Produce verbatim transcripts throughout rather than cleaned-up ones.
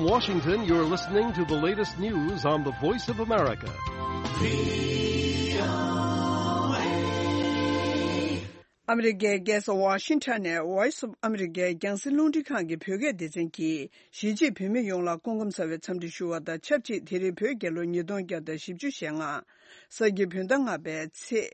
Washington, you're listening to the latest news on the Voice of America. ཨ་མི་རི་ཀའི་རྒྱལ་ས་ཝ་ཤིང་ཊོན་ནས་Voice of America རྒྱང་སྲིང་རླུང་འཕྲིན་ཁང་གི་བོད་སྐད་སྡེ་ཚན་གྱིས་གཞིས་བྱེས་བོད་མི་ཡོངས་ལ་སྐུ་ཁམས་བཟང་བའི་འཚམས་འདྲི་ཞུ་བ་དང་ཆབས་ཅིག་དེ་རིང་བོད་རྒྱལ་ལོ་ཉིས་སྟོང་བརྒྱ་དང་བཞི་བཅུ་ཞེ་ལྔ། ས་གི་བོད་ཟླ་ལྔ་པའི་ཚེས་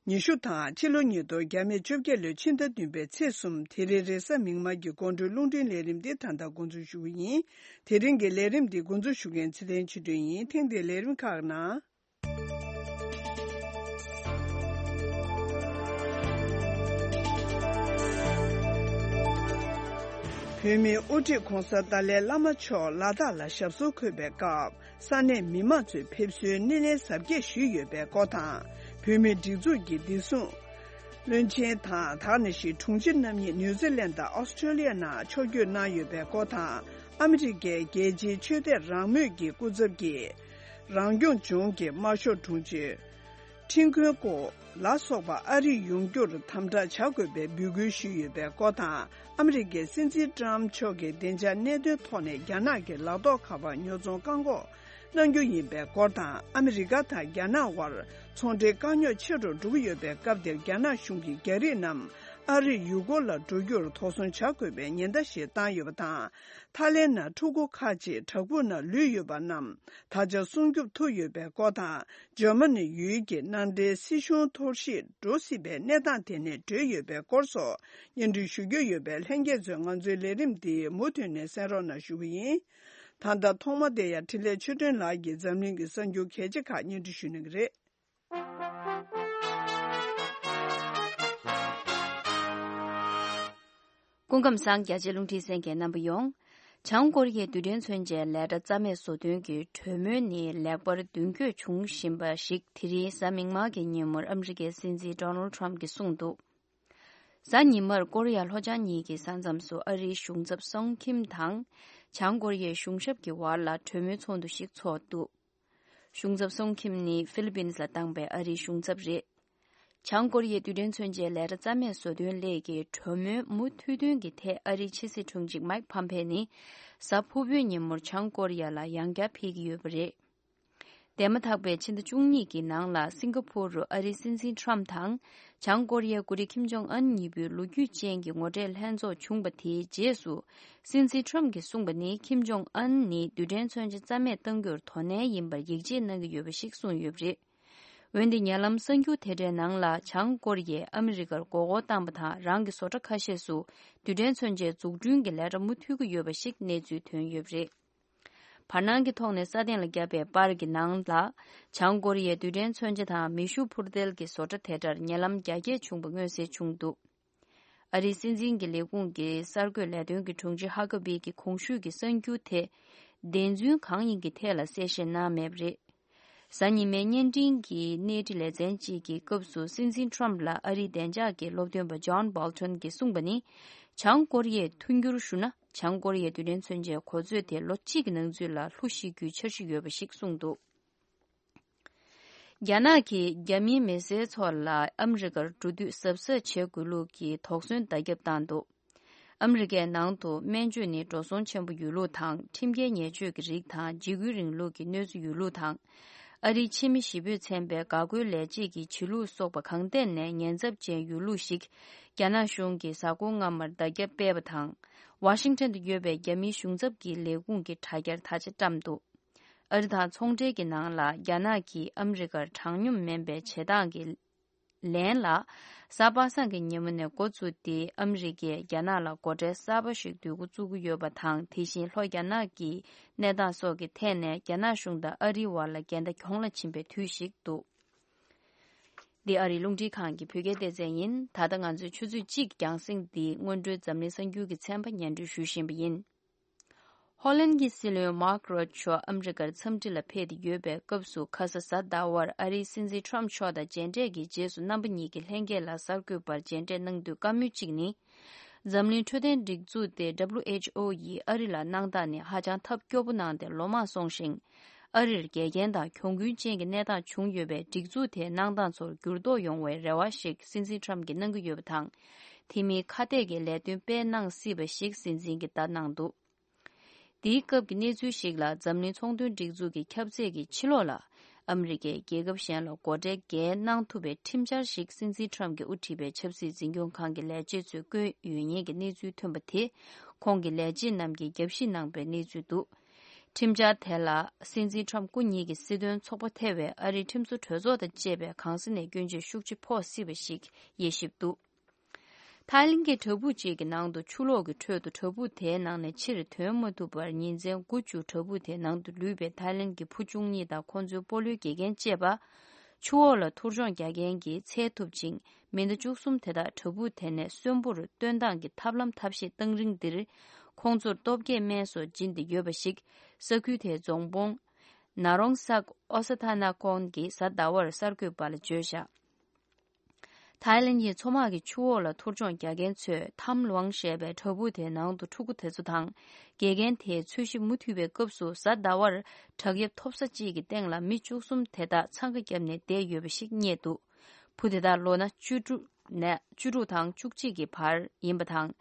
ཉི་ཤུ་དང་ཕྱི་ལོ་ཉིས་སྟོང་བརྒྱ་མེད་བཅོ་བརྒྱད་ལོའི་ཕྱི་ཟླ་བདུན་པའི་ཚེས་གསུམ། དེ་རིང་རེས་གཟའ་མིག་དམར་གྱི་དགོང་དྲོའི་རླུང་འཕྲིན་ལས་རིམ་འདི་ད་ལྟ་འགོ་འཛུགས་ཞུ་གི་ཡིན། དེ་རིང་གི་ལས་རིམ་འདི་འགོ་འཛུགས་ཞུ་མཁན་ཚེ་བརྟན་ཆོས་སྒྲོན་ཡིན། ཐེངས་འདིའི་ལས་རིམ་ཁག་ནང་། བོད་མིའི་དབུ་ཁྲིད་༧གོང་ས་ཏཱ་ལའི་བླ་མ་མཆོག་ལ་དྭགས་ལ་ཞབས་སོར་འཁོད་པའི་སྐབས། ས་གནས་མི་མང་ཚོས་ཕེབས་བསུའི་སྣེ་ལེན་གཟབ་རྒྱས་ཞུས་ཡོད་པའི་སྐོར་དང་། བོད་མིའི་སྒྲིག་འཛུགས་ཀྱི་བདེ་སྲུང་བློན་ཆེན་དང་། ད་ག་ནང་བཞིན་དྲུང་ཆེ་རྣམ་གཉིས་ནིའུ་ཛི་ལན་དང་ཨོ་སི་ཀྲོ་ལི་ཡ་ནང་ཕྱོགས་བསྐྱོད་གནང་ཡོད་པའི་སྐོར་དང་། ཨ་མི་རི་ཀའི་རྒྱལ་སྤྱིའི་ཆོས་དད་རང་མོས་ཀྱི་སྐུ་ཚབ་ཀྱིས། རང་སྐྱོང་ལྗོངས་ཀྱི་དམར་ཤོག་དྲུང་ཆེ་ཁྲིན་ཁོན་ཀོ་ལ་སོགས་པ་ཨ་རིར་ཡོང་རྒྱུར་དམ་དྲག་བྱ་དགོས་པའི་འབོད་སྐུལ་ཞུས་ཡོད་པའི་སྐོར་དང་། ཨ་མི་རི་ཀའི་སྲིད་འཛིན་ཏྲམ་མཆོག་གིས་བདེ་འཇགས་གནད་དོན་ཐོག་ནས་རྒྱ་ནག་གི་ལག་ཐོགས་ཁ་པར་ཉོ་ཚོང་བཀག་འགོག་གནང་རྒྱུ་ཡིན་པའི་སྐོར་དང་། ཨ་མི་རི་ཀ་དང་རྒྱ་ནག་དབར་ཚོང་འབྲེལ་དཀའ་རྙོག་ཆེ་རུ་འགྲོ་གི་ཡོད་པའི་སྐབས་འདིར། རྒྱ་ནག་གཞུང་གིས་རྒྱ་རིགས་རྣམས་ཨ་རིར་ཡུལ་སྐོར་ལ་འགྲོ་རྒྱུར་དོགས་ཟོན་བྱ་དགོས་པའི་ཉེན་བརྡ་ཞིག་བཏང་ཡོད་པ་དང་། ཐའི་ལེན་ནང་ཕྲུ་གུ་ཁག་ཅིག་བྲག་ཕུག་ནང་ལུས་ཡོད་པ་རྣམས་ད་ཆ་སྲུང་སྐྱོབ་ཐུབ་ཡོད་པའི་སྐོར་དང་། འཇར་མ་ནི་ཡུལ་གྱི་མནའ་འབྲེལ་སྲིད་གཞུང་འཐོར་ཞིག་འགྲོ་སྲིད་པའི་གནས་སྟངས་དེ་ནས་གྲོལ་ཡོད་པའི་སྐོར་སོགས་སྙན་སྒྲོན་ཞུ་རྒྱུ་ཡོད་པས། ལྷན་རྒྱས་ཚོས་ང་ཚོའི་ལས་རིམ་འདི་མུ་མཐུད་ནས་གསན་རོགས་གནང་ཞུ་གི་ཡིན། ད་ལྟ་ཐོག་མ་དེ་ཡང་འཕྲིན་ལས་ཆོས་སྒྲོན་ལགས་ཀྱིས་འཛམ་གླིང་གི་གསར་འགྱུར་གལ་ཆེ་ཁག་སྙན་སྒྲོན་ཞུ་གནང་གི་རེད། སྐུ་ཁམས་བཟང་། རྒྱ་ཆེའི་རླུང་འཕྲིན་གསན་མཁན་རྣམ་པ་ཡོངས། བྱང་ཀོ་རི་ཡའི་རྡུལ་ཕྲན་མཚོན་ཆའི་ལས་གྲྭ་རྩ་མེད་བཟོ་དོན་གྱི་གྲོས་མོལ་ནི་ལེགས་པར་མདུན་སྐྱོད་བྱུང་བཞིན་པ་ཞིག་དེ་རིང་གཟའ་མིག་དམར་གྱི་ཉིན་མོར་ཨ་མི་རི་ཀའི་སྲིད་འཛིན་ཌོ་ནལ་ཌི་ཊརམ་ཕི་གྱིས་གསུངས་འདུག་གཟའ་ཉི་མར་ཀོ་རི་ཡ་ལྷོ་བྱང་གཉིས་ཀྱི་ས་མཚམས་སུ་ཨ་རིའི་གཞུང་ཚབ་སུང་ཁིམ་དང་། བྱང་ཀོ་རི་ཡའི་གཞུང་ཞབས་ཀྱི་བར་ལ་གྲོས་མོལ་ཚོགས་འདུ་ཞིག་ཚོགས་འདུག་གཞུང་ཚབ་སུང་ཁིམ་ནི་ཧྥི་ལི་པིན་ལ་བཏང་པའི་ཨ་རིའི་གཞུང་ཚབ་རེད། བྱང་ཀོ་རི་ཡའི་རྡུལ་ཕྲན་མཚོན་ཆའི་ལས་གྲྭ་རྩ་མེད་བཟོ་དོན་སླད་ཀྱི་གྲོས་མོལ་མུ་མཐུད་དོན་གྱི་ཐད། ཨ་རིའི་ཕྱི་སྲིད་དྲུང་ཆེ་མཱིག་ཕམ་ཕེ་ནི་གཟའ་ཕུར་བུའི་ཉིན་མོར་བྱང་ཀོ་རི་ཡ་ལ་ཡང་བསྐྱར་ཕེབས་ཀྱི་ཡོད་པ་རེད། འདས་མ་ཐག་པའི་ཕྱི་ཟླ་བཅུ་གཉིས་ཀྱི་ནང་ལ་སིང་ག་ཕུར་རུ་ཨ་རིའི་སྲིད་འཛིན་ཊརམ་ཕི་དང་། བྱང་ཀོ་རི་ཡའི་འགོ་ཁྲིད་ཁིམ་ཇོང་ཨན་གཉིས་པོའི་ལོ་རྒྱུས་ཅན་གྱི་ངོ་འཕྲད་ལྷན་ཚོགས་བྱུང་པ་དེའི་རྗེས་སུ། སྲིད་འཛིན་ཊརམ་ཕི་གྱིས་གསུངས་པ་ནི། ཁིམ་ཇོང་ཨན་ནི་རྡུལ་ཕྲན་མཚོན་ཆ་རྩ་མེད་གཏང་རྒྱུར་དོ་ནན་ཡིན་པར་ཡིད་ཆེས་གནང་གི་ཡོད་པ་ཞིག་གསུངས་ཡོད་པ་རེད། འོན་ཏེ་ཉེ་ལམ་གསར་འགྱུར་དེ་འདྲའི་ནང་ལ། བྱང་ཀོ་རི་ཡས་ཨ་མི་རི་ཀར་མགོ་སྐོར་བཏང་པ་དང་། རང་གི་བཟོ་གྲྭ་ཁ་ཤས་སུ་རྡུལ་ཕྲན་མཚོན་ཆའི་འཛུགས་སྐྲུན་གྱི་ལས་གྲྭ་མུ་མཐུད་ཀྱི་ཡོད་པ་ཞིག་གནས་ཚུལ་ཐོན་ཡོད་པ་རེད། བར་སྣང་གི་ཐོག་ནས་སྲ་བརྟན་ལ་བརྒྱབ་པའི་པར་གྱི་ནང་ལ། བྱང་ཀོ་རི་ཡའི་རྡུལ་ཕྲན་མཚོན་ཆ་དང་མེ་ཤུགས་འཕུར་མདེལ་གྱི་བཟོ་གྲྭ་དེ་འདྲར་ཉེ་ལམ་རྒྱ་སྐྱེད་བྱུང་པ་མངོན་གསལ་བྱུང་འདུག་ཨ་རིའི་སྲིད་འཛིན་གྱི་ལས་ཁུངས་ཀྱི་གསར་འགོད་ལས་དོན་གྱི་དྲུང་ཆེ་ཧ་ཀ་བི་གྱིས་གོང་ཞུས་ཀྱི་གསར་འགྱུར་དེ་བདེན་རྫུན་གང་ཡིན་གྱི་ཐད་ལ་གསལ་བཤད་གནང་མེད་པ་རེད། གཟའ་ཉི་མའི་བརྙན་འཕྲིན་གྱི་གནས་འདྲི་ལེ་ཚན་གཅིག་གི་སྐབས་སུ། སྲིད་འཛིན་ཊརམ་ཕི་ལ་ཨ་རིའི་བདེ་འཇགས་ཀྱི་སློབ་སྟོན་པ་ཇོན་སྦོལ་ཊོན་གྱིས་གསུངས་པ་ནི། བྱང་ཀོ་རི་ཡས་མཐུན་འགྱུར་ཞུ་ན། བྱང་ཀོ་རི་ཡའི་རྡུལ་ཕྲན་མཚོན་ཆའི་གོ་ཚོད་དེ་ལོ་གཅིག་གི་ནང་ཚུད་ལ་ལྷུ་ཤེས་རྒྱུའི་འཆར་གཞི་ཡོད་པ་ཞིག་གསུངས་འདུག་རྒྱ་ནག་གིས་རྒྱ་མིའི་མི་སེར་ཚོ་ལ་ཨ་མི་རི་ཀར་འགྲོ་དུས་གཟབ་གཟབ་བྱེད་དགོས་ལུགས་ཀྱི་དོགས་ཟོན་བརྡ་ཁྱབ་བཏང་འདུག་ཨ་མི་རི་ཀའི་ནང་དུ་སྨན་བཅོས་ནི་འགྲོ་སོང་ཆེན་པོ་ཡོད་ལུགས་དང་། ཁྲིམས་འགལ་ཉེས་སྤྱོད་ཀྱི་རིགས་དང་། འཇིགས་སྐུལ་རིང་ལུགས་ཀྱི་གནོད་འཚེ་ཡོད་ལུགས་དང་། ཨ་རིའི་ཕྱི་མི་ཞེ་པོས་མཚན་པའི་འགག་སྒོའི་ལས་བྱེད་ཀྱི་བྱེད་ལུགས་སོགས་པ་གང་ཐད་ནས་ཉེན་ཚབས་ཅན་ཡོད་ལུགས་ཤིག་རྒྱ་ནག་གཞུང་གིས་གཟའ་འཁོར་སྔ་མར་བརྡ་ཁྱབ་སྤེལ་བ་དང་། ཝ་ཤིང་ཊོན་དུ་ཡོད་པའི་རྒྱ་མིའི་གཞུང་ཚབ་ཀྱི་ལས་ཁུངས་ཀྱིས་དྲ་རྒྱར་ད་ཆ་བཀྲམ་འདུག་ཨ་རི་དང་ཚོང་འབྲེལ་གྱི་ནང་ལ། རྒྱ་ནག་གིས་ཨ་མི་རི་ཀར་དྲང་སྙོམས་མིན་པའི་བྱེད་སྟངས་ཀྱི་ལན་ལ། གཟའ་པ་སངས་ཀྱི་ཉིན་མོ་ནས་འགོ་བཙུགས་ཏེ། ཨ་མི་རི་ཀས་རྒྱ་ནག་ལ་སྒོ་ཁྲལ་གསར་པ་ཞིག་བསྡུ་འགོ་བཙུགས་ཀྱི་ཡོད་པ་དང་། དེ་བཞིན་ལྷོ་རྒྱ་ནག་གི་གནས་སྟངས་སོགས་ཀྱི་ཐད་ནས་རྒྱ་ནག་གཞུང་དང་ཨ་རིའི་བར་ལ་འགལ་ཟླ་གྱོང་ལ་ཕྱིན་པའི་དུས་ཤིག་འདུག་འདི་ཨ་རིའི་རླུང་འཕྲིན་ཁང་གི་བོད་སྐད་སྡེ་ཚན་ཡིན། ད་ལྟ་ང་ཚོས་ཆུ་ཚོད་གཅིག་རྒྱང་སྲིང་འདིའི་སྔོན་འགྲོའི་འཛམ་གླིང་གསར་འགྱུར་གྱི་ཚན་པ་སྙན་སྒྲོན་ཞུ་བཞིན་པ་ཡིན། ཧོ་ལན་གྱི་སྲིད་བློན་མཱག་རོད་མཆོག་ཨ་མི་རི་ཀར་འཚམས་འདྲི་ལ་ཕེབས་ཏེ་ཡོད་པའི་སྐབས་སུ། ཁ་ས་གཟའ་ཟླ་བར་ཨ་རིའི་སྲིད་འཛིན་ཊརམ་ཕི་མཆོག་དང་མཇལ་འཕྲད་ཀྱི་རྗེས་སུ། རྣམ་པ་གཉིས་ཀྱིས་ལྷན་རྒྱས་ལ་གསར་འགོད་པར་མཇལ་འཕྲད་གནང་དུས། བཀའ་མོལ་གཅིག་ནི། འཛམ་གླིང་འཕྲོད་བསྟེན་སྒྲིག་འཛུགས་ཏེ། ཌབ་ལུ་ཨེཆ་ཨོ་ཡིས་ཨ་རི་ལ་གནང་སྟངས་ནི་ཧ་ཅང་ཐབས་སྐྱོ་པོ་གནང་སྟེ་ལོ་མང་སོང་ཞིང་། ཨ་རིར་འགལ་རྐྱེན་དང་གྱོང་གུན་ཅན་གྱི་གནས་སྟངས་བྱུང་ཡོད་པས། སྒྲིག་འཛུགས་དེའི་གནང་སྟངས་ཚོར་འགྱུར་ལྡོག་ཡོང་བའི་རེ་བ་ཞིག་སྲིད་འཛིན་ཊརམ་ཕི་གྱིས་གནང་གི་ཡོད་པ་དང་། དེ་མིན་ཁ་གཏད་ཀྱི་ལས་དོན་སྤེལ་གནང་སྲིད་པ་ཞིག་སྲིད་འཛིན་གྱིས་བརྡ་གནང་འདུག་དེའི་སྐབས་ཀྱི་གནས་ཚུལ་ཞིག་ལ། འཛམ་གླིང་ཚོང་དོན་སྒྲིག་འཛུགས་ཀྱི་ཁྱབ་ཚད་ཀྱི་ཕྱི་ལོགས་ལ་ཨ་མི་རི་ཀས་རྒྱལ་ཁབ་གཞན་ལ་སྒོ་ཁྲལ་འགེལ་གནང་ཐུབ་པའི་ཁྲིམས་འཆར་ཞིག་སྲིད་འཛིན་ཁྲམ་གྱིས་དབུ་ཁྲིད་པའི་ཆབ་སྲིད་འཛིན་སྐྱོང་ཁང་གི་ལས་བྱེད་ཚོས་བསྐོས་ཡོད་ཉེན་གྱི་གནས་ཚུལ་ཐོན་པ་དེ། ཁོང་གི་ལས་བྱེད་རྣམས་ཀྱིས་རྒྱབ་བཤིག་གནང་པའི་གནས་ཚུལ་འདུག་ཁྲིམས་འཆར་དེ་ལ་སྲིད་འཛིན་ཁྲམ་སྐུ་ཉིད་ཀྱི་སྲིད་དོན་ཚོགས་པ་ཐེ་བའི་ཨ་རིའི་ཁྲིམས་བཟོ་གྲོས་ཚོགས་དང་བཅས་པས་གང་ས་ནས་སྐྱོན་བརྗོད་ཤུགས་ཆེ་ཕོག་སྲིད་པ་ཞིག་དབྱེ་ཞིབ་འདུག་ཐའི་ལེན་གྱི་བྲག་ཕུག་ཅིག་གི་ནང་དུ་ཆུ་ལོག་གི་ཁྲོད་དུ་བྲག་ཕུག་དེའི་ནང་ནས་ཕྱིར་ཐོན་མ་ཐུབ་པར་ཉིན་མཚན་དགུ་བཅུ་བྲག་ཕུག་དེའི་ནང་དུ་ལུས་པའི་ཐའི་ལེན་གྱི་བུ་བཅུ་གཉིས་དང་ཁོང་ཚོའི་སྤོ་ལོའི་དགེ་རྒན་བཅས་པ། ཆུ་འོག་ལ་ཐུར་མཆོང་རྒྱག་མཁན་གྱིས་འཚོལ་ཐུབ་ཅིང་། མི་སྣ་བཅུ་གསུམ་དེ་དག་བྲག་ཕུག་དེ་ནས་གསོན་པོར་བཏོན་སྟངས་ཀྱི་ཐབས་ལམ་ཐབས་ཤེས་བཏང་རིང་འདིར། ཁོང་ཚོར་སྟོབས་སྐྱེད་སྨན་སོགས་སྦྱིན་ཏེ་ཡོད་པ་ཞིག་ས་ཁུལ་དེའི་རྫོང་དཔོན་ན་རོང་སག་ཨོ་ས་ཐ་ན་ཀོན་གྱིས་གཟའ་ཟླ་བར་གསར་འགོད་པ་ལ་བརྗོད་བཞག་ཐའི་ལེན་གྱི་མཚོ་དམག་གི་ཆུ་འོག་ལ་ཐུར་མཆོང་རྒྱག་མཁན་ཚོས་ཐམ་ལུའང་ཞེས་པའི་བྲག་ཕུག་དེའི་ནང་དུ་ཕྲུ་གུ་དེ་ཚོ་དང་། དགེ་རྒན་དེས་འཚོལ་ཞིབ་མུ་མཐུད་པའི་སྐབས་སུ། གཟའ་ཟླ་བར་བྲག་གཡབ་མཐོ་ས་གཅིག་གི་སྟེང་ལ་མི་བཅུ་གསུམ་དེ་དག་འཚང་ཁ་བརྒྱབ་ནས་བསྡད་ཡོད་པ་ཞིག་རྙེད་འདུག་བུ་དེ་དག་ལོ་ན་བཅུ་དྲུག་ནས་བཅུ་དྲུག་དང་བཅུ་གཅིག་གི་བར་ཡིན་པ་དང་།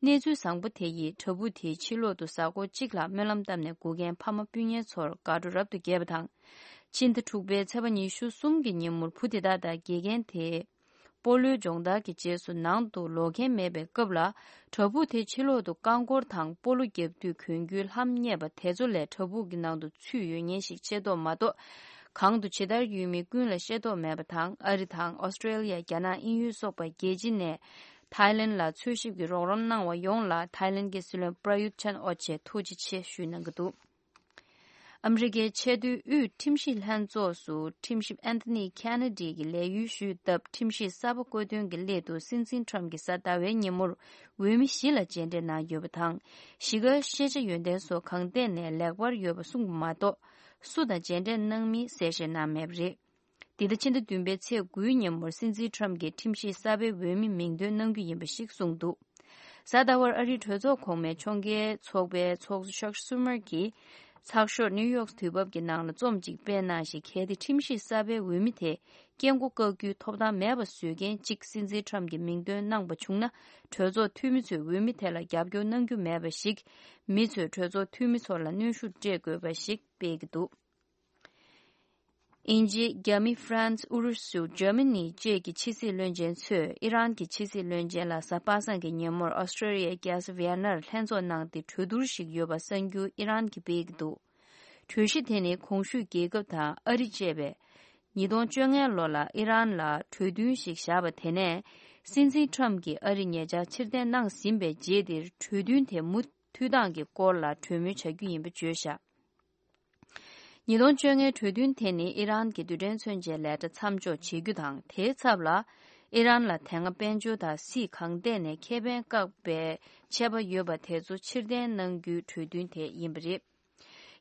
གནས་ཚུལ་བཟང་པོ་དེ་ཡིས་བྲག་ཕུག་དེའི་ཕྱི་ལོག་ཏུ་གཟའ་འཁོར་གཅིག་ལྷག་སྨོན་ལམ་བཏབ་ནས་སྒུག་མཁན་ཕ་མ་སྤུན་ཉེ་ཚོར་དགའ་སྤྲོ་རབ་ཏུ་རྒྱས་པ་དང་། ཕྱི་ཟླ་དྲུག་པའི་ཚེས་པ་ཉི་ཤུ་གསུམ་གྱི་ཉིན་མོར་བུ་དེ་དག་དང་དགེ་རྒན་དེས་སྤོ་ལོའི་སྦྱོང་བརྡར་གྱི་རྗེས་སུ་ནང་དུ་ལོག་མཁན་མེད་པའི་སྐབས་ལ། བྲག་ཕུག་དེའི་ཕྱི་ལོག་ཏུ་རྐང་འཁོར་དང་སྤོ་ལོ་རྒྱག་དུས་གྱོན་རྒྱུའི་ལྷམ་རྙེད་པ་དེ་ཚོ་ལས་བྲག་ཕུག་གི་ནང་དུ་ཚུད་ཡོད་ཉེན་ཞིག་ཤེས་རྟོགས་མ་གཏོགས། གང་དུ་ཇི་ལྟར་ཡོད་མིན་ཀུན་ལ་ཤེས་རྟོགས་མེད་པ་དང་། ཨ་རི་དང་ཨོ་སི་ཀྲེ་ལི་ཡ། རྒྱ་ནག་དབྱིན་ཡུལ་སོགས་པ་རྒྱལ་སྤྱི་ནས་ཐའི་ལེན་ལ་འཚོལ་ཞིབ་ཀྱི་རོགས་རམ་གནང་བ་ཡོངས་ལ་ཐའི་ལེན་གྱི་སྲིད་བློན་པྲ་ཡུད་ཆན་ཨོ་ཆེ་ཐུགས་རྗེ་ཆེ་ཞུས་གནང་གི་འདུག་ཨ་མི་རི་ཀའི་ཆེས་མཐོའི་དབུས་ཁྲིམས་ཞིབ་ལྷན་ཚོགས་སུ་ཁྲིམས་ཞིབ་ཨན་ཐོ་ནི་ཁེ་ནེ་ཌི་གིས་ལས་ཡུལ་ཞུས་སྟབས། ཁྲིམས་ཞིབ་གསར་པ་བསྐོ་འདོན་གྱི་སླད་དུ་སྲིད་འཛིན་ཁྲམ་གྱིས་གཟའ་ཟླ་བའི་ཉིན་མོར་འོས་མི་བཞི་ལ་མཇལ་འཕྲད་གནང་ཡོད་པ་དང་། གཞིས་ཀ་ཤེས་བྱ་ཡོན་ཏན་སོགས་གང་ཐད་ནས་ལེགས་པར་ཡོད་པ་གསུངས་པ་མ་གཏོགས། སུ་དང་མཇལ་འཕྲད་གནང་མིན་གསལ་བཤད་གནང་མེད་པ་རེད། འདི་ཟླ་ཕྱི་ཟླ་བདུན་པའི་ཚེས་དགུའི་ཉིན་མོར་སྲིད་འཛིན་ཁྲམ་གྱིས་ཁྲིམས་ཞིབ་གསར་པའི་འོས་མི་མིང་འདོན་གནང་རྒྱུ་ཡིན་པ་ཞིག་གསུངས་འདུག་གཟའ་ཟླ་བར་ཨ་རིའི་གྲོས་ཚོགས་གོང་མའི་ཕྱོགས་འགལ་ཚོགས་པའི་ཚོགས་གཙོ་ཆག་སུ་མར་གྱིས། ཚགས་ཤོག་ནིའུ་ཡོག་དུས་བབ་ཀྱི་ནང་ལ་རྩོམ་གཅིག་སྤེལ་གནང་ཞིང་། གལ་ཏེ་ཁྲིམས་ཞིབ་གསར་པའི་འོས་མི་དེ་སྐད་མགོ་བཀག་རྒྱུའི་ཐོབ་ཐང་མེད་པ་བཟོ་མཁན་གཅིག་སྲིད་འཛིན་ཁྲམ་གྱིས་མིང་འདོན་གནང་པ་བྱུང་ན། གྲོས་ཚོགས་འཐུས་མི་ཚོས་འོས་མི་དེ་ལ་རྒྱབ་སྐྱོར་གནང་རྒྱུ་མེད་པ་ཞིག་མི་ཚོས་གྲོས་ཚོགས་འཐུས་མི་ཚོ་ལ་གནོན་ཤུགས་སྤྲད་དགོས་པ་ཞིག་སྤེལ་གྱི་འདུག་དབྱིན་ཇི། རྒྱ་མི། ཧྥ་རན་སི། ཨུ་རུ་སུ། འཇར་མ་ནི་བཅས་ཀྱི་ཕྱི་སྲིད་བློན་ཆེན་ཚོས་ཨི་རན་གྱི་ཕྱི་སྲིད་བློན་ཆེན་ལ་གཟའ་པ་སངས་ཀྱི་ཉིན་མོར་ཨོ་སི་ཀྲེ་ལི་ཡའི་རྒྱལ་ས་ཝི་ཡན་ནར་ལྷན་ཚོགས་གནང་སྟེ་གྲོས་བསྡུར་ཞིག་ཡོད་པ་གསར་འགྱུར་ཨི་རན་གྱིས་སྤེལ་གྱི་འདུག་གྲོས་གཞི་དེ་ནི་གོང་ཞུས་རྒྱལ་ཁབ་དང་ཨ་རི་བཅས་པས་ཉིས་སྟོང་བཅོ་ལྔ་ལོ་ལ་ཨི་རན་ལ་གྲོས་མཐུན་ཞིག་བཞག་པ་དེ་ནས། སྲིད་འཛིན་ཁྲམ་གྱིས་ཨ་རི་ཉེ་ཆར་ཕྱིར་འཐེན་གནང་ཟིན་པའི་རྗེས་འདིར་གྲོས་མཐུན་དེ་མུ་མཐུད་སྟངས་ཀྱི་སྐོར་ལ་གྲོས་མོལ་བྱ་རྒྱུ་ཡིན་པ་བརྗོད་བཞག་ཉིས་སྟོང་བཅོ་ལྔའི་གྲོས་མཐུན་དེ་ནི་ཨི་རན་གྱི་རྡུལ་ཕྲན་མཚོན་ཆའི་ལས་གྲྭ་མཚམས་འཇོག་བྱེད་རྒྱུ་དང་། དེའི་ཚབ་ལ་ཨི་རན་ལ་དེ་སྔ་དཔལ་འབྱོར་དང་སྲིད་གང་ཐད་ནས་ཁེ་ཕན་བཀག་པའི་ཆད་པ་ཡོད་པ་དེ་ཚོ་ཕྱིར་འཐེན་གནང་རྒྱུའི་གྲོས་མཐུན་དེ་ཡིན་པ་རེད།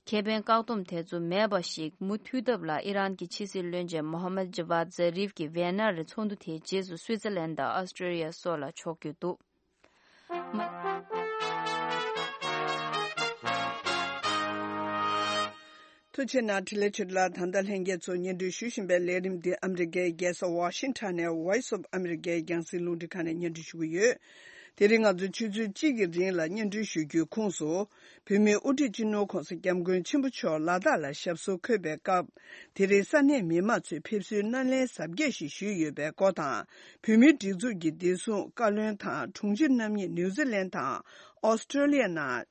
ཁེ་ཕན་བཀག་སྡོམ་དེ་ཚོ་མེད་པ་ཞིག་མུ་མཐུད་ཐབས་ལ་ཨི་རན་གྱི་ཕྱི་སྲིད་བློན་ཆེན་མོ་ཧམ་མད་ཇ་ཝཱད་ཛ་རིབ་ཀྱིས་ཝེ་ནར་ཚོགས་འདུ་དེའི་རྗེས་སུ་སུའི་ཙི་ལན་དང་ཨོ་སི་ཀྲེ་ལི་ཡ་སོགས་ལ་ཕྱོགས་བསྐྱོད་འདུག་ཐུགས་རྗེ་གནང་། འཕྲིན་ལས་ཆོས་སྒྲོན་ལགས། ད་ལྟ་ལྷན་རྒྱས་ཚོ་སྙན་སྒྲོན་ཞུ་བཞིན་པའི་ལས་རིམ་འདི་ཨ་མི་རི་ཀའི་རྒྱལ་ས་ཝ་ཤིང་ཊོན་ནས་Voice of America རྒྱང་སྲིང་རླུང་འཕྲིན་ཁང་ནས་སྙན་སྒྲོན་ཞུ་གི་ཡོད། དེ་རིང་ང་ཚོས་ཆུ་ཚོད་གཅིག་གི་རིང་ལ་སྙན་སྒྲོན་ཞུ་རྒྱུའི་ཁོངས་སུ། བོད་མིའི་དབུ་ཁྲིད་སྤྱི་ནོར་༸གོང་ས་༸སྐྱབས་མགོན་ཆེན་པོ་མཆོག་ལ་དྭགས་ལ་ཞབས་སོར་འཁོད་པའི་སྐབས། དེ་རིང་ས་གནས་མི་མང་ཚོས་ཕེབས་བསུའི་སྣེ་ལེན་གཟབ་རྒྱས་ཤིག་ཞུས་ཡོད་པའི་སྐོར་དང་། བོད་མིའི་སྒྲིག་འཛུགས་ཀྱི་བདེ་སྲུང་བཀའ་བློན་དང་དྲུང་ཆེ་རྣམ་གཉིས་ནིའུ་ཛི་ལན་དང་ཨོ་སི་ཀྲོ་ལི་ཡ་ནང་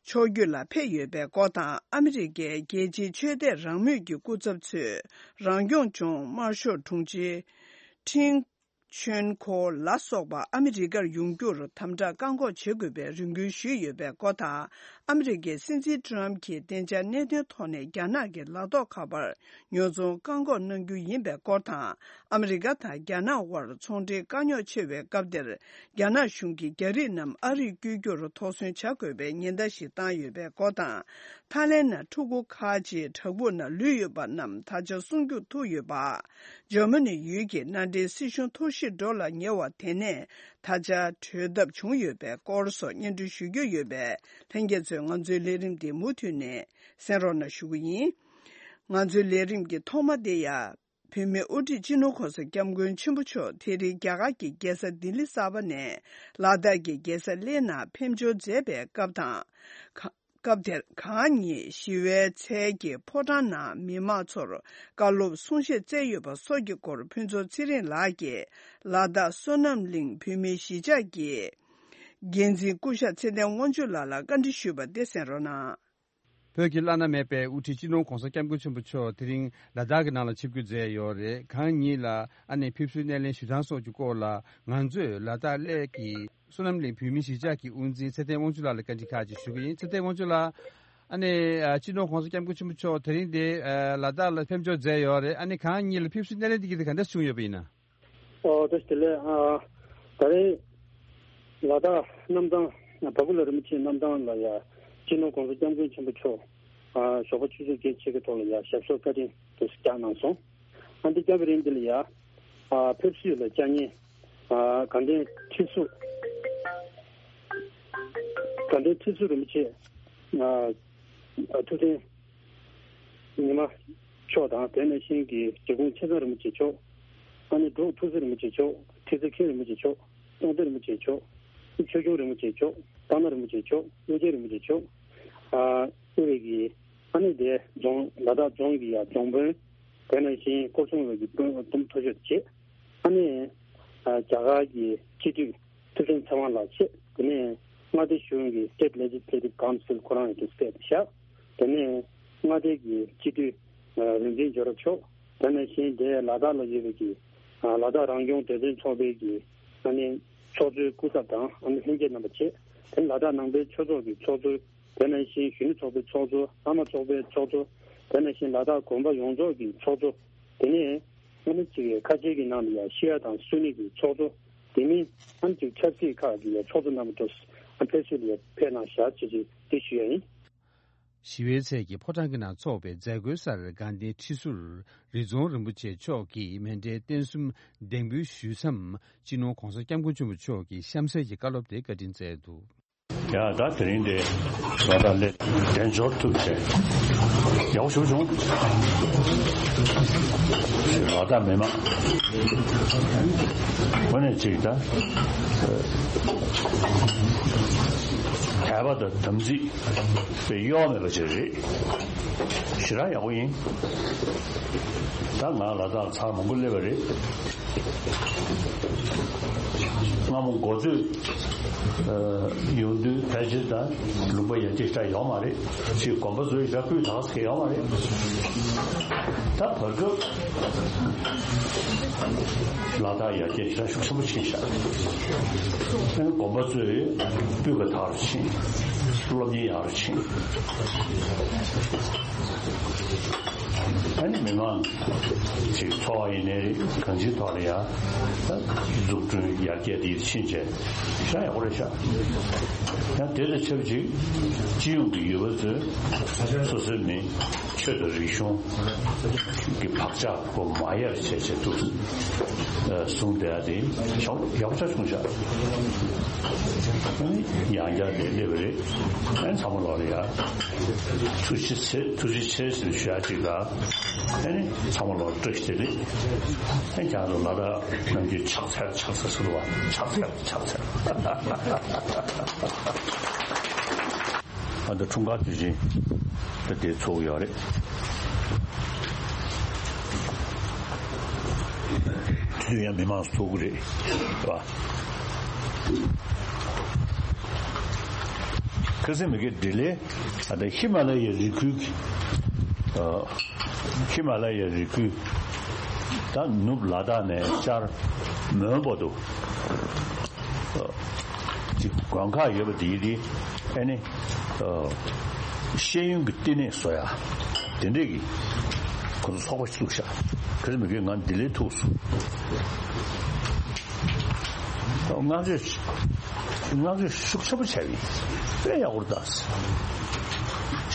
ཕྱོགས་བསྐྱོད་ལ་ཕེབས་ཡོད་པའི་སྐོར་དང་། ཨ་མི་རི་ཀའི་རྒྱལ་སྤྱིའི་ཆོས་དད་རང་མོས་ཀྱི་སྐུ་ཚབ་ཚོས་རང་སྐྱོང་ལྗོངས་དམར་ཤོག་དྲུང་ཆེ་ཁྲིན་ཆོན་ཁོ་ལ་སོགས་པ་ཨ་མི་རི་ཀར་ཡོང་རྒྱུར་དམ་དྲག་བཀག་འགོག་བྱེད་དགོས་པའི་རེ་སྐུལ་ཞུས་ཡོད་པའི་སྐོར་དང་། ཨ་མི་རི་ཀའི་སྲིད་འཛིན་ཏྲམ་གྱིས་བདེ་འཇགས་གནད་དོན་ཐོག་ནས་རྒྱ་ནག་གི་ལག་ཐོགས་ཁ་པར་ཉོ་ཚོང་བཀག་འགོག་གནང་རྒྱུ་ཡིན་པའི་སྐོར་དང་། ཨ་མི་རི་ཀ་དང་རྒྱ་ནག་དབར་ཚོང་འབྲེལ་དཀའ་རྙོག་ཆེ་བའི་སྐབས་འདིར། རྒྱ་ནག་གཞུང་གིས་རྒྱ་རིགས་རྣམས་ཨ་རིར་བསྐྱོད་རྒྱུར་དོགས་ཟོན་བྱ་དགོས་པའི་ཉེན་བརྡ་ཞིག་བཏང་ཡོད་པའི་སྐོར་དང་། ཐའི་ལེན་ནང་ཕྲུ་གུ་ཁག་ཅིག་བྲག་ཕུག་ནང་ལུས་ཡོད་པ་རྣམས་ད་ཆ་སྲུང་སྐྱོབ་ཐུབ་ཡོད་པ། འཇར་མ་ནི་ཡུལ་གྱི་མནའ་འབྲེལ་སྲིད་གཞུང་ཐོར་ཞིག་འགྲོ་ལ་ཉེ་བ་དེ་ནས་ད་ཆ་གྲོལ་ཐབས་བྱུང་ཡོད་པའི་སྐོར་སོགས་སྙན་སྒྲོན་ཞུ་རྒྱུ་ཡོད་པས། ལྷན་རྒྱས་ཚོས་ང་ཚོའི་ལས་རིམ་འདི་མུ་མཐུད་ནས་གསན་རོགས་གནང་ཞུ་གི་ཡིན། ང་ཚོའི་ལས་རིམ་གྱི་ཐོག་མ་དེ་ཡང་། བོད་མིའི་དབུ་ཁྲིད་སྤྱི་ནོར་༸གོང་ས་༸སྐྱབས་མགོན་ཆེན་པོ་མཆོག་དེ་རིང་རྒྱ་གར་གྱི་རྒྱལ་ས་ལྡི་ལི་གསར་པ་ནས་ལ་དྭགས་ཀྱི་རྒྱལ་ས་གླེ་ནང་ཕེབས་འབྱོར་མཛད་པའི་སྐབས་དང་། ག- སྐབས་དེར་གང་ཉིད་ཞི་བའི་ཚལ་གྱི་ཕོ་བྲང་ནང་མི་མང་ཚོར་བཀའ་སློབ་གསུང་བཤད་སྩལ་ཡོད་པ་སོགས་ཀྱི་སྐོར་ཕུན་ཚོགས་ཚེ་རིང་ལགས་ཀྱིས་ལ་དྭགས་བསོད་ནམས་གླིང་བོད་མིའི་གཞིས་ཆགས་ཀྱི་འགན་འཛིན་སྐུ་ཞབས་ཚེ་བརྟན་དབང་ཕྱུག་ལགས་ལ་བཀའ་འདྲི་ཞུས་པ་དེ་གསན་རོགས་གནང་། བོད་ཀྱི་བླ་ན་མེད་པའི་དབུ་ཁྲིད་སྤྱི་ནོར་༧གོང་ས་༧སྐྱབས་མགོན་ཆེན་པོ་མཆོག་དེ་རིང་ལ་དྭགས་ཀྱི་ནང་ལ་ཆིབས་བསྒྱུར་མཛད་ཡོད་རེད། གང་ཉིད་ལ་ཨ་ནེ་ཕེབས་བསུའི་སྣེ་ལེན་ཞུ་སྟངས་སོགས་ཀྱི་སྐོར་ལ་ང་ཚོས་ལ་དྭགས་གླེ་གི་བསོད་ནམས་གླིང་བོད་མིའི་གཞིས་ཆགས་ཀྱི་དབུ་འཛིན་ཚེ་བརྟན་དབང་ཕྱུག་ལགས་ལ་བཀའ་འདྲི་ཁག་ཅིག་ཞུ་གི་ཡིན། ཚེ་བརྟན་དབང་ཕྱུག་ལགས། ཨ་ནེ་ཨ་སྤྱི་ནོར་༧གོང་ས་༧སྐྱབས་མགོན་ཆེན་པོ་མཆོག་དེ་རིང་འདི་ཨ་ལ་དྭགས་ལ་ཕེབས་འབྱོར་མཛད་ཡོད་རེད། ཨ་ནེ་གང་ཉིད་ལ་ཕེབས་བསུའི་སྣེ་ལེན་འདི་གི་དེ་ག་འདྲ་བྱུང་ཡོད་པ་ཡིན་ན། ཨོ་བཀྲ་ཤིས་བདེ་ལེགས། ཨ་ད་རེས་ལ་དྭགས་གནམ་ཐང་བ་གུ་ལ་རིན་པོ་ཆེའི་གནམ་ཐང་ལ་ཡ་སྤྱི་ནོར་༧གོང་ས་༧སྐྱབས་མགོན་ཆེན་པོ་མཆོག་ཨ་ཞོགས་པ་ཆུ་ཚོད་བརྒྱད་ཕྱེད་ཀའི་ཐོག་ལ་ཡ་ཞབས་སོར་བཀའ་དྲིན་དུ་བསྐྱངས་གནང་སོང་། ཨ་འདི་བསྐྱངས་པའི་རིང་འདི་ལ་ཡ་ཨ་ཕེབས་བསུ་ལ་བཅར་མཁན་ཨ་དགའ་ལྡན་ཁྲི་ཟུར་དགའ་ལྡན་ཁྲི་ཟུར་རིན་པོ་ཆེ་ཨ་ཨ་ཐུབ་བསྟན་ཉི་མ་མཆོག་དང་། དེ་ནང་བཞིན་གྱི་རྗེ་ཁོང་ཆེ་ཚང་རིན་པོ་ཆེ་མཆོག་ཨ་ནི་འབྲུག་ཐུགས་སྲས་རིན་པོ་ཆེ་མཆོག་ཁྲི་ཙེ་མཁན་རིན་པོ་ཆེ་མཆོག་སྟོང་སྡེ་རིན་པོ་ཆེ་མཆོག་ཆོས་སྐྱོང་རིན་པོ་ཆེ་མཆོག་སྟག་སྣ་རིན་པོ་ཆེ་མཆོག་ཨོ་རྒྱན་རིན་པོ་ཆེ་མཆོག་ཨ་ཨུ་རེ་གི་ཨ་ནི་དེ་རྫོང་ལ་དྭགས་རྫོང་གི་ཡ་རྫོང་དཔོན། དེ་ནང་བཞིན་སྐོར་སྲུང་ལས་ཀྱི་དཔོན་དུམ་མཐོ་ཤོས་བྱས། ཨ་ནི་ཨ་རྒྱ་གར་གྱི་སྤྱི་འཐུས་ཐུབ་བསྟན་ཚེ་དབང་ལགས་བྱས། དེ་ནས་མངའ་སྡེ་གཞུང་གི་State Legislative Council ཁོ་རང་ཡང་དུ་བསྐོས་བཞག་དེ་ནས་མངའ་སྡེ་གི་སྤྱི་འཐུས་ཨ་རིག་འཛིན་ཇོ་རབ་མཆོག་དེ་ནང་བཞིན་དེ་ལ་དྭགས་ལ་ཡོད་པའི་གི་ཨ་ལ་དྭགས་རང་སྐྱོང་སྡེ་ཚན་ཚོགས་པའི་གི་ཨ་ནི་ཚོགས་གཙོའི་སྐུ་ཚབ་དང་ཨ་ནི་ལྷན་རྒྱས་རྣམ་པ་བྱས། དེ་ནས་ལ་དྭགས་ནང་པའི་ཆོས་ཚོགས་ཀྱི་ཚོགས་གཙོ། དེ་ནང་བཞིན་གཞོན་ནུ་ཚོགས་པའི་ཚོགས་གཙོ། ཨ་མ་ཚོགས་པའི་ཚོགས་གཙོ། དེ་ནང་བཞིན་ལ་དྭགས་དགོན་པ་ཡོངས་རྫོགས་ཀྱི་ཚོགས་གཙོ། དེ་ནས་ཨ་ནི་གཅིག་ཁ་ཆེ་གི་ནང་ལ་ཡ་ཤེས་ཡ་དང་གསོ་ནི་གི་ཚོགས་གཙོ། དེ་མིན་ཨ་ནི་གཅིག་ཆབ་སྲིད་ཁག་གི་ཡ་ཚོགས་གཙོ་རྣམ་པ་ཚོ་ཨ་ཕེབས་བསུ་ལ་ཡ་ཕེབས་གནང་བཞག་ཅེས་ཅིག་དེ་ཞུ་ཡ་ཡིན། ཞི་བའི་ཚལ་གྱི་ཕོ་བྲང་གི་ནང་འཚོགས་པའི་མཛད་སྒོའི་སར་དགའ་ལྡན་ཁྲི་ཟུར་རི་རྫོང་རིན་པོ་ཆེ་མཆོག་གིས་མཎྜལ་རྟེན་གསུམ་གདན་འབུལ་ཞུས་མཚམས། སྤྱི་ནོར་༧གོང་ས་༧སྐྱབས་མགོན་ཆེན་པོ་མཆོག་གིས་གཤམ་གསལ་གྱི་བཀའ་སློབ་དེ་བཀའ་དྲིན་སྩལ་འདུག་ཡ་ད་དེ་རིང་དེ་ལ་དྭགས་གླེ་དལ་འབྱོར་ཐུབ་བྱས་ཡག་པོ་ཞེ་པོ་བྱུང་། ལ་དྭགས་མི་མང་ངོས་ནས་ཅིག་ད་དད་པ་དང་དམ་ཚིག་དཔེ་གཡོ་བ་མེད་པ་ཅིག་རེད། ཞེ་དྲག་ཡག་པོ་ཡིན། ད་ང་ལ་དྭགས་ཚར་མང་པོ་སླེབས་པ་རེད། སྔ་མོ་འགོ་ཚུགས་ཡོང་དུས་ཕལ་ཆེར་ད་ལུང་པ་ཡར་རྒྱས་ཞེ་དྲག་ཡོད་མ་རེད། ཅིག་དགོན་པ་ཚོའི་ཞེ་དྲག་སྤུས་དག་ཟེར་ཡོད་མ་རེད། ད་བར་སྐབས་ལ་དྭགས་ཡར་རྒྱས་ཞེ་དྲག་ཤུགས་ཆེན་པོ་ཕྱིན་ཤག་ཨ་ནི་དགོན་པ་ཚོས་སྤུས་ཀ་དག་རུ་ཕྱིན། སློབ་གཉེར་ཡག་རུ་ཕྱིན། ཨ་ནི་མི་མང་ཅིག་འཚོ་བ་ཡིན་ནའི་རེད། གང་ཅིའི་ཐོག་ལ་ཡ་ད་འཛུགས་སྐྲུན་ཡར་རྒྱས་དེ་ཕྱིན་བྱས་ཤ་ཡག་པོ་རེད་ཤག་ཡང་དེ་དང་ཆབས་ཅིག་སྤྱི་ཡོངས་ཀྱི་ཡུལ་པ་ཚོས་སོ་སོའི་མི་ཆོས་དང་རིག་གཞུང་གི་བག་ཆགས་ཁོ་མ་ཡལ་བྱས་བྱས་འདུག་གསུངས་བསྡད་ཡ་དེ་ཡག་པོ་ཆགས་བྱུང་ཤག་ཨ་ནི་ཡང་བསྐྱར་དེ་སླེབས་པ་རེད། ཨ་ནི་ཚང་མ་ལོག་ལ་ཡ་ཐུགས་རྗེ་ཆེ་ཐུགས་རྗེ་ཆེ་ཟེར་ཞུ་ཡ་ཅིག་ལ། ཨ་ནི་ཚང་མ་ལོག་བཀྲ་ཤིས་བདེ་ལེགས། ཨ་ནི་ཁྱེད་རང་ཚོ་ལ་དྭགས་ནམ་རྒྱུན་ཕྱག་འཚལ་ཕྱག་འཚལ་ཟེར་བ་ཕྱག་འཚལ་ཕྱག་འཚལ། ཨ་ད་འཁྲུངས་སྐར་དུས་ཆེན་ད་དེ་ཚོགས་ཡོད་རེད། དུས་ཡང་མི་མང་ཚོགས་ཀྱི་རེད་བ། ཁ་སང་མི་དགེ་འདི་ལས་ཨ་ད་ཧི་མ་ལ་ཡའི་རི་ཁུལ་གྱི་ཨ་ཧི་མ་ལ་ཡའི་རི་ཁུལ་ད་ནུབ་ལ་དྭགས་ནས་བཅར་མོན་བར་དུ། ཅིག་དགོན་ཁག་ཡོད་པ་དེ་ཡིན་དེ་ཨ་ནི་ཤེས་ཡོན་གྱི་བསྟི་གནས་བཟོ་ཡ་དེ་འདྲས་ཀྱི་ཁོ་ཚོ་ཚོགས་པ་ཞིག་བཙུགས་ཤག་ཁ་སང་མི་དགེ་ང་ལྡི་ལིར་ཐུག་སོང་། བསྔགས་བརྗོད་བསྔགས་བརྗོད་ཤུགས་ཆེན་པོ་བྱས་པ་ཡིན། དཔེ་ཡག་པོ་རེད་ད།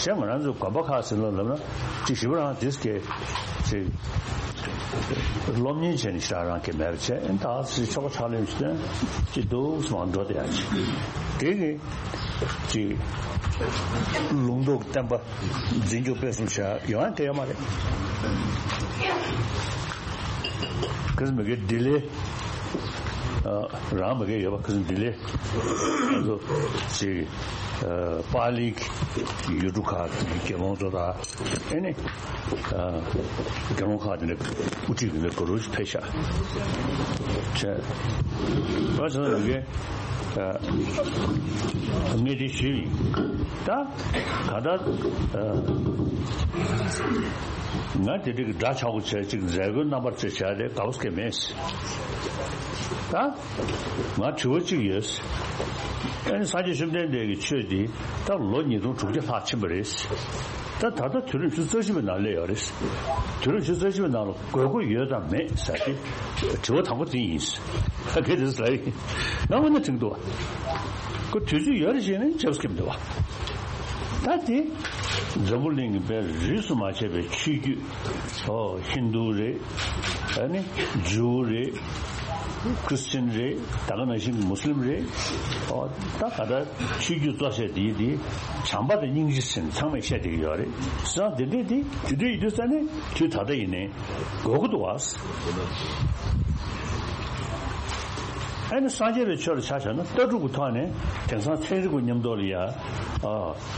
གཞན་ང་རང་ཚོའི་དགོན་པ་ཁག་ཟེར་ལ་ལབ་ན་ཅིག་ཞིབ་པ་རང་དེས་ཀྱི་ཅིག་སློབ་གཉེར་བྱས་ནས་ཞེ་དྲག་རང་གི་མེད་པ་བྱས། ཨེ་ད་ཅིག་ཆོ་ག་ཕྱག་ལེན་ཞུས་ཏེ་ཅིག་འདུག་སེ་མར་འགྲོ་བསྡད་ཡ་ཅིག་དེ་གི་ཅིག་ལུང་རྟོགས་བསྟན་པ་འཛིན་སྐྱོང་སྤེལ་གསུམ་བྱ་ཡ་ཡོང་ཡ་གལ་ཡོད་མ་རེད། གལ་སྲིད་མི་དགེ་ལྡི་ལི། ཨ། རང་མ་གིར་ཡོད་པ་ཁ་སང་འདི་ལས་ང་ཚོ་ཅིག་ཨ། པཱ་ལིའི་ཡུལ་གྲུ་ཁག་གི་དགེ་སློང་ཚོ་དང་ཨེ་ནི། ཨ། དགེ་སློང་ཁག་དེ་འདྲ་དབུ་ཁྲིད་ཀྱི་འདི་ག་རུ་ཕེབས་ཤག་བྱས། ང་ཚོ་ལ་གི་ཨ། ངས་དེ་ཞུས་ཡིན། ད་ག་ད་ཨ། ང་དེ་འདྲ་གི་འདྲ་ཆགས་པོ་བྱས་ཅིག་མཛད་སྒོའི་རྣམ་པར་ཅིག་བྱས་ཏེ་དགའ་པོ་སྐྱེ་མེད། ད་ང་དྲི་བ་གཅིག་ཡོད། ཨ་ནི་སངས་རྒྱས་བཅོམ་ལྡན་འདས་ཀྱི་ཆོས་འདི་ད་ལོ་ཉིས་སྟོང་དྲུག་བརྒྱ་ལྷག་ཕྱིན་པ་རེད། ད་ད་ལྟ་དུས་རབས་ཉི་ཤུ་རྩ་བཞི་པའི་ནང་སླེབས་ཡོད་རེད། དུས་རབས་ཉི་ཤུ་རྩ་བཞི་པའི་ནང་ལ་དགོས་མཁོ་ཡོད་དམ་མེད་ཟེར་ཏེ་དྲི་བ་དང་པོ་དེ་ཡིན། ད་གལ་ཏེ་ལབ་ཡིན། ང་འོ་ན་དྲན་འདུག་བ། ཁོ་དུས་ཚོད་ཡོད་རེད་ཅེས་ནས་ཆབས་སྐྱེམས་འདུག་བ། ད་དེ་འཛམ་བུ་གླིང་གི་དཔེ་རིས་སུ་མ་ཆད་པའི་ཆོས་བརྒྱུད། ཨོ། ཧིན་རྡུ་རེད། ཨ་ནི་ཇུའུ་རེད། ཁྲི་སི་ཅན་རེད། ད་ག་ནང་བཞིན་མུ་སི་ལིམ་རེད། ཨོ། ད་ག་ད་ཆོས་བརྒྱུད་གཙོ་ཆེ་དེ་དེ་བྱམས་པ་དང་སྙིང་རྗེ་ཟེར་ནས་ཚང་མས་བཤད་བསྡད་ཀྱི་ཡོད་རེད། བྱས་ཙང་དེ་འདྲས་དེ་དེ་འདྲས་ཡིན་དུས་ཙ་ནས་དུས་ད་ལྟ་ཡིན་ནའི་དགོས་མཁོ་འདུག་བ། ཨ་ནི་སངས་རྒྱས་པའི་ཆོས་ལ་ཆ་བཞག་ན་ལྟ་གྲུབ་ཀྱི་ཐོག་ནས་དེང་སང་ཚན་རིག་པ་མཉམ་དུ་ལ་ཡ། ཨ།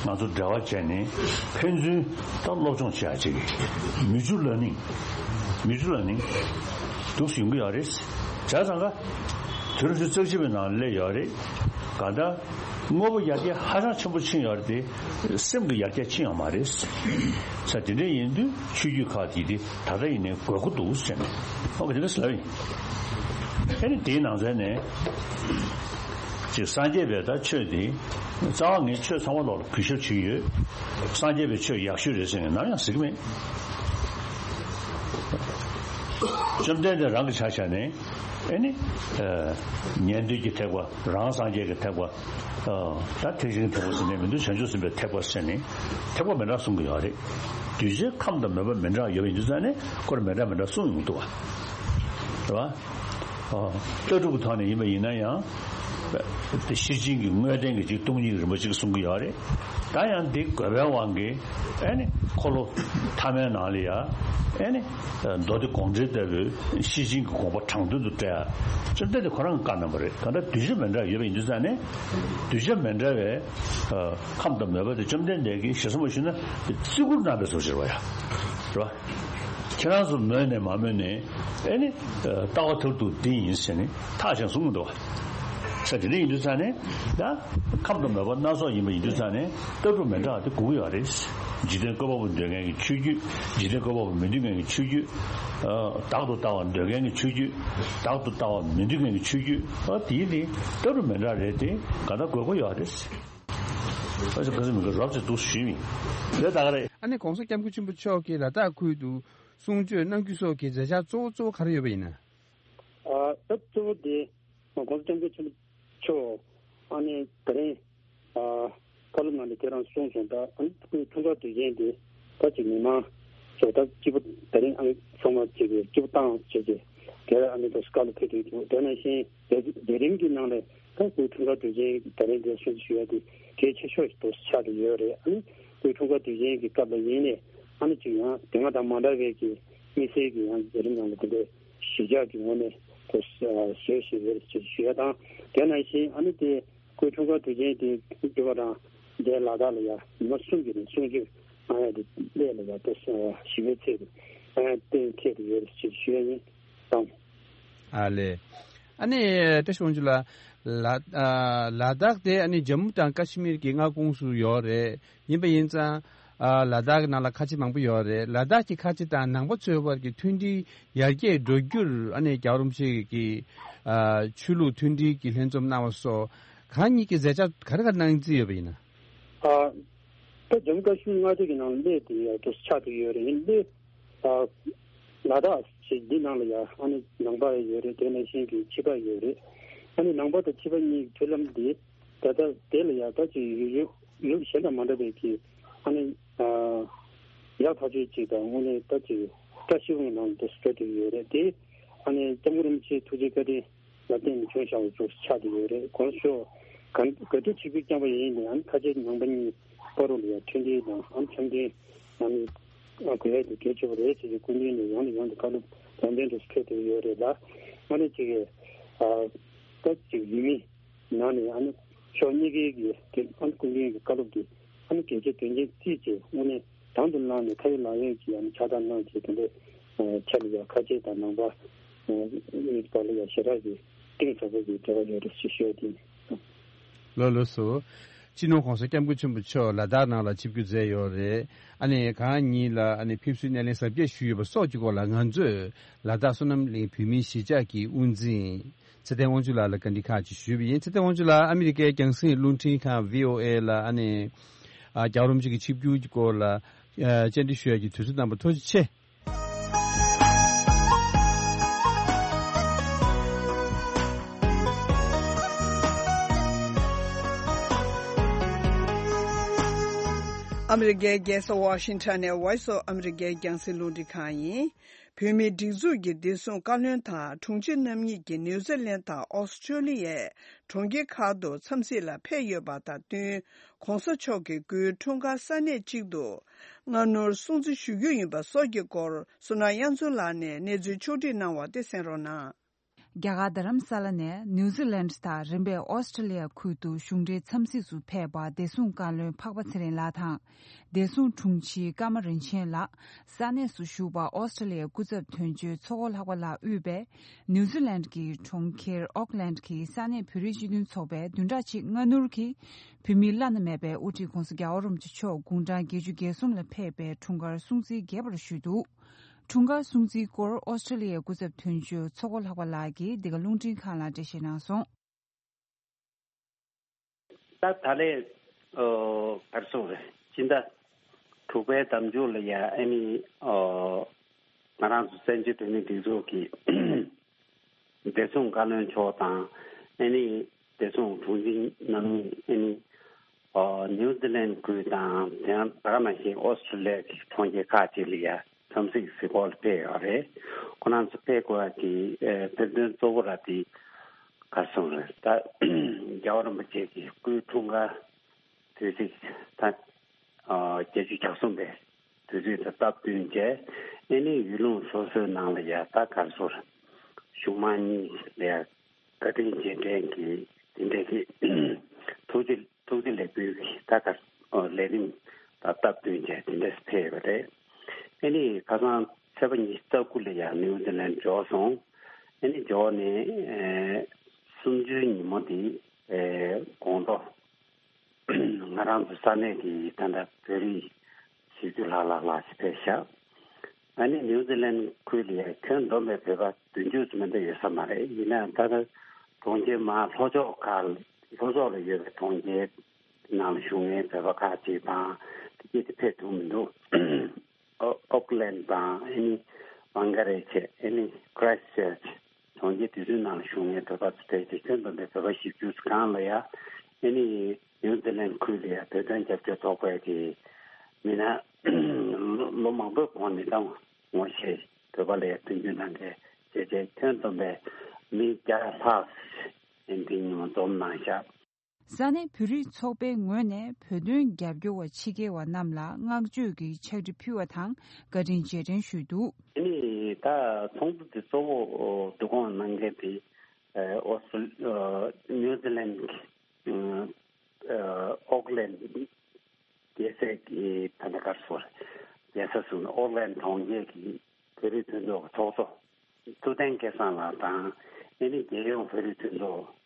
ང་ཚོ་འབྲེལ་བ་བྱས་ནས་ཕན་ཚུན་ད་སློབ་སྦྱོང་བྱེད་ཡ་ཅིག་མིའུ་ཅུ་ལར་ནིང་། མིའུ་ཅུ་ལར་ནིང་འདུག་སེ་ཡོང་གི་ཡོད་རེད། བྱས་ཙང་ཀ་དུས་རབས་ཉི་ཤུ་རྩ་གཅིག་པའི་ནང་སླེབས་ཡོད་རེད། གང་ལྟར་དངོས་པོ་ཡར་རྒྱས་ཧ་ཅང་ཆེན་པོ་ཕྱིན་ཡོད་རེད་དེ། སེམས་ཀྱི་ཡར་རྒྱས་ཕྱིན་ཡོད་མ་རེད། ས་དེ་འདྲ་ཡིན་དུས་ཆོས་བརྒྱུད་ཁག་དེ་དེ་ད་ལྟ་ཡིན་ནའི་དགོས་མཁོ་འདུག་ཟེར་ནས་ཨོ་ག་དེ་འདྲ་ཟེར་ལབ་ཡིན། ཨ་ནི་དེའི་ནང་ཚན་ནས་ཅིག་སངས་རྒྱས་པའི་ད་ཆོས་དེ་རྩ་བ་ངས་ཆོས་ཚང་མ་ལོག་ལ་གུས་ཞབས་བྱེད་ཀྱི་ཡོད། སངས་རྒྱས་པའི་ཆོས་ཡག་ཤོས་རེད་ཟེར་ནས་ནམ་ཡང་ཟེར་གྱི་མེད། བཅོམ་ལྡན་འདས་རང་གི་ཆ་བཞག་ནས་ཨེ་ནི། ཨ། ཉན་ཐོས་ཀྱི་ཐེག་པ། རང་སངས་རྒྱས་ཀྱི་ཐེག་པ། ཨ། ད་ཐེག་ཆེན་གྱི་ཐེག་པ་ཟེར་ནས་མི་འདུག་བྱང་ཆུབ་སེམས་དཔའི་ཐེག་པ་ཟེར་ནས་ཐེག་པ་མི་འདྲ་གསུང་གི་ཡོད་རེད། གདུལ་བྱའི་ཁམས་དང་མོས་པ་མི་འདྲ་ཡོད་པ་ཡིན་དུས་ཙང་ནས་ཁོ་རང་མི་འདྲ་མི་འདྲ་གསུང་ཡོང་གི་འདུག་བ། རེད་བ། ཨ། ལྟ་གྲུབ་ཀྱི་ཐོག་ནས་ཡིན་པ་ཡིན་ན་ཡང་། དེ་ཤེར་ཕྱིན་གྱི་དངོས་བསྟན་གྱི་ཅིག་སྟོང་ཉིད་རིན་པོ་ཆེ་གསུང་གི་ཡོད་རེད། ད་ཡང་འདི་དགོས་པའི་དབང་གིས་ཨེ་ནི་འཁོར་ལོ་ཐ་མའི་ནང་ལ་ཡ་ཨེ་ནི་མདོ་སྡེ་དགོངས་འགྲེལ་ལྟ་བུའི་ཤེར་ཕྱིན་གྱི་དགོངས་པ་དྲང་དོན་དུ་བཀྲལ་ཡ། བཅོམ་ལྡན་འདས་ཁོ་རང་གིས་བཀའ་གནང་བ་རེད། གང་ལྟར་གདུལ་བྱ་མི་འདྲ་ཡོད་པ་ཡིན་དུས་ཙང་ནས་གདུལ་བྱ་མི་འདྲ་བའི་ཁམས་དང་མོས་པ་དེ་བཅོམ་ལྡན་འདས་ཀྱིས་ཞེ་ས་མ་ཞུས་ན་བརྩི་བཀུར་གནང་བའི་བཟོ་ཅིག་རེད་བ་ཡ། རེད་བ། ཁྱེད་རང་ཚོ་མོས་ནས་མ་མོས་ནས་ཨེ་ནི་ལྟ་བ་མཐར་ཐུག་འདི་ཡིན་ཟེར་ནས་ཐག་བཅད་གསུང་གི་འདུག་བ། ས་དེ་འདྲ་ཡིན་དུས་ཙང་ནས་ད་ཁམས་དང་མོས་པ་སྣ་ཚོགས་ཡིན་པ་ཡིན་དུས་ཙང་ནས་ལྟ་གྲུབ་མི་འདྲ་བ་དེ་དགོས་ཀྱི་ཡོད་རེད། འཇིག་རྟེན་བཀོད་པ་པོ་འདོད་མཁན་གྱི་ཆོས་བརྒྱུད། འཇིག་རྟེན་བཀོད་པ་པོ་མི་འདོད་མཁན་གྱི་ཆོས་བརྒྱུད། བདག་ཏུ་ལྟ་བ་འདོད་མཁན་གྱི་ཆོས་བརྒྱུད། བདག་ཏུ་ལྟ་བ་མི་འདོད་མཁན་གྱི་ཆོས་བརྒྱུད། ཨ། དེའི་ནི་ལྟ་གྲུབ་མི་འདྲ་རེད་དེ་ག་ད་དགོས་མཁོ་ཡོད་རེད། ཨ་ཅག་ག་ཚོད་མི་དགོས་རོབ་ཅིག་འདུག་ཞུས་མིན། ལས་ད་ག་རེད། ཨ་ནི་༸གོང་ས་༸སྐྱབས་མགོན་ཆེན་པོ་མཆོག་གིས་ལ་དྭགས་ཁུལ་དུ་གསུང་ཆོས་གནང་རྒྱུ་སོགས་ཀྱི་མཛད་འཆར་གཙོ་བོ་གཙོ་བོ་ག་རེ་ཡོད་པ་ཡིན་ན། ཨ། ད་གཙོ་བོ་དེ་༸གོང་ས་༸སྐྱབས་མགོན་ཆེན་པོ་མཆོག་ཨ་ནི་ད་རིང་ཨ་བཀའ་སློབ་ནང་ལ་དེ་རང་གསུངས་སོང་། ད་ཨ་ནི་སྐུའི་འཁྲུངས་སྐར་དུས་ཆེན་དེ་ད་ཅིག་མི་མང་ཚོ་ད་སྐྱིད་པོ་ད་རིང་ཨ་ནི་ཚང་མ་ཅིག་གི་སྐྱིད་པོ་བཏང་བྱས་ཏེ་དེར་ཨ་ནི་ད་བཀའ་སློབ་ཕེབས་དུས་དེ་ནང་བཞིན་ལས་རིམ་གྱི་ནང་ལ་ད་སྐུའི་འཁྲུངས་སྐར་དུས་ཆེན་ད་རིང་འདིར་སྲུང་བརྩི་ཞུ་ཡ་དེ་གལ་ཆེ་ཤོས་ཤིག་ཏུ་ཆགས་ཀྱི་ཡོད་རེད། ཨ་ནི་སྐུའི་འཁྲུངས་སྐར་དུས་ཆེན་གྱི་སྐབས་ལ་ཡིན་ནའི་ཨ་ནི་ཅིག་ཡང་དེ་སྔ་དང་མ་འདྲ་བའི་གི་དམིགས་བསལ་གྱི་ཡང་ལས་རིམ་ནང་ལ་དེ་འདྲའི་གཞིས་ཆགས་ཀྱི་ངོས་ནས་ཏུ་བཟོས་ཤིག་ཡོད་ཅེས་ཞུ་ཡ་དང་། དེ་ནང་བཞིན་ཨ་ནི་དེ་སྐུའི་འཁྲུངས་སྐར་དུས་ཆེན་དེ་འདི་བ་དང་འདས་ལ་དྭགས་ལ་ཡ་ཉི་མ་གསུམ་གྱི་རིང་གསུང་ཆོས་གནང་ཡ་དེ་སླད་ལ་ཡ་ཏུ་ཞི་བའི་ཚལ་དུ་གཏན་འཁེལ་དུ་ཡོད་ཅེས་ཞུ་ཡ་ཡིན། ཨ་ལས། ཨ་ནི་བཀྲ་ཤིས་དབང་ཕྱུག་ལགས། ལ་ཨ་ལ་དྭགས་དེ་ཨ་ནི་ཇམ་མུ་དང་ཀ་ཤི་མིར་གྱི་མངའ་ཁོངས་སུ་ཡོད་རེད། ཡིན་པ་ཡིན་ཙང་ཨ་ལ་དྭགས་ཀྱི་ནང་ལ་ཁ་ཆེ་མང་པོ་ཡོད་རེད། ལ་དྭགས་ཀྱི་ཁ་ཆེ་དང་ནང་པ་ཚོའི་བར་གྱི་མཐུན་སྒྲིལ་ཡར་རྒྱས་འགྲོ་རྒྱུར་ཨ་ནི་རྒྱལ་བ་རིན་པོ་ཆེ་གིས་ཨ་ཆོས་ལུགས་མཐུན་སྒྲིལ་གྱི་ལྷན་འཛོམས་གནང་བ་སོགས་གང་ཉིད་ཀྱི་མཛད་འཆར་ག་རེ་ག་རེ་གནང་རྩིས་ཡོད་པ་ཡིན་ན། ཨ་ད་ཇམ་མུ་ཀ་ཤི་མིར་མངའ་སྡེ་གི་ནང་སླེབས་དེ་ཡ་ཏུ་ཆགས་ཀྱི་ཡོད་རེད། ཡིན་སླེབས། ཨ་ལ་དྭགས་ཞེས་འདི་ནང་ལ་ཡང་ཨ་ནི་ནང་པ་ཡོད་རེད། དེ་ནང་བཞིན་གྱི་ཕྱི་པ་ཡོད་རེད། ཨ་ནི་ནང་པ་དང་ཕྱི་པ་གཉིས་ཀྱི་མཐུན་ལམ་འདི་ད་ལྟ་དེ་ལ་ཡང་ད་ཅིག་ཡུལ་ཡུལ་ཡུལ་གཞན་དང་མ་འདྲ་བའི་གི་ཨ་ནི་ཨ་ཡག་ཐག་ཆོད་ཅིག་དང་དངོས་གནས་ད་ཅིག་བཀྲ་ཤིས་པའི་ངང་དུ་སྤྲོད་དེ་ཡོད་རེད། དེ་ཨ་ནི་སྐྱབས་མགོན་རིན་པོ་ཆེའི་ཐུགས་རྗེ་བཀའ་དྲིན་ལ་བརྟེན་ནས་བྱུང་བཞག་པ་ཚོ་ཆགས་བསྡད་ཡོད་རེད། གོང་ས་མཆོག་ག་ག་དུས་ཆིབས་བསྒྱུར་བསྐྱངས་པ་ཡིན་ནའང་ཁ་ཆེ་ནང་པ་གཉིས་བར་དུ་ལ་ཡང་མཐུན་སྒྲིལ་དང་ཨ་འཆམ་མཐུན་ཨ་ནི་དགོས་ཡ་དེ་གལ་ཆེ་བ་རེད་ཅེས་ཀྱི་སྐུ་མདུན་ནས་ཡང་ནས་ཡང་དུ་བཀའ་སློབ་ལམ་སྟོན་དུ་ཕེབས་བསྡད་ཡོད་རེད་ལ། ཨ་ནི་ཅིག་ཨ་ ད་ཅིག་ཡུལ་མི་ནང་ནས་ཨ་ནི་ཕྱོགས་གཉིས་ཀའི་གི་དེ་ཨ་ནི་སྐུ་མགྲོན་གྱི་བཀའ་སློབ་དེ་ཨ་ནི་གལ་ཆེ་དོན་ཆེན་བརྩིས་བྱས་དངོས་གནས་དང་དུ་བླངས་ནས་ཁ་ཡོད་ལག་ཡོད་ཀྱི་ཨ་ནི་ཕྱག་རྟགས་གནང་བྱས་དེ་འདྲའི་ཆ་ལ་ཡང་ཁ་ཆེ་དང་ནང་པ་གཉིས་བར་ལ་ཡང་ཞེ་དྲག་གི་གཏིང་ཟབ་པོ་གི་འབྲེལ་བ་ཡོད་རེད་ཞེས་ཞུ་ཡ་དེ་ཡིན། ལགས་ལགས་སོ། སྤྱི་ནོར་༸གོང་ས་༸སྐྱབས་མགོན་ཆེན་པོ་མཆོག་ལ་དྭགས་ནང་ལ་ཆིབས་བསྒྱུར་མཛད་ཡོད་རེད། ཨ་ནི་གང་ཉིད་ལ་ཨ་ནི་ཕེབས་བསུའི་སྣེ་ལེན་གཟབ་རྒྱས་ཞུས་ཡོད་པ་སོགས་ཀྱི་སྐོར་ལ་ང་ཚོས་ལ་དྭགས་བསོད་ནམས་གླིང་བོད་མིའི་གཞིས་ཆགས་ཀྱི་དབུ་འཛིན་ཚེ་བརྟན་དབང་ཕྱུག་ལགས་ལ་བཀའ་འདྲི་ཁག་ཅིག་ཞུས་པ་ཡིན། ཚེ་བརྟན་དབང་ཕྱུག་ལགས་ཨ་མི་རི་ཀའི་རྒྱང་སྲིང་རླུང་འཕྲིན་ཁང་བྷི་ཨོ་ཨེ་ལ་ཨ་ནི་ཨ་རྒྱལ་བ་རིན་པོ་ཆེ་གི་ཆིབས་བསྒྱུར་གྱི་སྐོར་ལ་ཨ་བཅར་འདྲི་ཞུ་ཡ་གི་དུས་ཚོད་གནང་བར་ཐུགས་རྗེ་ཆེ། ཨ་མི་རི་ཀའི་རྒྱལ་ས་ཝ་ཤིང་ཊོན་ནས་Voice of America རྒྱང་སྲིང་རླུང་འཕྲིན་ཁང་ཡིན། བོད་མིའི་སྒྲིག་འཛུགས་ཀྱི་བདེ་སྲུང་བཀའ་བློན་དང་དྲུང་ཆེ་རྣམ་གཉིས་ཀྱིས་ནིའུ་ཛི་ལན་དང་ཨོ་སི་ཁྲུ་ལི་ཡའི་གྲོང་ཁྱེར་ཁག་ཏུ་འཚམས་གཟིགས་ལ་ཕེབས་ཡོད་པ་དང་བསྟུན། ྋགོང་ས་མཆོག་གི་སྐུའི་འཁྲུངས་སྐར་ས་གནས་གཅིག་ཏུ་སྔ་སྣུར་སྲུང་བརྩི་ཞུ་རྒྱུ་ཡིན་པ་སོགས་ཀྱི་སྐོར་བསོད་ནམས་དབྱངས་མཚོ་ལགས་ནས་གནས་ཚུལ་ཕྱོགས་སྒྲིག་གནང་བ་དེ་གསན་རོགས་གནང་། རྒྱ་གར་རྡ་རམ་ས་ལ་ནས་ནིའུ་ཛི་ལན་དང་རིམ་པས་ཨོ་སི་ཁྲུ་ལི་ཡ་ཁུལ་དུ་གཞུང་འབྲེལ་འཚམས་གཟིགས་སུ་ཕེབས་པ་བདེ་སྲུང་བཀའ་བློན་འཕགས་པ་ཚེ་རིང་ལགས་དང་། བདེ་སྲུང་དྲུང་ཆེ་ཀརྨ་རིན་ཆེན་ལགས། ས་གནས་སུ་བཞུགས་པ་ཨོ་སི་ཁྲུ་ལི་ཡའི་སྐུ་ཚབ་དོན་གཅོད་མཚོ་སྒོ་ལྷག་པ་ལགས་དབུས་པས་ནིའུ་ཛི་ལན་གྱི་གྲོང་ཁྱེར་ཨོག་ལན་གྱི་ས་གནས་བོད་རིགས་སྤྱི་མཐུན་ཚོགས་པས་བདུན་ཕྲག་གཅིག་སྔ་སྣུར་གྱིས་བོད་མིའི་བླ་ན་མེད་པའི་དབུ་ཁྲིད་ྋགོང་ས་རྒྱལ་བ་རིན་པོ་ཆེ་མཆོག་དགུང་གྲངས་བརྒྱད་ཅུ་གྱ་གསུམ་ལ་ཕེབས་པའི་འཁྲུངས་སྐར་སྲུང་བརྩི་རྒྱས་པར་ཞུས་འདུག་འཁྲུངས་སྐར་སྲུང་བརྩིའི་སྐོར་ཨོ་སི་ཁྲུ་ལི་ཡའི་སྐུ་ཚབ་དོན་གཅོད་མཚོ་སྒོ་ལྷག་པ་ལགས་ཀྱིས་འདི་ག་རླུང་འཕྲིན་ཁང་ལ་འགྲེལ་བཤད་གནང་སོང་། ད་ད་ལན་ཨོ་ག་རེ་ཟེར་དགོས་རེད། སྤྱི་ཟླ་དྲུག་པའི་ཟླ་མཇུག་ལ་ཡ་ཨ་ནི་ཨོ་ང་རང་ཚོ་བཙན་བྱོལ་བོད་མིའི་སྒྲིག་འཛུགས་ཀྱི་བདེ་སྲུང་བཀའ་བློན་མཆོག་དང་ཨ་ནི་བདེ་སྲུང་དྲུང་ཆེ་རྣམ་གཉིས་ཨ་ནི་ཨོ་ནིའུ་ཛི་ལན་ཁུལ་དང་དེ་ཡང་ད་ག་ནང་བཞིན་ཨོ་སི་ཁྲུ་ལི་ཡ་གི་གྲོང་ཁྱེར་ཁག་ཅིག་ལ་ཡ་འཚམས་གཟིགས་གཟིགས་སྐོར་ལ་ཕེབས་ཡོད་རེད། ཁོ་རང་ཚོ་ཕེབས་དགོས་པ་དེ་ཨེ་དཔེ་མཚོན་གཙོ་བོ་ར་དེ་ག་རེ་ཟེར་དགོས་རེད། ད་རྒྱལ་བ་རིན་པོ་ཆེ་གི་སྐུའི་འཁྲུངས་སྐར་དུས་ཚིགས་ད་ཨ་བརྒྱད་ཅུ་གྱ་གསུམ་པའི་དུས་ཚིགས་དང་སྟབས་བསྟུན་བྱས་ཨ་ནི་ཡུལ་ལུང་སོ་སོའི་ནང་ལ་ཡ་ད་ག་རེ་ཟེར་དགོས་རེད། གཞུང་མང་གཉིས་ལ་ཡ་བཀའ་དྲིན་རྗེས་དྲན་གྱི་དེ་འདྲའི་གི་ཐུགས་རྗེ་ཐུགས་རྗེ་ལེགས་འབུལ་གྱི་ད་ག་ལས་རིམ་དང་སྟབས་བསྟུན་བྱས་དེ་འདྲ་ཕེབས་པ་རེད། ཨ་ནི་ཁ་སང་ཚེས་པ་ཉི་ཤུ་རྩ་དགུ་ལ་ཡང་ནིའུ་ཛི་ལན་འབྱོར་སོང་། ཨ་ནི་འབྱོར་ནས་ཨེ་གསུམ་བཅུའི་ཉིན་མོ་དེ་ཨེ་དགོང་དྲོ་ང་རང་ཚོ་ས་གནས་ཀྱི་ད་ལྟ་བོད་རིགས་བཞི་བཅུ་ལྷག་ལྷག་ལྷག་ཅིག་ཕེབས་ཤག་ཨ་ནི་ནིའུ་ཛི་ལན་ཁུལ་ལ་ཡང་ཁྱོན་བསྡོམས་པའི་བོད་པ་བདུན་ཅུ་ཙམ་མ་གཏོགས་ཡོད་ས་མ་རེད། ཡིན་ནའང་ད་ལྟ་གྲོང་ཁྱེར་མར་ལྷོ་ཕྱོགས་ཁག་ལྷོ་ཕྱོགས་ལ་ཡོད་པའི་གྲོང་ཁྱེར་ནང་ལ་བཞུགས་མཁན་བོད་པ་ཁག་ཅིག་དང་དེ་སྐད་དེ་ཕེབས་ཐུབ་མི་འདུག་ཨོ་ཨོག་ལན་དང་ཨ་ནི་བང་ག་རེ་ཆེ་ཨ་ནི་ཁྲའི་སི་ཊི་ཅར་ཅི་གྲོང་ཁྱེར་དེ་ཚོའི་ནང་ལ་བཞུགས་མཁན་བོད་པ་ཚོ་ཕལ་ཆེར་ཁྱོན་བསྡོམས་པའི་བོད་པ་བཞི་བཅུ་ཙམ་སྒང་ལ་ཡ་ཨ་ནི་ནིའུ་ཛི་ལན་ཁུལ་ལ་ཡ་བོད་དོན་རྒྱབ་སྐྱོར་ཚོགས་པའི་གི་མི་སྣ་ལོ་ལོ་མང་པོའི་གོང་ནས་ད་ངོ་ཤེས་བོད་པ་ལ་ཡ་མཐུན་འགྱུར་གནང་མཁན་བྱས་རྗེས་ཁྱོན་བསྡོམས་པའི་མི་བརྒྱ་ལྷག་ཨ་ནི་འདི་ཉིན་མོ་འཛོམས་གནང་ཤག་ས་གནས་བོད་རིགས་ཚོགས་པའི་ངོས་ནས་བོད་དོན་རྒྱབ་སྐྱོར་བ་ཕྱི་རྒྱལ་བ་རྣམས་ལ་བསྔགས་བརྗོད་ཀྱི་ཕྱག་བྲིས་ཕུལ་བ་དང་བཀའ་དྲིན་རྗེས་དྲན་ཞུས་འདུག་ཨ་ནི་ད་ཚོགས་འདུ་དེ་གཙོ་བོ་བསྡུ་སྐོང་གནང་མཁན་དེ་ཨོ་སི་ནིའུ་ཛི་ལན་གྱི་ཨོག་ལན་རྒྱལ་སའི་གི་ད་ལྟ་ག་རེ་ཟེར་རྒྱལ་ས་ཟེར་ན་ཨོག་ལན་གྲོང་ཁྱེར་གྱི་བོད་རིགས་མཐུན་ཚོགས་ཀྱི་ཚོགས་གཙོ་ཐུབ་བསྟན་སྐལ་བཟང་ལགས་དང་ཨ་ནི་རྒྱལ་ཡོངས་བོད་རིགས་མཐུན་ཚོགས་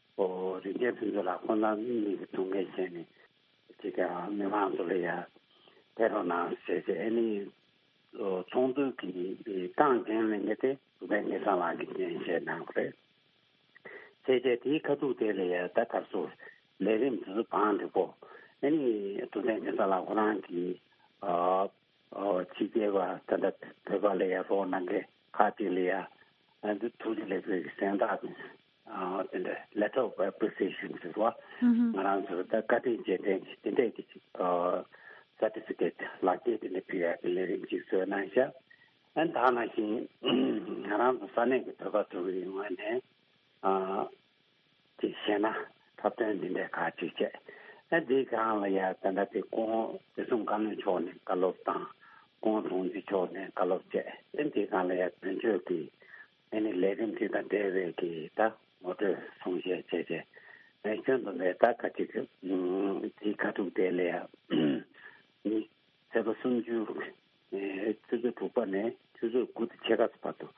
རིན་ཆེན་ཕུན་ཚོགས་ལགས་ཁོང་རྣམ་གཉིས་ཀྱི་ཐུགས་འགན་བཞེས་ནས་ཅིག་ཀྱང་མི་མང་ཚོ་ལ་ཡ་ཕེབས་རོགས་གནང་ཟེར་ཏེ་ཨ་ནི་ཚོགས་འདུ་གི་སྟངས་འགན་ལེན་མཁན་དེ་ཐུབ་བསྟན་སྐལ་བཟང་ལགས་ཀྱིས་འགན་བཞེས་གནང་བ་རེད། བྱས་རྗེས་དེའི་ཁ་ཐུག་དེ་ལ་ཡ་ད་ག་རེ་ཟེར་ལས་རིམ་དེ་ཚོ་བང་སྒྲིག་གོ་ཨ་ནི་ཐུབ་བསྟན་སྐལ་བཟང་ལགས་ཁོ་རང་གིས་ཨ། ཨོ་ཕྱི་རྒྱལ་བ་ད་ལྟ་བོད་པ་ལ་ཡ་རོགས་གནང་མཁན་ཁག་ཅིག་ལ་ཡ་ཨ་འདི་ཐུགས་རྗེ་ལེགས་འབུལ་གྱི་གཟེངས་རྟགས་ཨ་དེ་འདྲ་letter of appreciation ཟེར་བ་ང་རང་ཚོར་ད་བཀའ་དྲིན་རྗེས་དྲན་གྱི་དེ་འདྲས་ཀྱི་ཅིག་ཨ་certificate ལག་འཁྱེར་དེ་འདྲ་ཕུལ་ཡ་གི་ལས་རིམ་ཅིག་བཟོས་གནང་ཤག་ཨ་ད་ནང་བཞིན་ང་རང་ཚོ་ས་གནས་ཀྱི་བོད་པ་ཚོ་གི་ངོས་ནས་ཨ། ཅིག་བཤད་ན་འཁྲབ་སྟོན་འདི་འདྲའི་ཁག་ཅིག་བྱས། ཨ་འདིའི་སྒང་ལ་ཡ་ད་ལྟ་དེ་ཁོང་བདེ་སྲུང་བཀའ་བློན་མཆོག་ནས་བཀའ་སློབ་དང་ཁོང་དྲུང་ཆེ་མཆོག་ནས་བཀའ་སློབ་བྱས། ཨ་འདིའི་སྒང་ལ་ཡ་དོན་གཅོད་ཀྱི་ཨ་ནི་ལས་རིམ་དེ་དང་འབྲེལ་བའི་གི་ད་ ངོ་སྤྲོད་གསུང་བཤད་བྱས་རྗེས། ཨེ་ཁྱོན་བསྡོམས་པའི་ད་ག་ཅིག་གི་དེའི་ཁ་ཐུག་དེ་ལ་ཡ་མི་ཚེས་པ་སུམ་ཅུ་ཨེ་ཆུ་ཚོད་དྲུག་པ་ནས་ཆུ་ཚོད་དགུ་དང་ཕྱེད་ཀ་ཙམ་བར་དུ་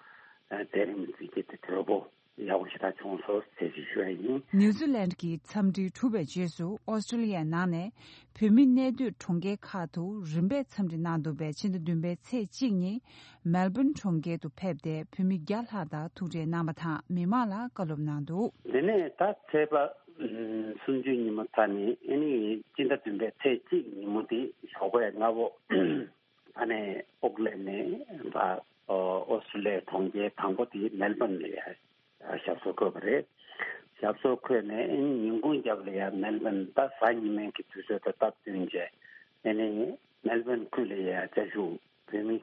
ཨེ་མཛད་རིམ་འཛིན་གྱི་དེ་གྲོས་པོ་ཡག་པོ་ཞེ་དྲག་བྱུང་སོང་ཟེར་ཞིག་ཞུ་ཡ་ཡིན། ནིའུ་ཛི་ལན་གྱི་འཚམས་འདྲི་གྲུབ་པའི་རྗེས་སུ་ཨོ་སི་ཀྲི་ལི་ཡའི་ནང་ནས་བོད་མི་གནས་སྡོད་གྲོང་ཁྱེར་ཁག་ཏུ་རིམ་པས་འཚམས་འདྲི་གནང་འདུག་པས། ཕྱི་ཟླ་བདུན་པའི་ཚེས་གཅིག་ཉིན་མེལ་བོན་གྲོང་ཁྱེར་དུ་ཕེབས་ཏེ་བོད་མི་བརྒྱ་ལྷག་དང་ཐུག་འཕྲད་གནང་བ་དང་མི་མང་ལ་བཀའ་སློབ་གནང་འདུག་དེ་ནས་ད་ཚེས་པ་སུམ་ཅུ་ཉིན་མོ་ཚར་ནས་ཨ་ནི་སྤྱི་ཟླ་བདུན་པའི་ཚེས་གཅིག་ཉིན་མོ་དེ་ཞོགས་པའི་སྔ་པོ་ཨ་ནི་ཨོག་ལན་ནས་ཨོ་སི་ཀྲི་ལི་ཡའི་གྲོང་ཁྱེར་དང་པོ་དེ་མེལ་བོན་ལ་ཡ། ཞབས་སོར་འཁོད་པ་རེད། ཞབས་སོར་འཁོད་ནས་ཉིན་གུང་རྒྱབ་ལ་ཡང་མེལ་བོན་ད་གཟའ་ཉི་མའི་གི་དུས་ཚོད་དང་སྟབས་བསྟུན་བྱས། ཨེ་ནི་མེལ་བོན་ཁུལ་ལ་ཡང་བཅའ་བཞུགས་བོད་མི་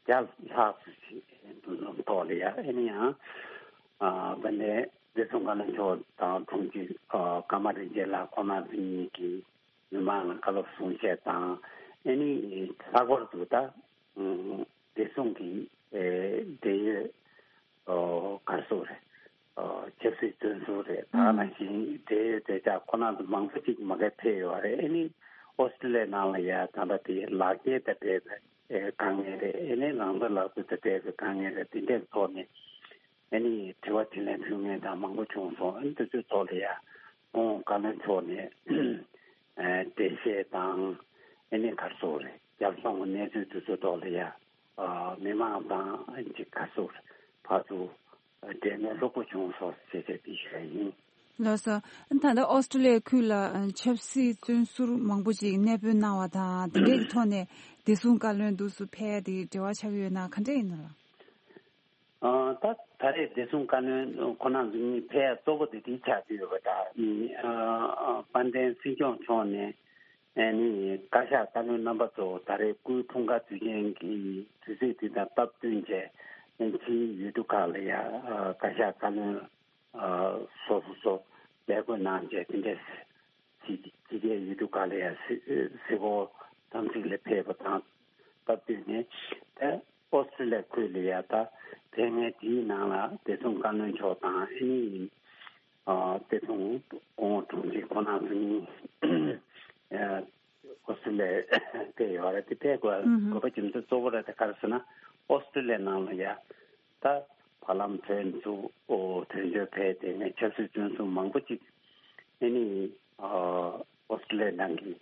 བརྒྱ་ལྷག་ཙམ་ཞིག་འདུ་འཛོམས་ཐོག་ལ་ཡང་ཨེ་ནི་ཡང་ཨ་དཔལ་ལྡན་བདེ་སྲུང་བཀའ་བློན་མཆོག་དང་དྲུང་ཆེ་ཨ་ཀརྨ་རིན་ཆེན་ལགས་ཁོང་རྣམ་ཚོ་གཉིས་ཀྱིས་མི་མང་ལ་བཀའ་སློབ་གསུང་བཤད་དང་། ཨེ་ནི་ལྷག་པར་དུ་ད་བདེ་སྲུང་གི་ཨེ་འབྲེལ་ཡོད། ཨོ་ག་རེ་ཟེར་དགོས་རེད། ཨོ་ཆབ་སྲིད་བཙོན་ཟུར་རེད། ད་ག་ནང་བཞིན་འབྲེལ་ཡོད་དེ་དག་ཁོ་རང་ཚོ་མང་པོ་ཅིག་མ་གིར་ཕེབས་ཡོད་རེད། ཨེ་ནི་ཨོ་སི་ཀྲི་ལི་ཡའི་ནང་ལ་ཡ་ད་ལྟ་དེ་ལག་འཁྱེར་དང་འབྲེལ་བའི་ཨེ་དཀའ་ངལ་རེད། ཨེ་ནི་རང་དོན་ལག་དེབ་དང་འབྲེལ་བའི་དཀའ་ངལ་རེད། དེ་འདྲའི་ཐོག་ནས་ཨེ་ནི་དྲི་བ་དྲིས་ལན་ཕུལ་མཁན་དང་མང་པོ་བྱུང་སོང་། ཨེ་ནི་དེ་ཚོའི་ཐོག་ལ་ཡ་ཁོང་བཀའ་བློན་མཆོག་ནས་ཨེ་འགྲེལ་བཤད་དང་ཨེ་ནི་ག་རེ་ཟེར་དགོས་རེད། རྒྱབ་ལྗོངས་ཀྱི་གནས་ཚུལ་དེ་ཚོའི་ཐོག་ལ་ཡ་ཨ་མི་མང་དང་ཅིག་ག་རེ་ཟེར་དགོས་རེད། ཕར་ཚུར་འབྲེལ་མོལ་ལྷུག་པོ་བྱུང་སོང་ཞེས་བྱས་དེ་ཞུ་ཡ་ཡིན། ལགས་སོ། ད་ལྟ་ཨོ་སི་ཀྲི་ལི་ཡའི་ཁུལ་ལ་ཆབ་སྲིད་བཙོན་ཟུར་མང་པོ་ཅིག་གནས་སྤོས་གནང་བ་དང་དེ་འདྲའི་ཐོག་ནས་བདེ་སྲུང་བཀའ་བློན་འདུག་སུ་ཕེབས་ཡ་དེ་འབྲེལ་བ་ཆགས་ཀྱི་ཡོད་ན་ག་འདྲ་ཡིན་ནམ་ལགས། ཨ་ད་ད་རེས་བདེ་སྲུང་བཀའ་བློན་ཁོང་རྣམ་ཚོ་གཉིས་ཕེབས་ཡ་གཙོ་བོ་དེ་དེ་ཆགས་ཀྱི་ཡོད་པ་འདྲ། ཨ་དཔལ་ལྡན་སྲིད་སྐྱོང་མཆོག་ནས་ཨ་ནི་བཀའ་ཤག་བཀའ་བློན་རྣམ་པ་ཚོ་ད་རེས་སྐུའི་འཁྲུངས་སྐར་དུས་ཆེན་གྱི་དུས་ཚིགས་དེ་དང་སྟབས་བསྟུན་བྱས། ཨ་ཕྱིའི་ཡུལ་གྲུ་ཁག་ལ་ཡ་ཨ་བཀའ་ཤག་བཀའ་བློན་ཨ་སོ་སོ་སོ་ལས་བགོས་གནང་བྱས། དེ་འདྲས་ཕྱི་ཕྱི་རྒྱལ་ཡུལ་གྲུ་ཁག་ལ་ཡ་གཟིགས་གཟིགས་སྐོར་དམ་ཚིག་ལ་ཕེབས་པ་དང་སྟབས་བསྟུན་ནས། ད་ཨོ་སི་ཀྲི་ལི་ཡ་ཁུལ་ལ་ཡ་ད་ཕེབས་མཁན་དེའི་ནང་ལ་བདེ་སྲུང་བཀའ་བློན་མཆོག་དང་ཨ་ནི་ཨ་བདེ་སྲུང་སྐུ་ངོ་དྲུང་ཆེ་ཁོང་རྣམ་ཚོ་གཉིས་ཨ་ཨོ་སི་ཀྲི་ལི་ཡ་ཕེབས་ཡོད་རེད། དེ་ཕེབས་དགོས་ཨུ་ཧུམ། དགོས་པ་རྒྱུ་མཚན་གཙོ་བོ་རེད་དེ་ག་རེ་ཟེར་ན། ཨོ་སི་ཀྲི་ལི་ཡ་ནང་ལ་ཡ་ད་བར་ལམ་བོད་མི་ཚོ་དོན་གཅོད་ཕེབས་ཏེ་ནས་ཆབ་སྲིད་བཙོན་ཟུར་མང་པོ་ཅིག་ཨ་ནི་ཨོ་སི་ཀྲི་ལི་ཡ་ནང་གི་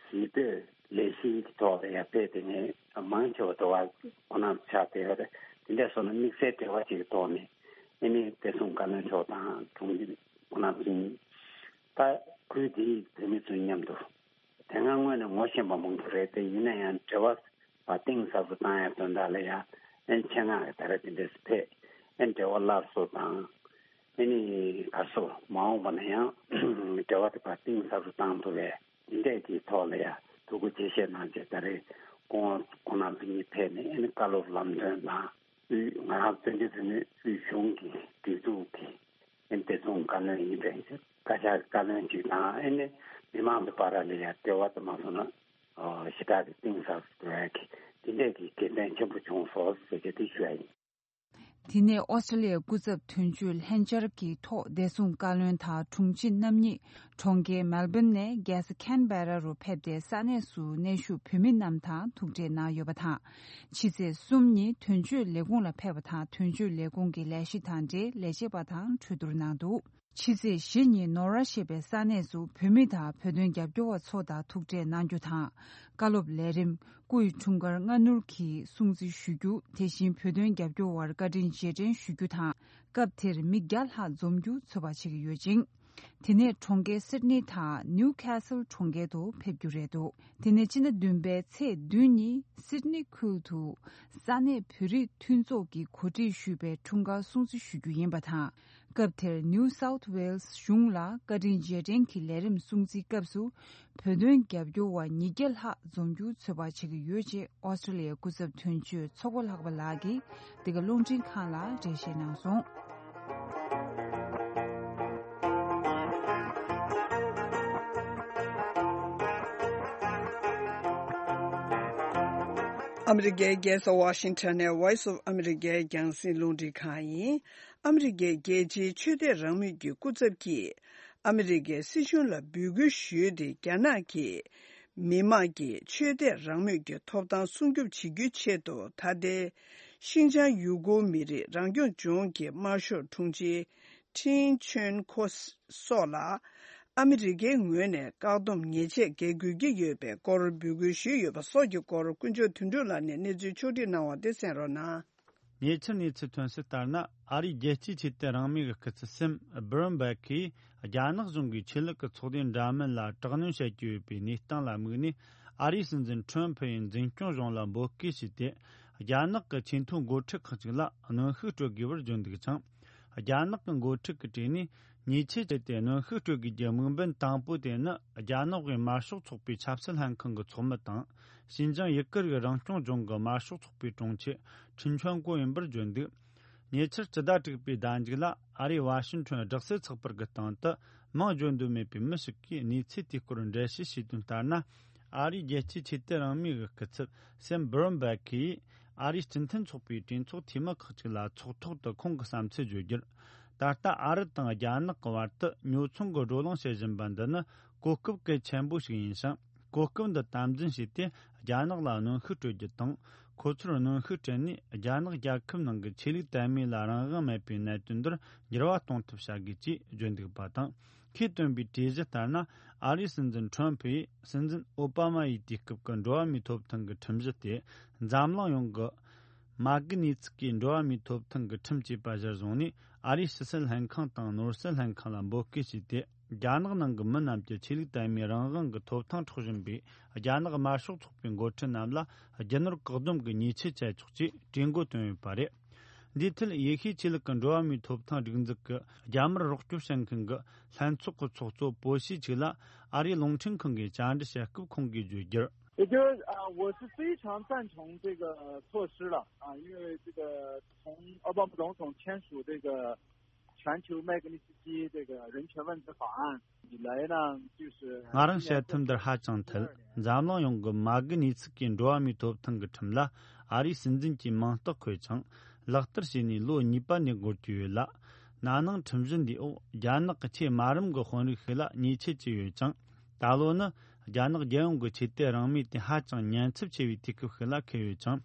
གཞིས་སྤོས་ལས་གཞིའི་ཐོག་ལ་ཡ་ཕེབས་ཏེ་ནས་མང་ཆེ་བ་དུ་བ་ཁོ་ན་ཆགས་བསྡད་ཡོད་རེད། དེ་འདྲ་སོང་ན་དམིགས་བསལ་འབྲེལ་བ་ཅིག་གི་ཐོག་ནས་ཨ་ནི་བདེ་སྲུང་བཀའ་བློན་མཆོག་དང་དྲུང་ཆེ་ཁོ་ན་ཚོ་གཉིས་ད་ཁུལ་འདིའི་བོད་མི་ཚོ་མཉམ་དུ། དེ་སྔ་སྔོན་ནས་ངོ་ཤེས་པ་མང་པོ་རེད་དེ། ཡིན་ན་ཡང་འབྲེལ་བ་གཏིང་ཟབ་ཏུ་བཏང་ཡ་དོན་དག་ལ་ཡ་ཨན་ཆེད་མངགས་ཀྱི་ད་རེས་དེ་འདྲས་ཕེབས། ཨན་འབྲེལ་བ་སླར་གསོ་དང་། ཨ་ནི་ག་རེ་ཟེར། མ་འོངས་པ་ན་ཡང་འབྲེལ་བ་དེ་ཕར་གཏིང་ཟབ་ཏུ་བཏང་ཐུབ་པའི་དེ་འདྲས་ཀྱི་ཐོག་ལ་ཡ་ཐུགས་ཁུར་ཆེ་བཞེས་གནང་བྱས། ད་རེས་སྐུ་ངོ་ཁོང་རྣམ་ཚོ་གཉིས་ཕེབས་ནས་ཨ་ནི་བཀའ་སློབ་ལམ་སྟོན་དང་། དབུས་ང་རང་བཙན་བྱོལ་བོད་མིའི་དབུས་གཞུང་གི་སྒྲིག་འཛུགས་ཀྱི་ཨེ་བདེ་སྲུང་བཀའ་བློན་ཡིན་པའི་བཀའ་ཤག་བཀའ་བློན་ཅིག་དང་། ཨེ་ནི་མི་མང་གི་བར་ལ་ཡང་འབྲེལ་བ་དུ་མ་སོང་ན་ཨོ་ཞེ་དྲག་གི་གཏིང་ཟབ་ཏུ་འགྲོ་ཡ་གི་དེ་འདྲས་ཀྱི་དགེ་མཚན་ཆེན་པོ་བྱུང་སོང་ཟེར་གྱི་དེ་ཞུ་ཡ་ཡིན། དེ་ནས་ཨོ་སི་ཀྲི་ལི་ཡའི་སྐུ་ཚབ་དོན་གཅོད་ལྷན་བཅར་གྱི་ཐོག་བདེ་སྲུང་བཀའ་བློན་དང་དྲུང་ཆེ་རྣམ་གཉིས་གྲོང་ཁྱེར་མེལ་བོན་ནས་རྒྱལ་ས་ཁན་བེ་ར་རུ་ཕེབས་ཏེ་ས་གནས་སུ་གནས་བཞུགས་བོད་མི་རྣམས་དང་ཐུག་འཕྲད་གནང་ཡོད་པ་དང་། ཕྱི་ཚེས་གསུམ་ཉིན་དོན་གཅོད་ལས་ཁུངས་ལ་ཕེབས་པ་དང་། དོན་གཅོད་ལས་ཁུངས་ཀྱི་ལས་གཞི་དང་འབྲེལ་ལས་བྱེད་པ་དང་གྲོས་བསྡུར་གནང་འདུག་ཕྱི་ཚེས་བཞི་ཉིན་ནོར་ཝ་ཞེས་པའི་ས་གནས་སུ་བོད་མི་དང་བོད་དོན་རྒྱབ་སྐྱོར་བ་ཚོ་དང་ཐུག་འཕྲད་གནང་རྒྱུ་དང་། བཀའ་སློབ་ལས་རིམ། སྐུ་ཡི་འཁྲུངས་སྐར་སྔ་སྣུར་གྱི་སྲུང་བརྩི་ཞུ་རྒྱུ། དེ་བཞིན་བོད་དོན་རྒྱབ་སྐྱོར་བར་བཀའ་དྲིན་རྗེས་དྲན་ཞུ་རྒྱུ་དང་། སྐབས་དེར་མི་བརྒྱ་ལྷག་འཛོམས་རྒྱུ་ཚོད་དཔག་བྱེད་ཀྱི་ཡོད་ཅིང་། དེ་ནས་གྲོང་ཁྱེར་སིད་ནི་དང་ནིའུ་ཁེ་སལ་གྲོང་ཁྱེར་དུ་ཕེབས་རྒྱུ་རེད་འདུག་དེ་ནས་སྤྱི་ཟླ་བདུན་པའི་ཚེས་བདུན་ཉིན་སིད་ནི་ཁུལ་དུ་ས་གནས་བོད་རིགས་མཐུན་ཚོགས་ཀྱིས་གོ་སྒྲིག་ཞུས་པའི་འཁྲུངས་སྐར་སྲུང་བརྩི་ཞུ་རྒྱུ་ཡིན་པ་དང་། སྐབས་དེར་ནིའུ་སའུཐ་ཝེལ་སི་གཞུང་ལ་བཀའ་དྲིན་རྗེས་དྲན་གྱི་ལས་རིམ་སྲུང་བརྩིའི་སྐབས་སུ་བོད་དོན་རྒྱབ་སྐྱོར་བ་ཉིས་བརྒྱ་ལྷག་འཛོམས་རྒྱུ་ཚོད་དཔག་བྱེད་ཀྱི་ཡོད་ཅེས་ཨོ་སི་ཀྲི་ལི་ཡའི་སྐུ་ཚབ་དོན་གཅོད་ཚོགས་པ་ལྷག་པ་ལགས་ཀྱིས་འདི་ག་རླུང་འཕྲིན་ཁང་ལ་འགྲེལ་བཤད་གནང་སོང་། ཨ་མི་རི་ཀའི་རྒྱལ་ས་ཝ་ཤིང་ཊོན་ནས་Voice of America་རྒྱང་སྲིང་རླུང་འཕྲིན་ཁང་ཡིན། ཨ་མི་རི་ཀའི་རྒྱལ་སྤྱིའི་ཆོས་དད་རང་མོས་ཀྱི་སྐུ་ཚབ་ཀྱིས་ཨ་མི་རི་ཀའི་སྲིད་གཞུང་ལ་འབོད་སྐུལ་ཞུས་ཏེ། རྒྱ་ནག་གིས་མི་དམངས་ཀྱི་ཆོས་དད་རང་མོས་ཀྱི་ཐོབ་ཐང་སྲུང་སྐྱོབ་བྱེད་རྒྱུའི་ཆེད་དུ། ད་ལྟའི་ཤིན་ཅང་ཡུ་གུར་མི་རིགས་རང་སྐྱོང་ལྗོངས་ཀྱི་དམར་ཤོག་དྲུང་ཆེ་ཁྲིན་ཆོན་ཁོ་སོགས་ལ་ཨ་མི་རི་ཀའི་ངོས་ནས་བཀག་སྡོམ་ཉེས་ཆད་འགེལ་དགོས་ཀྱི་ཡོད་པའི་སྐོར་འབོད་སྐུལ་ཞུས་ཡོད་པ་སོགས་ཀྱི་སྐོར། དཀོན་མཆོག་དོན་གྲུབ་ལགས་ནས་གནས་ཚུལ་ཕྱོགས་བསྒྲིགས་གནང་བ་དེ་གསན་རོགས་གནང་། ཉེ་ཆར་གནས་ཚུལ་ཐོན་གསལ་ལྟར་ན། ཨ་རིའི་རྒྱལ་སྤྱིའི་ཆོས་དད་རང་མོས་ཀྱི་སྐུ་ཚབ་སེམ་སྦི་རོན་བྷེག་གིས་རྒྱ་ནག་གཞུང་གིས་ཆོས་ལུགས་ཀྱི་ཚོགས་སྡེ་འདྲ་མིན་ལ་དྲག་གནོན་བྱེད་ཀྱི་ཡོད་པའི་གནས་སྟངས་ལ་དམིགས་ནས། ཨ་རིའི་སྲིད་འཛིན་ཁྲོམ་ཕུ་ཡིས་འཛིན་སྐྱོང་གཞུང་ལ་འབོད་སྐུལ་བྱས་ཏེ། རྒྱ་ནག་གི་ཆེས་མཐོའི་འགོ་ཁྲིད་ཁག་ཅིག་ལ་གནོན་ཤུགས་སྤྲོད་དགོས་པར་བརྗོད་འདུག་ཅིང་། རྒྱ་ནག་གི་འགོ་ཁྲིད་ཀྱི་གྲས་ནས་ཉེས་ཆད་བཅད་དེ་གནོན་ཤུགས་སྤྲོད་དགོས་ཀྱི་དམིགས་འབེན་དང་པོ་དེ་ནི། རྒྱ་ནག་པའི་དམར་ཤོག་ཚོགས་པའི་ཆབ་སྲིད་ལྷན་ཁང་གི་ཚོགས་མི་དང་། ཤིན་ཅང་ཡུ་གུར་གྱི་རང་སྐྱོང་ལྗོངས་ཀྱི་དམར་ཤོག་ཚོགས་པའི་དྲུང་ཆེ་ཁྲིན་ཆོན་ཀོ་ཡིན་པར་བརྗོད་འདུག་ཉེ་ཆར་སྤྱི་ཟླ་དྲུག་པའི་ཟླ་མཇུག་ལ། ཨ་རིའི་ཝ་ཤིང་ཊོན་སྦྲག་སྲིད་ཚགས་པར་གྱི་སྟེང་དུ། མིང་བརྗོད་འདོད་མེད་པའི་མི་ཞིག་གིས་གནས་ཚུལ་དེའི་སྐོར་འགྲེལ་བཤད་བྱས་དོན་ལྟར་ན། ཨ་རིའི་རྒྱལ་སྤྱིའི་ཆོས་དད་རང་མོས་ཀྱི་སྐུ་ཚབ་སེམ་སྦི་རོན་བྷེག་གིས། ཨ་རིའི་སྤྱི་མཐུན་ཚོགས་པའི་གྲོས་ཚོགས་འཐུས་མི་ཁག་ཅིག་ལ་ཚོགས་ཐོག་ཏུ་ཁོང་གི་བསམ་ཚུལ་བརྗོད་རྒྱུར། ད་ལྟ་ཨ་རི་དང་རྒྱ་ནག་གི་བར་དུ་ཉོ་ཚོང་གི་བགྲོ་གླེང་བྱེད་བཞིན་པ་འདི་ནི་གོ་སྐབས་གལ་ཆེན་པོ་ཞིག་ཡིན་ཞིང་། གོ་སྐབས་འདི་དམ་འཛིན་བྱས་ཏེ། རྒྱ་ནག་ལ་གནོན་ཤུགས་སྤྲོད་རྒྱུ་དང་། ཁོ་ཚོར་གནོན་ཤུགས་སྤྲད་ནས། རྒྱ་ནག་རྒྱལ་ཁབ་ནང་གི་ཆོས་ལུགས་དད་མོས་ལ་རང་དབང་མེད་པའི་གནད་དོན་འདིར་འགྱུར་བ་གཏོང་ཐབས་བྱ་དགོས་ཅེས་བརྗོད་འདུག་པ་དང་། ཁོས་བཏོན་པའི་གྲོས་གཞི་ལྟར་ན། ཨ་རིའི་སྲིད་འཛིན་ཁྲོམ་ཕུ་ཡིས་སྲིད་འཛིན་ཨོ་པ་མ་ཡི་དུས་སྐབས་ཀྱི་འགྲོ་བ་མིའི་ཐོབ་ཐང་གི་ཁྲིམས་གཞི་སྟེ། འཛམ་གླིང་ཡོངས་ཀྱི་མ་དགུ་གནས་ཚུལ་གྱི་འགྲོ་བ་མིའི་ཐོབ་ཐང་གི་ཁྲིམས་ཅེས་པ་གཞིར་བཟུང་ནས། ཨ་རིའི་ཕྱི་སྲིད་ལྷན་ཁང་དང་ནོར་སྲིད་ལྷན་ཁང་ལ་འབོད་སྐུལ་བྱས་ཏེ། རྒྱ་ནག་ནང་གི་མི་རྣམས་ཀྱི་ཆོས་ལུགས་དད་མོས་རང་དབང་གི་ཐོབ་ཐང་འཕྲོག་བཞིན་པའི་རྒྱ་ནག་དམར་ཤོག་ཚོགས་པའི་འགོ་ཁྲིད་རྣམས་ལ་རྒྱུ་ནོར་བཀག་སྡོམ་གྱི་ཉེས་ཆད་བཅད་ཆོག་ཅེས་གྲོས་འགོ་བཏོན་ཡོད་པ་རེད། འདིའི་ཐད། ཡེ་ཤུའི་ཆོས་ལུགས་ཀྱི་འགྲོ་བ་མིའི་ཐོབ་ཐང་སྒྲིག་འཛུགས་ཀྱི་རྒྱ་དམར་རོགས་སྐྱོབ་བྱེད་མཁན་གྱི་ལྷན་ཚོགས་ཀྱི་ཚོགས་གཙོ་པོ་ཤི་ཅིག་ལ། ཨ་རིའི་རླུང་འཕྲིན་ཁང་གིས་བཅར་འདྲི་བྱེད་སྐབས་ཁོང་གིས་བརྗོད་རྒྱུར། 也就是啊，我是非常赞成这个措施了啊，因为这个从奥巴马总统签署这个全球麦格尼斯基这个人权问题法案以来呢，就是 ང་རང་བཤད་ཐབས་འདིར་ཧ་ཅང་འཐད། འཛམ་གླིང་ཡོངས་ཀྱི་མ་དགུ་གནས་ཚུལ་གྱི་འགྲོ་བ་མིའི་ཐོབ་ཐང་གི་ཁྲིམས་ལ་ཨ་རིའི་སྲིད་འཛིན་གྱིས་མིང་རྟགས་འཁོད་ཅིང་ལག་བསྟར་བྱས་ནས་ལོ་གཉིས་པ་ནས་འགོར་གྱི་ཡོད་ལ། ན་ནིང་ཁྲིམས་གཞི་འདིའི་འོག་རྒྱ་ནག་གི་ཆེས་དམའ་རིམ་གྱི་དཔོན་རིགས་ཤིག་ལ་ཉེས་ཆད་བཅད་ཡོད་ཅིང་། ད་ལོ་ནི་རྒྱ་ནག་རྒྱལ་ཡོངས་ཀྱི་ཆོས་དད་རང་མོས་དེ་ཧ་ཅང་ཉེན་ཚབས་ཆེ་བའི་དུས་སྐབས་ཤིག་ལ་འཁེལ་ཡོད་ཅིང་།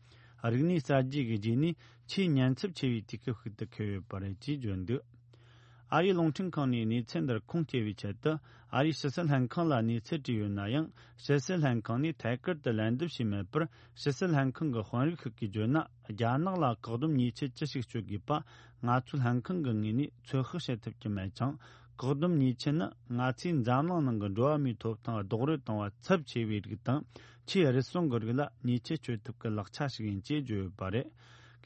རིག་གནས་གསར་བརྗེ་གི་རྗེས་ནས་ཆེས་ཉེན་ཚབས་ཆེ་བའི་དུས་སྐབས་ཤིག་ཏུ་འཁེལ་ཡོད་པ་རེད་ཅེས་བརྗོད་འདུག་ཨ་རིའི་རླུང་འཕྲིན་ཁང་ནས་གནས་ཚུལ་འདིར་ཁུངས་སྐྱེལ་བའི་ཆེད་དུ། ཨ་རིའི་ཕྱི་སྲིད་ལྷན་ཁང་ལ་གནས་ཚུལ་དྲིས་ཡོད་ན་ཡང་། ཕྱི་སྲིད་ལྷན་ཁང་ནས་ཐད་ཀར་དུ་ལན་འདེབས་བྱས་མེད་པར། ཕྱི་སྲིད་ལྷན་ཁང་གི་དཔོན་རིགས་ཤིག་གིས་བརྗོད་ན། རྒྱ་ནག་ལ་བཀག་སྡོམ་ཉེས་ཆད་ཅི་ཞིག་གཅོད་དགོས་པ། ང་ཚོའི་ལྷན་ཁང་གི་ངོས་ནས་ཚོད་དཔག་བྱེད་ཐུབ་ཀྱི་མེད་ཅིང་། བཀག་སྡོམ་ཉེས་ཆད་ནི་ང་ཚོས་འཛམ་གླིང་ནང་གི་འགྲོ་བ་མིའི་ཐོབ་ཐང་རྡོག་རོལ་གཏོང་བ་ཚབས་ཆེ་བའི་རིགས་དང་། ཆེས་རུལ་སུངས་ཀྱི་རིགས་ལ་ཉེས་ཆད་གཅོད་ཐབས་ཀྱི་ལག་ཆ་ཞིག་ཡིན་ཅེས་བརྗོད་ཡོད་པ་རེད།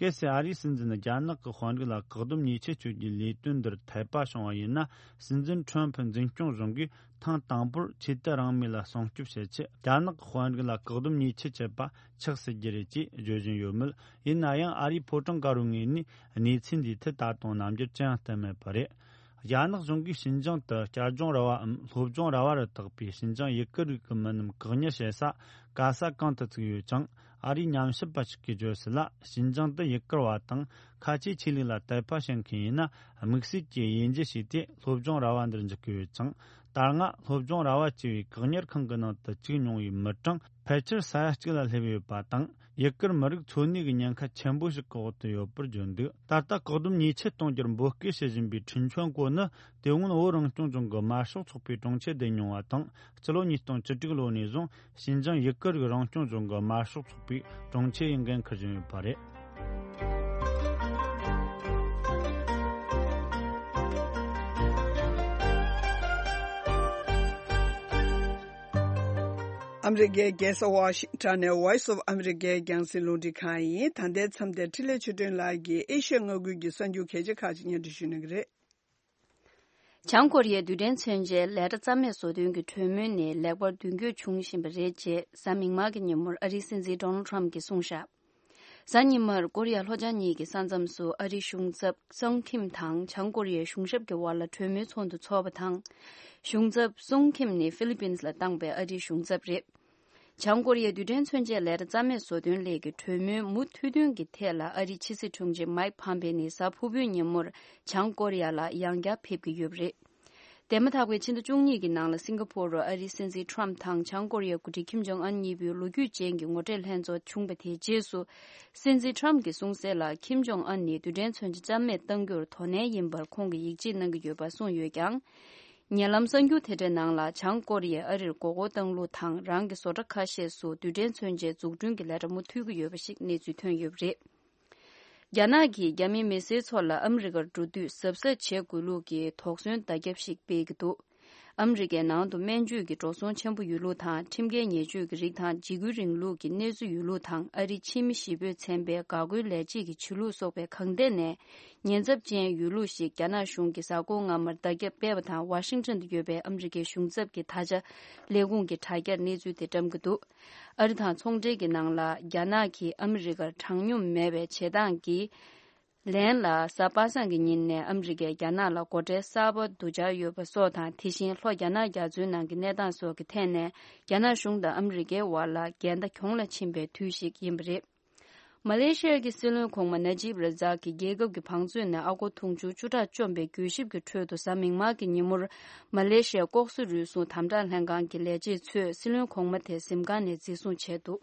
གལ་སྲིད་ཨ་རིའི་སྲིད་འཛིན་རྒྱ་ནག་གི་དཔོན་རིགས་ལ་བཀག་སྡོམ་ཉེས་ཆད་གཅོད་རྒྱུའི་ལས་དོན་འདིར་འཐད་པ་བྱུང་བ་ཡིན་ན། སྲིད་འཛིན་ཁྲོམ་ཕུ་འཛིན་སྐྱོང་གཞུང་གིས་ཐེངས་དང་པོར་ཆོས་དད་རང་མོས་ལ་སྲུང་སྐྱོབ་བྱེད་ཆེད། རྒྱ་ནག་གི་དཔོན་རིགས་ལ་བཀག་སྡོམ་ཉེས་ཆད་བཅད་པ་ཆགས་སྲིད་རྒྱུ་རེད་ཅེས་བརྗོད་བཞིན་ཡོད་མོད། ཡིན་ན་ཡང་། ཨ་རིའི་ཕོ་བྲང་དཀར་པོའི་ངོས་ནས་གནས་ཚུལ་འདིའི་ཐད་ད་དུང་རྣམ་འགྱུར་ཅི་ཡང་བསྟན་མེད་པ་རེད། རྒྱ་ནག་གཞུང་གིས་ཤིན་ཅང་དུ་བསྐྱར་སྦྱོང་ར་བའམ་སློབ་སྦྱོང་ར་བ་རུ་བཏགས་པའི་ཤིན་ཅང་ཡུ་གུར་རིགས་ཀྱི་མི་རྣམས་བཀག་ཉར་བྱེད་ས་ག་ས་གང་དུ་བཙུགས་ཡོད་ཅིང་། ཨ་རིའི་ཉམས་ཞིབ་པ་ཞིག་གིས་བརྗོད་གསལ་ལ། ཤིན་ཅང་དུ་ཡུ་གུར་བ་དང་ཁ་ཆེའི་ཆོས་ལུགས་ལ་དད་པ་བྱེད་མཁན་ཡིན་ན། དམིགས་བསལ་གྱི་དབྱེ་འབྱེད་བྱས་ཏེ་སློབ་སྦྱོང་ར་བ་འདིར་འཇུག་གི་ཡོད་ཅིང་། ད་སྔ་སློབ་སྦྱོང་ར་བ་ཅེས་པའི་བཀག་ཉར་ཁང་གི་ནང་དུ་བཅུག་མྱོང་བའི་མི་གྲངས་ཕལ་ཆེར་ས་ཡ་གཅིག་ལ་སླེབས་ཡོད་པ་དང་། ཡུ་གུར་མི་རིགས་འཚོ་གནས་ཀྱི་ཉེན་ཁ་ཆེན་པོ་ཞིག་གི་འོག་ཏུ་ཡོད་པར་བརྗོད་འདུག་ད་ལྟ་བཀག་སྡོམ་ཉེས་ཆད་གཏོང་རྒྱུར་འབོད་སྐུལ་བྱེད་བཞིན་པའི་ཁྲིན་ཆོན་ཀོ་ནི། དེ་སྔོན་བོད་རང་སྐྱོང་ལྗོངས་ཀྱི་དམར་ཤོག་ཚོགས་པའི་དྲུང་ཆེ་བསྡད་མྱོང་བ་དང་། སྤྱི་ལོ་ཉིས་སྟོང་བཅུ་དྲུག་ལོ་ནས་བཟུང་ཤིན་ཅང་ཡུ་གུར་རིགས་རང་སྐྱོང་ལྗོངས་ཀྱི་དམར་ཤོག་ཚོགས་པའི་དྲུང་ཆེ་ཡི་འགན་འཁུར་བཞིན་ཡོད་པ་རེད། ཨ་མི་རི་ཀའི་རྒྱལ་ས་ཝ་ཤིང་ཊོན་ནས་Voice of America་རྒྱང་སྲིང་རླུང་འཕྲིན་ཁང་ཡིན། ད་ལྟའི་མཚམས་དེར་འཕྲིན་ལས་ཆོས་སྒྲོན་ལགས་ཀྱིས་ཨེ་ཤ་ཡ་མངའ་ཁུལ་གྱི་གསར་འགྱུར་གལ་ཆེ་ཁག་ཅིག་སྙན་སྒྲོན་ཞུ་གནང་གི་རེད། བྱང་ཀོ་རི་ཡའི་རྡུལ་ཕྲན་མཚོན་ཆའི་ལས་གྲྭ་རྩ་མེད་བཟོ་དོན་གྱི་གྲོས་མོལ་ནི་ལེགས་པར་མདུན་སྐྱོད་བྱུང་བཞིན་པ་རེད་ཅེས་གཟའ་མིག་དམར་གྱི་ཉིན་མོར་ཨ་རིའི་སྲིད་འཛིན་ཌོ་ནལ་ཊམ་གྱིས་གསུངས་བཞག་གཟའ་ཉི་མར་ཀོ་རི་ཡ་ལྷོ་བྱང་གཉིས་ཀྱི་ས་མཚམས་སུ་ཨ་རིའི་གཞུང་ཚབ་སུང་ཁིམ་དང་བྱང་ཀོ་རི་ཡའི་གཞུང་ཞབས་ཀྱི་དབར་ལ་གྲོས་མོལ་ཚོགས་འདུ་འཚོགས་པ་དང་། གཞུང་ཚབ་སུང་ཁིམ་ནི་ཧྥི་ལི་པིན་ལ་བཏང་པའི་ཨ་རིའི་གཞུང་ཚབ་རེད། བྱང་ཀོ་རི་ཡའི་རྡུལ་ཕྲན་མཚོན་ཆའི་ལས་གྲྭ་རྩ་མེད་བཟོ་དོན་སླད་ཀྱི་གྲོས་མོལ་མུ་མཐུད་འདོན་གྱི་ཐད་ལ་ཨ་རིའི་ཕྱི་སྲིད་དྲུང་ཆེ་མཱིག་ཕམ་པེ་ནི་གཟའ་ཕུར་བུའི་ཉིན་མོར་བྱང་ཀོ་རི་ཡ་ལ་ཡང་བསྐྱར་ཕེབས་ཀྱི་ཡོད་པ་རེད། འདས་མ་ཐག་པའི་ཕྱི་ཟླ་བཅུ་གཉིས་ཀྱི་ནང་ལ་སིང་ག་ཕོར་རུ་ཨ་རིའི་སྲིད་འཛིན་ཊམ་དང་བྱང་ཀོ་རི་ཡའི་འགོ་ཁྲིད་ཁིམ་ཇོང་ཨན་གཉིས་པོའི་ལོ་རྒྱུས་ཅན་གྱི་ངོ་འཕྲད་ལྷན་ཚོགས་བྱུང་བ་དེའི་རྗེས་སུ། སྲིད་འཛིན་ཊམ་གྱིས་གསུངས་གསལ་ལ། ཁིམ་ཇོང་ཨན་ནི་རྡུལ་ཕྲན་མཚོན་ཆ་རྩ་མེད་གཏང་རྒྱུར་དོ་ནན་ཡིན་པར་ཁོང་གིས་ཡིད་ཆེས་གནང་གི་ཡོད་པ་གསུངས་ཡོད་ཀྱང་། ཉེ་ལམ་གསར་འགྱུར་དེ་འདྲའི་ནང་ལ་བྱང་ཀོ་རི་ཡས་ཨ་རིར་མགོ་སྐོར་བཏང་ལུགས་དང་རང་གི་བཟོ་གྲྭ་ཁ་ཤས་སུ་རྡུལ་ཕྲན་མཚོན་ཆའི་འཛུགས་སྐྲུན་གྱི་ལས་གྲྭ་མུ་མཐུད་ཀྱི་ཡོད་པ་ཞིག་གནས་ཚུལ་ཐོན་ཡོད་པ་རེད། རྒྱ་ནག་གིས་རྒྱ་མིའི་མི་སེར་ཚོ་ལ་ཨ་མི་རི་ཀར་འགྲོ་དུས་གཟབ་གཟབ་བྱེད་དགོས་ལུགས་ཀྱི་དོགས་ཟོན་བརྡ་ཁྱབ་ཞིག་སྤེལ་གྱི་འདུག་ཨ་མི་རི་ཀའི་ནང་དུ་སྨན་བཅོས་ཀྱི་འགྲོ་སོང་ཆེན་པོ་ཡོད་ལུགས་དང་། ཁྲིམས་འགལ་ཉེས་སྤྱོད་ཀྱི་རིགས་དང་འཇིགས་སྐུལ་རིང་ལུགས་ཀྱི་གནས་ཚུལ་ཡོད་ལུགས་དང་། ཨ་རིའི་ཕྱི་མི་གཞིས་སྤོས་ཚན་པས་འགག་སྒོའི་ལས་བྱེད་ཀྱི་ཆོས་ལུགས་སོགས་པའི་གང་ཐད་ནས་ཉེན་ཚབས་ཅན་ཡོད་ལུགས་ཤིག་རྒྱ་ནག་གཞུང་གིས་གཟའ་འཁོར་སྔ་མར་བརྡ་ཁྱབ་སྤེལ་བ་དང་། ཝ་ཤིང་ཊོན་དུ་ཡོད་པའི་ཨ་མི་རི་ཀའི་གཞུང་ཚབ་ཀྱི་ད་ཆ་ལས་ཁུངས་ཀྱི་དྲ་རྒྱར་གནས་ཚུལ་དེ་བཀྲམ་གྱི་འདུག་ཨ་རི་དང་ཚོང་འབྲེལ་གྱི་ནང་ལ་རྒྱ་ནག་གིས་ཨ་མི་རི་ཀར་དྲང་སྙོམས་མེད་པའི་བྱེད་སྟངས་ཀྱིས། ལན་ལ། གཟའ་པ་སངས་ཀྱི་ཉིན་ནས་ཨ་མི་རི་ཀས་རྒྱ་ནག་ལ་སྒོ་ཁྲལ་གསར་པ་བསྡུ་འཆར་ཡོད་པ་སོགས་དང་། དེ་བཞིན་ལྷོ་རྒྱ་ནག་རྒྱ་མཚོའི་ནང་གི་གནས་སྟངས་སོགས་ཀྱི་ཐད་ནས་རྒྱ་ནག་གཞུང་དང་ཨ་མི་རི་ཀའི་བར་ལ་འགལ་ཟླ་གྱོང་ལ་ཕྱིན་པའི་དུས་ཤིག་ཡིན་པ་རེད། མ་ལེ་ཤི་ཡ་གི་སྲིད་བློན་གོང་མ་ན་ཇིབ་ར་ཛག་གིས་རྒྱལ་ཁབ་ཀྱི་བང་མཛོད་ནས་ཨ་སྒོར་དུང་ཕྱུར་བཅུ་ཕྲག་བཅོམ་པའི་གྱོད་ཞིབ་ཀྱི་ཁྲོད་དུ། གཟའ་མིག་དམར་གྱི་ཉིན་མོར་མ་ལེ་ཤི་ཡའི་ལྐོག་ཟ་རུལ་སུངས་དམ་དྲག་ལྷན་ཁང་གི་ལས་བྱེད་ཚོས་སྲིད་བློན་གོང་མ་དེ་གཟིམ་ཁང་ནས་འཛིན་བཟུང་བྱས་འདུག་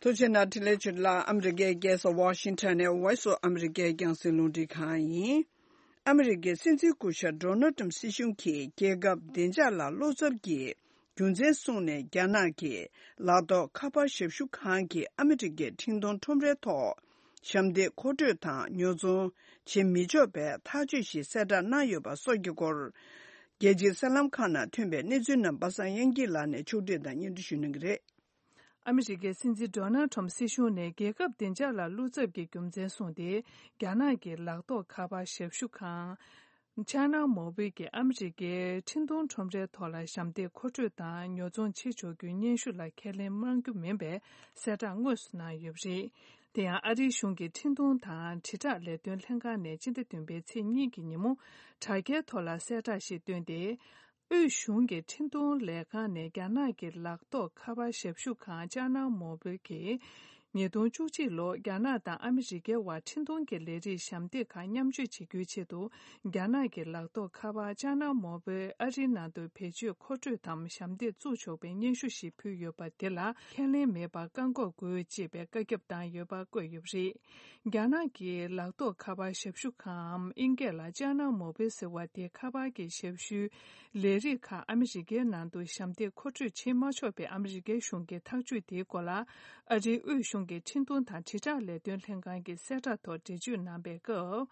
ཐུགས་རྗེ་གནང་། འཕྲིན་ལས་ཆོས་ལགས། ཨ་མི་རི་ཀའི་རྒྱལ་ས་ཝ་ཤིང་ཊོན་ནས་Voice of America་རྒྱང་སྲིང་རླུང་འཕྲིན་ཁང་ཡིན། ཨ་མི་རི་ཀའི་སྲིད་འཛིན་སྐུ་ཞབས་ཌོ་ནལ་ཊམ་སྲིད་གཞུང་གིས་རྒྱལ་ཁབ་བདེ་འཇགས་ལ་བློ་འཚབ་ཀྱི་རྒྱུ་མཚན་གསུངས་ནས། རྒྱ་ནག་གི་ལག་ཐོགས་ཁ་པར་ཞབས་ཞུ་ཁང་གིས་ཨ་མི་རི་ཀའི་འཕྲིན་གཏོང་ཁྲོམ་རའི་ཐོག་ཞབས་འདེགས་མཁོ་སྤྲོད་དང་ཉོ་ཚོང་བྱེད་མི་ཆོག་པའི་ཐག་གཅོད་ཞིག་གསལ་བསྒྲགས་གནང་ཡོད་པ་སོགས་ཀྱི་སྐོར། རྒྱལ་སྤྱིའི་གསར་ལམ་ཁག་ནང་ཐོན་པའི་གནས་ཚུལ་རྣམས་པ་སངས་དབྱངས་སྐྱིད་ལགས་ནས་ཕྱོགས་སྒྲིག་དང་སྙན་སྒྲོན་ཞུ་གནང་གི་རེད། ཨ་མི་རི་ཀའི་སྲིད་འཛིན་ཌོ་ནལ་ཊམ་སྲིད་གཞུང་ནས་རྒྱལ་ཁབ་བདེ་འཇགས་ལ་བློ་འཚབ་ཀྱི་རྒྱུ་མཚན་གསུངས་ཏེ། རྒྱ་ནག་གི་ལག་ཐོགས་ཁ་པར་ཞབས་ཞུ་ཁང་ཅཱ་ནལ་མོ་བྷིལ་གྱིས་ཨ་མི་རི་ཀའི་འཕྲིན་གཏོང་ཁྲོམ་རའི་ཐོག་ལ་ཞབས་འདེགས་མཁོ་སྤྲོད་དང་ཉོ་ཚོང་བྱེད་ཆོག་རྒྱུའི་སྙན་ཞུ་ལ་ཁས་ལེན་གནང་རྒྱུ་མིན་པའི་གསལ་བསྒྲགས་དངོས་སུ་གནང་ཡོད་པ་རེད། དེ་ཡང་ཨ་རིའི་གཞུང་གི་འཕྲིན་གཏོང་དང་དྲིལ་བསྒྲགས་ལས་དོན་ལྷན་ཁང་ནས་སྤྱི་ཟླ་བདུན་པའི་ཚེས་གཉིས་ཀྱི་ཉིན་མོ་དྲ་རྒྱའི་ཐོག་ལ་གསལ་བསྒྲགས་ཤིག་བཏོན་ཏེ། དབུས་གཞུང་གི་འཕྲིན་གཏོང་ལས་ཁང་ནས་རྒྱ་ནག་གི་ལག་ཐོགས་ཁ་པར་ཞབས་ཞུ་ཁང་ཅཱ་ནལ་མོ་བྷིལ་གྱིས། ཉིས་སྟོང་བཅུ་གཅིག་ལོར་རྒྱ་ནག་དང་ཨ་མི་རི་ཀའི་བར་འཕྲིན་གཏོང་གི་ལས་རིགས་ཞབས་འདེགས་ཁག་མཉམ་སྤྱོད་བྱེད་རྒྱུའི་ཆེད་དུ། རྒྱ་ནག་གི་ལག་ཐོགས་ཁ་པར་ཅཱ་ནལ་མོ་བྷིལ་ཨ་རིའི་ནང་དུ་བེད་སྤྱོད་མཁོ་སྤྲོད་དམ་ཞབས་འདེགས་བཙུགས་ཆོག་པའི་སྙན་ཞུ་ཞིག་ཕུལ་ཡོད་པ་དེ་ལ་ཁས་ལེན་མེད་པར་བཀག་འགོག་དགོས་ཅེས་པའི་བཀའ་ཁྱབ་བཏང་ཡོད་པ་བཀོད་ཡོད་པ་རེད། རྒྱ་ནག་གི་ལག་ཐོགས་ཁ་པར་ཞབས་ཞུ་ཁང་ཨིན་སྐད་ལ་ཅཱ་ནལ་མོ་བྷིལ་ཟེར་བ་དེ་ཁ་པར་གྱི་ཞབས་ཞུའི་ལས་རིགས་ཁག་ཨ་མི་རི་ཀའི་ནང་དུ་ཞབས་འདེགས་མཁོ་སྤྲོད་བྱེད་མ་ཆོག་པའི་ཨ་མི་རི་ཀའི་གཞུང་གི་ཐག་གཅོད་དེའི་སྐོར་ལ། ཨ་རིའི་དབུས་གཞུང་གི་འཕྲིན་གཏོང་དང་དྲིལ་བསྒྲགས་ལས་དོན་ལྷན་ཁང་གི་གསལ་བསྒྲགས་ཐོག་འགྲེལ་བརྗོད་གནང་པའི་སྐབས།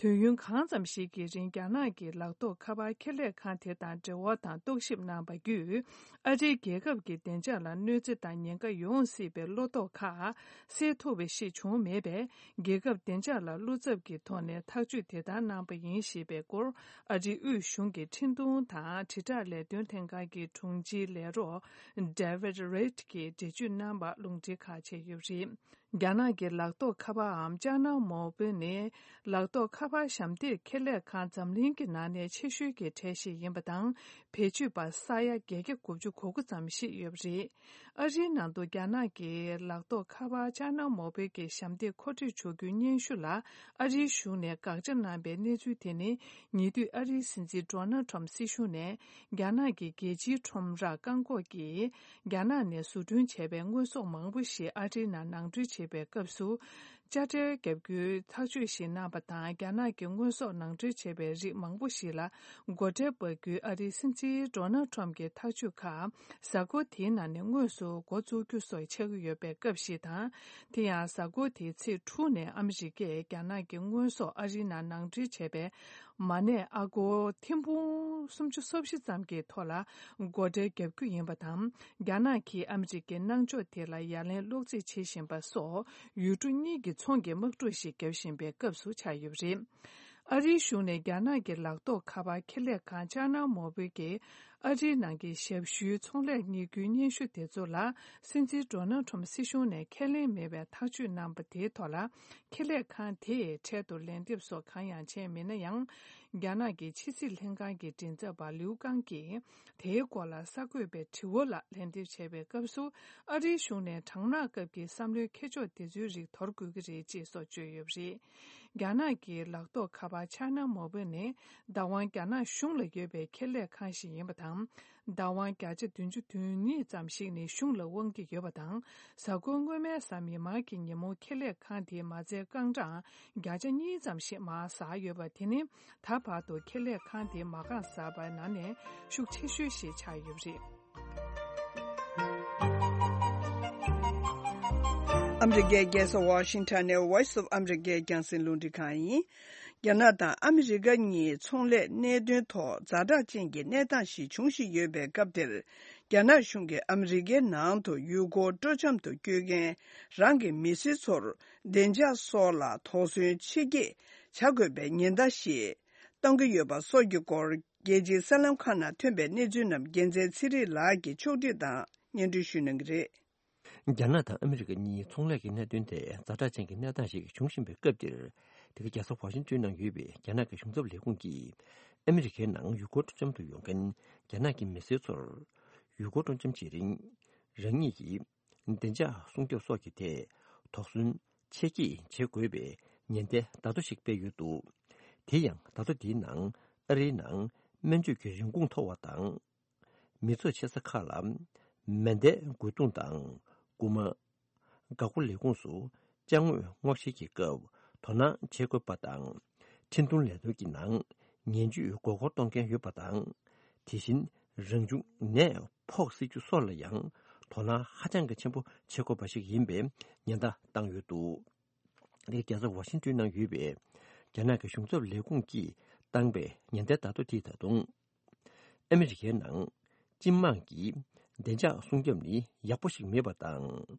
དུས་ཡུན་གང་ཙམ་ཞིག་གི་རིང་རྒྱ་ནག་གི་ལག་ཐོགས་ཁ་པར་ཁེ་ལས་ཁང་དེ་དང་འབྲེལ་བ་དང་རྟོག་ཞིབ་གནང་པ་བརྒྱུད། ཨ་རིའི་རྒྱལ་ཁབ་ཀྱི་བདེ་འཇགས་ལ་གནོད་འཚེ་དང་ཉེན་ཁ་ཡོང་སྲིད་པའི་བློ་དོགས་ཁག་སེལ་ཐུབ་པ་ཞིག་བྱུང་མེད་པས། རྒྱལ་ཁབ་བདེ་འཇགས་ལ་བློ་འཚབ་ཀྱི་ཐོག་ནས་ཐག་གཅོད་དེ་ལྟར་གནང་པ་ཡིན་ཞེས་པའི་སྐོར། ཨ་རིའི་དབུས་གཞུང་གི་འཕྲིན་གཏོང་དང་དྲིལ་བསྒྲགས་ལས་དོན་ལྷན་ཁང་གི་དྲུང་ཆེའི་ལས་རོགས་David Reed་གྱིས་འགྲེལ་བརྗོད་གནང་བ་རླུང་འཕྲིན་ཁག་ཆད་ཡོད་པ་རེད། རྒྱ་ནག་གི་ལག་ཐོགས་ཁ་པར་འམ་ཅཱ་ནལ་མོ་བྷིལ་ནི་ལག་ཐོགས་ཁ་པར་ཞབས་འདེགས་ཁེ་ལས་ཁང་འཛམ་གླིང་གི་ནང་ནས་ཆེ་ཤོས་ཀྱི་གྲས་ཤིག་ཡིན་པ་དང་། བེད་སྤྱོད་པ་ས་ཡ་བརྒྱད་བརྒྱ་དགུ་བཅུ་གོ་དགུ་ཙམ་ཞིག་ཡོད་པ་རེད། ཨ་རིའི་ནང་དུ་རྒྱ་ནག་གི་ལག་ཐོགས་ཁ་པར་ཅཱ་ནལ་མོ་བྷིལ་གྱི་ཞབས་འདེགས་མཁོ་སྤྲོད་བྱ་རྒྱུའི་སྙན་ཞུ་ལ་ཨ་རིའི་གཞུང་ནས་དགག་བྱ་གནང་པའི་གནས་ཚུལ་དེ་ནི། ཉེ་དུས་ཨ་རིའི་སྲིད་འཛིན་ཌོ་ནལ་ཊམ་སྲིད་གཞུང་ནས་རྒྱ་ནག་གི་རྒྱལ་སྤྱིའི་ཁྲོམ་རར་བཀག་འགོག་གིས། རྒྱ་ནག་ནས་བཟོ་སྐྲུན་བྱས་པའི་དངོས་ཟོག་མང་པོ་ཞིག་ཨ་རིའི་ནང་ནང་འདྲེན་བྱེད་པའི་སྐབས་སུ། དཔྱ་ཁྲལ་བརྒྱབ་རྒྱུའི་ཐག་གཅོད་ཞིག་གནང་པ་དང་། རྒྱ་ནག་གི་དངོས་ཟོག་ནང་འདྲེན་བྱས་པའི་རིགས་མང་པོ་ཞིག་ལ་སྒོ་ཁྲལ་འབག་རྒྱུའི་ཨ་རིའི་སྲིད་འཛིན་ཌོ་ནལ་ཊམ་གྱི་ཐག་གཅོད་ཁག་གཟའ་འཁོར་དེའི་ནང་ནས་དངོས་སུ་འགོ་བཙུགས་རྒྱུ་སོགས་ཆགས་ཀྱི་ཡོད་པའི་སྐབས་ཤིག་དང་། དེ་ཡང་གཟའ་འཁོར་དེའི་ཚེས་དྲུག་ནས་ཨ་མི་རི་ཀས་རྒྱ་ནག་གི་དངོས་ཟོག་ཨ་རིའི་ནང་ནང་འདྲེན་བྱས་པའི་མ་གནས་ཨ་སྒོར་ཐེར་འབུམ་སུམ་ཅུ་སོ་བཞི་ཙམ་གྱི་ཐོག་ལ་སྒོ་ཁྲལ་བརྒྱབ་རྒྱུ་ཡིན་པ་དང་། རྒྱ་ནག་གིས་ཨ་མི་རི་ཀའི་གནང་ཕྱོགས་དེ་ལ་ཡ་ལན་སློག་རྩིས་བྱེད་བཞིན་པ་སོགས་ཡུལ་གྲུ་གཉིས་ཀྱི་ཚོང་གི་དམག་འཁྲུག་ཞིག་བརྒྱབ་བཞིན་པའི་སྐབས་སུ་ཆགས་ཡོད་པ་རེད། ཨ་རིའི་གཞུང་ནས་རྒྱ་ནག་གི་ལག་ཐོགས་ཁ་པར་ཁེ་ལས་ཁང་ཅཱ་ནལ་མོ་བྷིལ་གྱིས་ཨ་རིའི་ནང་གི་ཞབས་ཞུའི་ཚོང་ལས་གཉེར་རྒྱུའི་སྙན་ཞུ་དེ་ཚོ་ལ་སྲིད་འཛིན་ཌོ་ནལ་ཊམ་སྲིད་གཞུང་ནས་ཁས་ལེན་མེད་པའི་ཐག་གཅོད་གནང་པ་དེའི་ཐོག་ལ། ཁེ་ལས་ཁང་དེས་འཕྲལ་དུ་ལན་འདེབས་སོགས་གང་ཡང་བྱས་མེད་ན་ཡང་། རྒྱ་ནག་གི་ཕྱི་སྲིད་ལྷན་ཁང་གི་མགྲིན་ཚབ་པ་ལིའུ་ཀང་གིས་དེའི་སྐོར་ལ་གསར་འགོད་པའི་དྲི་བ་ལ་ལན་འདེབས་བྱས་པའི་སྐབས་སུ། ཨ་རིའི་གཞུང་ནས་གྲང་ནག་སྐབས་ཀྱི་བསམ་བློའི་འཁྱེར་ཕྱོགས་དེ་ཚོའི་རིགས་དོར་དགོས་ཀྱི་རེད་ཅེས་སོགས་བརྗོད་ཡོད་པ་རེད། རྒྱ་ནག་གི་ལག་ཐོགས་ཁ་པར་ཆཱའེ་ན་མོ་བྷེལ་ནི་བདག་དབང་རྒྱ་ནག་གཞུང་ལ་ཡོད་པའི་ཁེ་ལས་ཁང་ཞིག་ཡིན་པ་དང་། བདག་དབང་བརྒྱ་ཆ་བདུན་ཅུ་དོན་གཉིས་ཙམ་ཞིག་ནི་གཞུང་ལ་དབང་གི་ཡོད་པ་དང་། གཟའ་འཁོར་སྔོན་མའི་གཟའ་མིག་དམར་གྱི་ཉིན་མོ་ཁེ་ལས་ཁང་དེའི་མ་རྩའི་རྐང་གྲངས་བརྒྱ་ཆ་གཉིས་ཙམ་ཞིག་མར་ཟག་ཡོད་པ་དེ་ནི། ད་བར་དུ་ཁེ་ལས་ཁང་དེའི་མ་རྐང་ཟག་པའི་ནང་ནས་ཤུགས་ཆེ་ཤོས་ཤིག་ཆགས་ཡོད་པ་རེད། ཨ་མི་རི་ཀའི་རྒྱལ་ས་ཝ་ཤིང་ཊོན་ནས་Voice of America་རྒྱང་སྲིང་རླུང་འཕྲིན་ཁང་ཡིན། རྒྱ་ནག་དང་ཨ་མི་རི་ཀ་གཉིས་ཚོང་ལས་གནད་དོན་ཐོག་ཛ་དྲག་ཅན་གྱི་གནས་སྟངས་ཤིག་འབྱུང་བཞིན་ཡོད་པའི་སྐབས་འདིར། རྒྱ་ནག་གཞུང་གིས་ཨ་མི་རི་ཀའི་ནང་དུ་ཡུལ་སྐོར་སྤྲོ་འཆམ་དུ་བསྐྱོད་མཁན་རང་གི་མི་སེར་ཚོར་བདེ་འཇགས་སོགས་ལ་དོགས་ཟོན་ཆེ་བསྐྱེད་བྱ་དགོས་པའི་ཉེན་བརྡ་ཞིག་གཏོང་གི་ཡོད་པ་སོགས་ཀྱི་སྐོར། རྒྱལ་སྤྱིའི་གསར་ལམ་ཁག་ནང་ཐོན་པའི་གནས་ཚུལ་རྣམས་རྒྱལ་མཚན་ཚེ་རིང་ལགས་ཀྱིས་ཕྱོགས་སྒྲིག་དང་སྙན་སྒྲོན་ཞུ་གནང་གི་རེད། རྒྱ་ནག་དང་ཨ་མི་རི་ཀ་གཉིས་ཚོང་ལས་ཀྱི་གནད་དོན་ཐད་ཛ་དྲག་ཅན་གྱི་གནས་སྟངས་ཤིག་འབྱུང་བཞིན་པའི་སྐབས་འདིར། འདི་ག་རྒྱལ་ས་ཝ་ཤིང་ཊོན་ནང་ཡོད་པའི་རྒྱ་ནག་གི་གཞུང་ཚབ་ལས་ཁུངས་ཀྱིས་ཨ་མི་རི་ཀའི་ནང་ཡུལ་སྐོར་སྤྲོ་འཆམ་དུ་ཡོང་མཁན་རྒྱ་ནག་གི་མི་སེར་ཚོར། ཡུལ་སྐོར་སྤྲོ་འཆམ་བྱེད་རིང་། རང་ཉིད་ཀྱི་བདེ་འཇགས་སྲུང་སྐྱོབ་སོགས་ཀྱི་ཐད་དོགས་ཟོན་ཆེ་བསྐྱེད་བྱེད་དགོས་པའི་ཉེན་བརྡའི་བརྡ་ཐོ་ཞིག་སྤེལ་ཡོད་འདུག་དེ་ཡང་བརྡ་ཐོ་འདིའི་ནང་ཨ་རིའི་ནང་སྨན་བཅོས་ཀྱི་རིན་གོང་མཐོ་བ་དང་། མི་ཚོགས་ཆེ་ས་ཁག་ལ་མེ་མདའི་རྒོལ་རྡུང་དང་རྐུ་མ། འགག་སྒོ་ལས་ཁུངས་སུ་ཅ་དངོས་སྔོག་བཤེར་གྱི་སྐབས་དོ་སྣང་བྱེད་དགོས་པ་དང་། འཕྲིན་གཏོང་ལས་དོན་གྱི་ནང་ངན་ཇུས་མགོ་སྐོར་གཏོང་མཁན་ཡོད་པ་དང་། དེ་བཞིན་རང་བྱུང་ནད་ཕོག་སྲིད་རྒྱུ་སོགས་ལ་ཡང་དོ་སྣང་ཧ་ཅང་གི་ཆེན་པོ་བྱེད་དགོས་པ་ཞིག་ཡིན་པའི་ཉེན་བརྡ་བཏང་ཡོད་འདུག་དེ་རྒྱལ་ས་ཝ་ཤིང་ཊོན་ནང་ཡོད་པའི་རྒྱ་ནག་གི་གཞུང་ཚབ་ལས་ཁུངས་ཀྱིས་བཏང་པའི་ཉེན་བརྡའི་བརྡ་ཐོ་དེས་ད་དུང་། ཨ་མི་རི་ཀའི་ནང་སྤྱི་དམངས་ཀྱི་བདེ་འཇགས་སྲུང་སྐྱོབ་ནི་ཡག་པོ་ཞིག་མེད་པ་དང་།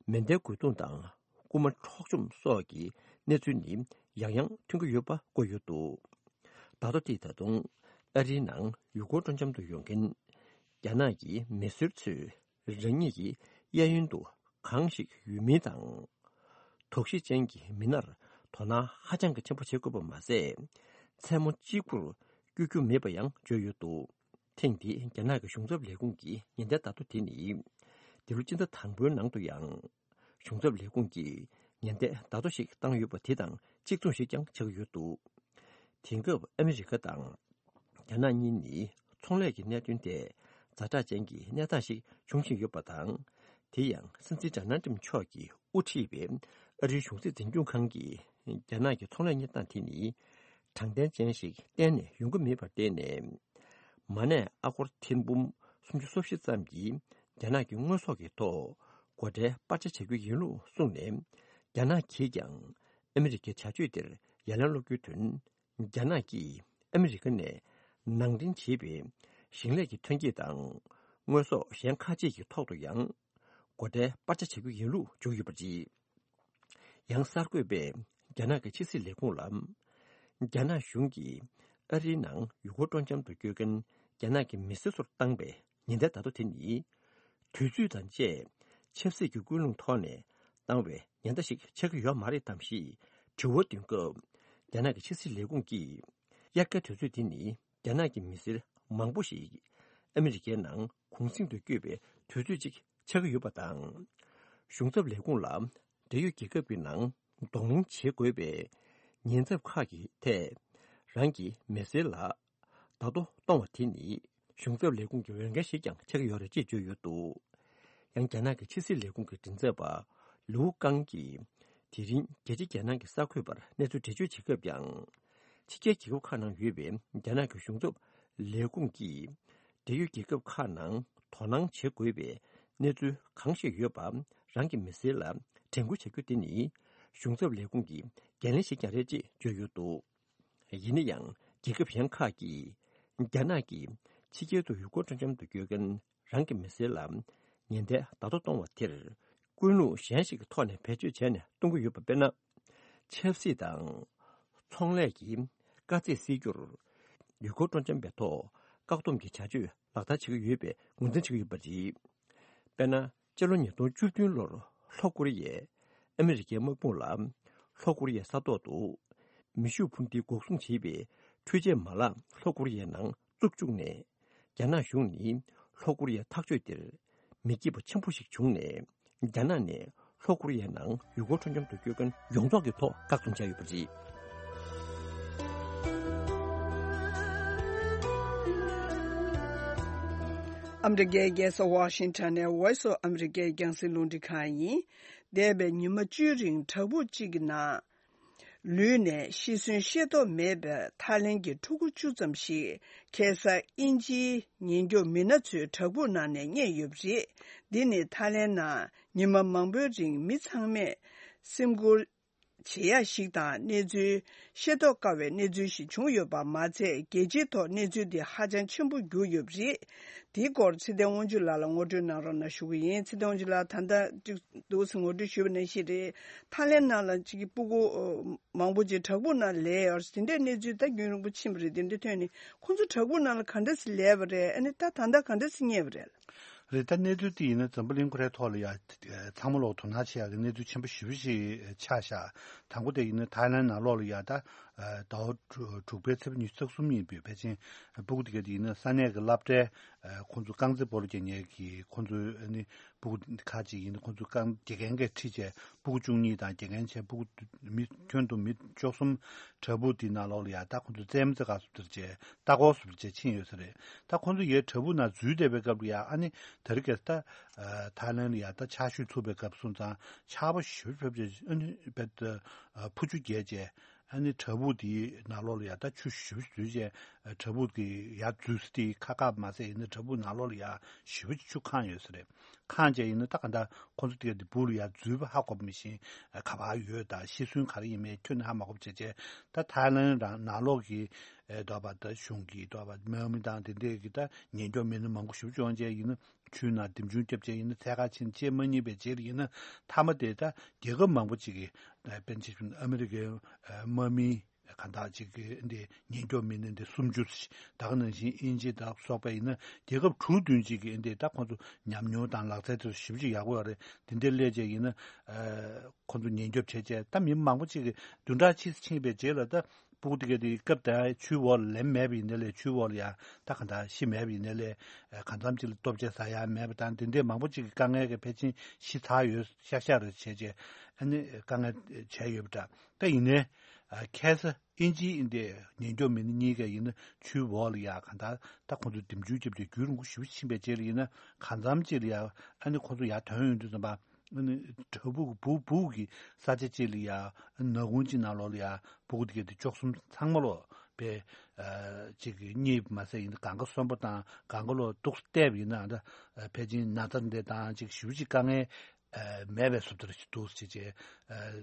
མེ་མདའི་རྒོལ་རྡུང་དང་རྐུ་མ་འཕྲོག་བཅོམ་སོགས་ཀྱི་གནས་ཚུལ་ནི་ཡང་ཡང་ཐོན་གྱི་ཡོད་པ་བཀོད་ཡོད་འདུག་བརྡ་ཐོ་དེས་ད་དུང་ཨ་རིའི་ནང་ཡུལ་སྐོར་སྤྲོ་འཆམ་དུ་ཡོང་མཁན་རྒྱ་ནག་གི་མི་སེར་ཚོས་རང་ཉིད་ཀྱི་གཡས་གཡོན་དུ་གང་ཞིག་ཡོད་མིན་དང་། དོགས་གཞི་ཅན་གྱི་མི་སྣར་དོ་སྣང་ཧ་ཅང་གི་ཆེན་པོ་བྱེད་དགོས་པ་མ་ཟད། མཚན་མོ་གཅིག་པུར་སྐྱོད་རྒྱུ་མེད་པ་ཡང་བརྗོད་ཡོད་འདུག་ཐེངས་འདིའི་རྒྱ་ནག་གི་གཞུང་ཚབ་ལས་ཁུངས་ཀྱི་ཉེན་བརྡའི་བརྡ་ཐོ་དེ་ནི། འདི་ལོ་སྤྱི་ཟླ་དང་པོའི་ནང་དུ་ཡང་། གཞུང་ཚབ་ལས་ཁུངས་ཀྱིས་ཉེན་བརྡའི་བརྡ་ཐོ་ཞིག་བཏང་ཡོད་པ་དེ་དང་གཅིག་མཚུངས་ཤིག་ཀྱང་ཆགས་ཀྱི་ཡོད་འདུག་དེང་སྐབས་ཨ་མི་རི་ཀ་དང་། རྒྱ་ནག་གཉིས་ནི་ཚོང་ལས་ཀྱི་གནད་དོན་ཐད་ཛ་དྲག་ཅན་གྱི་གནས་སྟངས་ཤིག་འབྱུང་བཞིན་ཡོད་པ་དང་། དེ་ཡང་སྲིད་འཛིན་ཌོ་ནལ་ཊམ་མཆོག་གིས་དབུ་ཁྲིད་པའི་ཨ་རིའི་གཞུང་སྲིད་འཛིན་སྐྱོང་ཁང་གིས་རྒྱ་ནག་གི་ཚོང་ལས་གནས་སྟངས་དེ་ནི་དྲང་བདེན་ཅན་ཞིག་གཏན་ནས་ཡོང་གི་མེད་པར་བརྟེན་ནས། མ་གནས་ཨ་སྒོར་ཐེར་འབུམ་སུམ་ཅུ་སོ་བཞི་ཙམ་གྱི་རྒྱ་ནག་གི་དངོས་ཟོག་གི་ཐོག་སྒོ་ཁྲལ་སྤར་ཆ་བྱ་རྒྱུ་ཡིན་ལུགས་གསུངས་ནས། རྒྱ་ནག་གིས་ཀྱང་ཨ་མི་རི་ཀའི་བྱ་སྤྱོད་དེར་ཡ་ལན་སློག་རྒྱུའི་དོན། རྒྱ་ནག་གིས་ཨ་མི་རི་ཀ་ནས་ནང་འདྲེན་བྱས་པའི་ཞིང་ལས་ཀྱི་ཐོན་སྐྱེད་དང་དངོས་ཟོག་གཞན་ཁག་ཅིག་གི་ཐོག་ཏུ་ཡང་སྒོ་ཁྲལ་སྤར་ཆ་བྱ་རྒྱུ་ཡིན་ལུགས་བརྗོད་ཡོད་པ་རེད། ཡང་གསར་འགོད་པས་རྒྱ་ནག་གི་ཕྱི་སྲིད་ལས་ཁུངས་ལ། རྒྱ་ནག་གཞུང་གིས་ཨ་རིའི་ནང་ཡུལ་སྐོར་སྤྲོ་འཆམ་དུ་སྐྱོད་མཁན་རྒྱ་ནག་གི་མི་སེར་ཚོར་བཏང་བའི་ཉེན་བརྡའི་བརྡ་ཐོ་དེ་ནི། དུས་ཚོད་དང་བཅས་ཆབ་སྲིད་ཀྱི་ཀུན་སློང་ཐོག་ནས་བཏང་བའི་ཉེན་བརྡ་ཞིག་ཆགས་ཀྱི་ཡོད་མ་རེད་དམ་ཞེས་དྲི་བ་འདོན་སྐབས། རྒྱ་ནག་གི་ཕྱི་སྲིད་ལས་ཁུངས་ཀྱིས། དབྱར་ཁའི་དུས་ཚོད་འདི་ནི་རྒྱ་ནག་གི་མི་སེར་མང་པོ་ཞིག་ཨ་མི་རི་ཀའི་ནང་གུང་གསེང་དུ་བསྐྱོད་པའི་དུས་ཚོད་ཅིག་ཆགས་ཀྱི་ཡོད་པ་དང་། གཞུང་ཚབ་ལས་ཁུངས་ལ་འབྲེལ་ཡོད་རྒྱལ་ཁབ་ཀྱི་ནང་གདོང་ལེན་བྱེད་དགོས་པའི་ཉེན་ཚབས་ཁག་གི་ཐད། རང་གི་མི་སེར་ལ་བརྡ་ཐོ་གཏོང་བ་དེ་ནི་གཞུང་ཚབ་ལས་ཁུངས་ཀྱི་འོས་འགན་ཞིག་ཀྱང་ཆགས་ཀྱི་ཡོད་རེད་ཅེས་བརྗོད་ཡོད་འདུག་ཡང་རྒྱ་ནག་གི་ཕྱི་སྲིད་ལས་ཁུངས་ཀྱི་མགྲིན་ཚབ་པ་ལིའུ་ཀང་གིས། དེ་རིང་རྒྱལ་སྤྱི་རྒྱལ་ནང་གི་གསར་འགོད་པར་གནས་ཚུལ་འགྲེལ་བརྗོད་བྱེད་སྐབས་ཀྱང་། ཕྱི་རྒྱལ་རྒྱལ་ཁབ་ཁག་ནང་ཡོད་པའི་རྒྱ་ནག་གི་གཞུང་ཚབ་ལས་ཁུངས་ཀྱིས། འབྲེལ་ཡོད་རྒྱལ་ཁབ་ཁག་ནང་དོ་སྣང་བྱེད་དགོས་པའི་གནས་ཚུལ་གང་ཞིག་ཡོད་པ། རང་གི་མི་སེར་ལ་དྲན་སྐུལ་བྱ་རྒྱུ་དེ་ནི། གཞུང་ཚབ་ལས་ཁུངས་ཀྱི་འགན་ལེན་ཞིག་ཀྱང་རེད་ཅེས་བརྗོད་ཡོད་འདུག་ཡིན་ན་ཡང་རྒྱལ་ཁབ་གཞན་ཁག་གིས་རྒྱ་ནག་གིས་ཕྱི་རྒྱལ་དུ་ཡུལ་སྐོར་སྤྲོ་འཆམ་དུ་སྐྱོད་མཁན་རང་གི་མི་སེར་ལ་ཉེན་བརྡའི་བརྡ་ཐོ་གཏོང་བ་དེར་ཀུན་སློང་གཞན་ཞིག་གི་ཐོག་ནས་བེད་སྤྱོད་བྱས་ནས་གཏོང་གི་ཡོད་པ། དཔེར་ན། ཆབ་སྲིད་དང་ཚོང་ལས་ཀྱི་དཀའ་ཚེགས་སེལ་རྒྱུར་ཡུལ་སྐོར་སྤྲོ་འཆམ་པའི་ཐོག་བཀག་སྡོམ་གྱི་བྱ་སྤྱོད་ལག་བསྟར་བྱེད་ཀྱི་ཡོད་པའི་ངོས་འཛིན་བྱེད་ཀྱི་ཡོད་པ་རེད། དཔེར་ན། སྤྱི་ལོ་ཉིས་སྟོང་བཅུ་བདུན་ལོར་ལྷོ་ཀོ་རི་ཡས་ཨ་མི་རི་ཀའི་དམག་དཔུང་ལ་ལྷོ་ཀོ་རི་ཡའི་ས་ཐོག་ཏུ་མེ་ཤུགས་འཕུར་མདེལ་འགོག་སྲུང་བྱེད་པའི་ འཕྲུལ་ཆས་མ་ལག་ལྷོ་ཀོ་རི་ཡའི་ནང་བཙུགས་བཅུག་ནས། རྒྱ་ནག་གཞུང་ནི་ལྷོ་ཀོ་རི་ཡའི་ཐག་གཅོད་དེར་མི་སྐྱིད་པ་ཆེན་པོ་ཞིག་བྱུང་ནས། རྒྱ་ནག་ནས་ལྷོ་ཀོ་རི་ཡའི་ནང་ཡུལ་སྐོར་སྤྲོ་འཆམ་དུ་སྐྱོད་མཁན་ཡོངས་རྫོགས་ཀྱི་ཐོག་བཀག་སྡོམ་བྱས་ཡོད་པ་རེད། ཨ་མི་རི་ཀའི་རྒྱལ་ས་ཝ་ཤིང་ཊོན་ནས་Voice of America ཡི་རྒྱང་སྲིང་རླུང་འཕྲིན་ཁང་ཡིན། འདས་པའི་ཉི་མ་བཅུའི་རིང་བྲག་ཕུག་གཅིག་གི་ནང་ལུས་ནས་ཤི་གསོན་ཤེས་རྟོགས་མེད་པའི་ཐའི་ལེན་གྱི་ཕྲུ་གུ་བཅུ་ཙམ་ཞིག་ཁ་སང་དབྱིན་ཇིའི་ཉེན་སྐྱོབ་མི་སྣ་ཚོའི་བྲག་ཕུག་ནང་ནས་རྙེད་ཡོད་པ་རེད། འདི་ནི་ཐའི་ལེན་ནང་ཉི་མ་མང་པོའི་རིང་མི་ཚང་མས་སེམས་ཁུར་བྱེད་ཡ་ཞིག་དང་། གནས་ཚུལ་ཤེས་རྟོགས་དཀའ་བའི་གནས་ཚུལ་ཞིག་བྱུང་ཡོད་པ་མ་ཚད། རྒྱལ་སྤྱིའི་ཐོག་གནས་ཚུལ་འདི་ཧ་ཅང་ཆེན་པོ་གྱུར་ཡོད་པ་རེད། དེའི་སྐོར་ཚེ་བརྟན་དབང་ཕྱུག་ལགས་ལ་ངོ་སྤྲོད་གནང་རོགས་གནང་ཞུ་གི་ཡིན། ཚེ་བརྟན་དབང་ཕྱུག་ལགས། ད་ལྟ་ཅིག་འདུག་སེ་ངོ་སྤྲོད་ཞུས་པ་ནང་བཞིན་རེད། ཐའི་ལེན་ནང་ལ་ཅིག་སྤུ་གུ་མང་པོ་ཅིག་བྲག་ཕུག་ནང་ལས་ཡོད་རེད། དེ་འདྲའི་གནས་ཚུལ་ད་རྒྱུན་རིང་པོ་ཕྱིན་པ་རེད། དེ་འདྲ་ཐོན་ནས་ཁོང་ཚོ་བྲག་ཕུག་ནང་ལ་ག་འདྲ་སེ་ལས་པ་རེད། ཨ་ནི་ད་ད་ལྟ་ག་འདྲ་སེ་རྙེད་པ་རེད། རེད། ད་གནས་ཚུལ་དེ་ཡིན་ན་འཛམ་བུ་གླིང་ཁོ་རའི་ཐོག་ལ་ཡ་ཚང་མ་ལོག་དོ་སྣང་བྱེད་ཡག་གི་གནས་ཚུལ་ཆེན་པོ་ཞེ་པོ་ཞིག་ཆགས་ཤག་དང་པོ་དེ་ཡིན་ན་ཐའི་ལེན་ནང་ལོགས་ལ་ཡ་ད་ཟླ་བ་དྲུག་པའི་ཚེས་པ་ཉི་ཤུ་རྩ་གསུམ་ཡིན་པས། ཕལ་ཆེར་སྤུ་གུ་དེ་ག་དེ་ཡིན་ན་ས་གནས་ཀྱི་སློབ་གྲྭའི་ཁོང་ཚོ་རྐང་རྩེད་སྤོ་ལོ་རྒྱག་མཁན་གྱི་ཁོང་ཚོའི་ཨ་ནི་སྤུ་གུ་ཁག་ཅིག་ཡིན་ན་ཁོང་ཚོ་རྐང་དགེ་རྒན་གྱིས་ཁྲིད་བྱས་སྤུ་གུ་བཅུ་གཉིས་དང་དགེ་རྒན་བྱས་སྤུ་གུ་མི་ཁྱོན་བསྡོམས་མི་བཅུ་གསུམ་བྲག་ཕུག་དེའི་ནང་ལོགས་ལ་ཡ་ད་ཁོང་ཚོ་རྩེད་མོ་རྩེ་ག་སུ་དེར་བྱས། ལྟ་སྐོར་སུ་བྱས་ཕྱིན་ཡོད་ས་རེད། ད་ཁོང་ཚོ་ཡའི་བྲག་ཕུག་ནང་འཛུལ་བསྡད་པའི་སྐབས་ལ་ཡ་ཨ་ནི་དེ་རིང་ཁ་སང་ད་ཐའི་ལེན་ལ་ཡ་ད་ཆར་ཞོད་ཚུགས་པའི་སྐབས་སོང་ཙང་ཆར་པ་ཞེ་པོ་ཞེ་པོ་ཅིག་ཨ་ནི་རྦད་དེ་ཕུ་ཆུ་རྒྱས་བྱས། ཨ་ནི་བྲག་ཕུག་དེའི་ནང་ལོགས་ལ་ཡ་ད་ཆུ་ཞེ་པོ་ཞིག་འཛུལ་བྱས། བྲག་ཕུག་གི་ཡར་འཛུལ་ས་དེ་ཁ་ཁ་མ་ཟད་ཡིན་ན་བྲག་ཕུག་ནང་ལོགས་ལ་ཡ་ཞེ་པོ་ཅིག་ཆུ་གང་ཡོད་ས་རེད། གང་བྱས་ཡིན་ན་ད་ག་འདྲ་ཁོང་ཚོ་དེ་ག་དེ་སྦུག་ལ་ཡར་འཛུལ་བ་ཧ་གོ་བ་མི་ཤེས། ག་པར་ཡོད་དང་ཤི་གསོན་ག་རེ་ཡིན་མིན་ཁྱོན་ནས་ཧ་མ་གོ་བ་བྱས་བྱས། ད་ཐའི་ལེན་རང་ནང་ལོགས་ཀྱི་ཨེ་འདྲ་པོ་ད་གཞུང་གི་འདྲ་པོ་དམག་མི་དང་དེ་འདྲས་ཀྱི་ད་ཉེན་སྐྱོབ་མི་སྣ་མང་པོ་ཞེ་པོ་ཅིག་ཡོང་བྱས་ཡིན་ན་ཆུའི་ནང་འདེམས་ཆུང་བརྒྱབ་བྱས་ཡིན་ན་འཚོལ་ག་ཕྱིན་བྱེད་མ་ཉན་པའི་རྗེས་ལ་ཡིན་ན་མཐའ་མ་དེ་ད་རྒྱལ་ཁབ་མང་པོ་ཅིག་གི་ཨེ་དཔེར་ན་ཆ་བཞག་ན་ཨ་མི་རི་ཀའི་ཨེ་དམག་མི་གང་དག་ཅིག་གི་འདི་ཉེན་སྐྱོབ་མི་སྣ་འདི་སུམ་ཅུ་ཞིག་ད་ག་ནང་བཞིན་དབྱིན་ཇི་དང་སོགས་པ་ཡིན་ན་རྒྱལ་ཁབ་དྲུག་བདུན་ཅིག་གི་འདི་ད་ཁོང་ཚོ་ཉམས་མྱོང་དང་ལག་རྩལ་དེ་ཚོ་ཞེ་པོ་ཅིག་ཡག་པོ་ཡོད་རེད། དེ་འདྲའི་སླེབས་བྱས་ཡིན་ན་ཨ་ཁོང་ཚོ་ཉེན་སྐྱོབ་བྱས་བྱས་ད་མི་མང་པོ་ཅིག་གི་བདུན་ཕྲག་ཕྱིས་སུ་ཕྱིན་པའི་རྗེས་ལ་ད་སྤུ་གུ་དེ་ག་དེ་སྐབས་དེ་ཆུའི་འོག་ལ་ལེན་མེད་པ་ཡིན་ནའི་ལས་ཆུའི་འོག་ལ་ཡ་ད་ག་འདྲ་ཤི་མེད་པ་ཡིན་ནའི་ལས་གང་འཚམ་ཅིག་ལ་ལྟོ་ཆས་ཟ་ཡ་མེད་པ་དང་དེ་འདྲའི་མང་པོ་ཅིག་གི་དཀའ་ངལ་གྱི་ཕལ་ཆེར་ཤི་ཚར་ཡོད་ཤག་ཤག་རེད་བྱས་བྱས་ཨ་ནི་དཀའ་ངལ་བྱས་ཡོད་པ་འདྲ། ད་ཡིན་ནའི་ཨ་ཁ་སང་དབྱིན་ཇིའི་འདི་ཉེན་སྐྱོབ་མི་སྣ་གཉིས་ཀ་ཡིན་ན་ཆུའི་འོག་ལ་ཡ་གང་ལྟར་ད་ཁོང་ཚོ་འདེམས་ཆུང་བརྒྱབ་སྟེ་རྒྱུན་རིང་པོ་ཞེ་པོ་ཕྱིན་པའི་རྗེས་ལ་ཡིན་ན་གང་འཚམ་ཅིག་ལ་ཡ་ཨ་ནི་ཁོང་ཚོ་ཡར་ཐོན་ཡོང་དུས་ཙམ་པ་ཨ་ནི་བྲག་ཕུག་གི་སྦུག་སྦུག་གི་ས་ཆ་ཅིག་ལ་ཡ་ཨ་ནི་ནག་ཁུང་ཅིག་ནང་ལོགས་ལ་ཡ་སྤུ་གུ་དེ་ག་དེ་བཅུ་གསུམ་ཚང་མ་ལོག་པའི་ཨ་ཅིག་གཉིད་མ་སད་ཡིན་ན་གང་ག་གསོན་པོ་དང་གང་ག་ལོག་འདུག་བལྟས་པ་ཡིན་ན་ཨ་ད་ཕལ་ཆེར་ན་ཚ་འདི་དང་ཅིག་ཞེ་པོ་ཅིག་དཀའ་ངལ་མེད་པའི་བཟོ་ལྟ་ཞིག་འདུག་ཅེས་བྱས་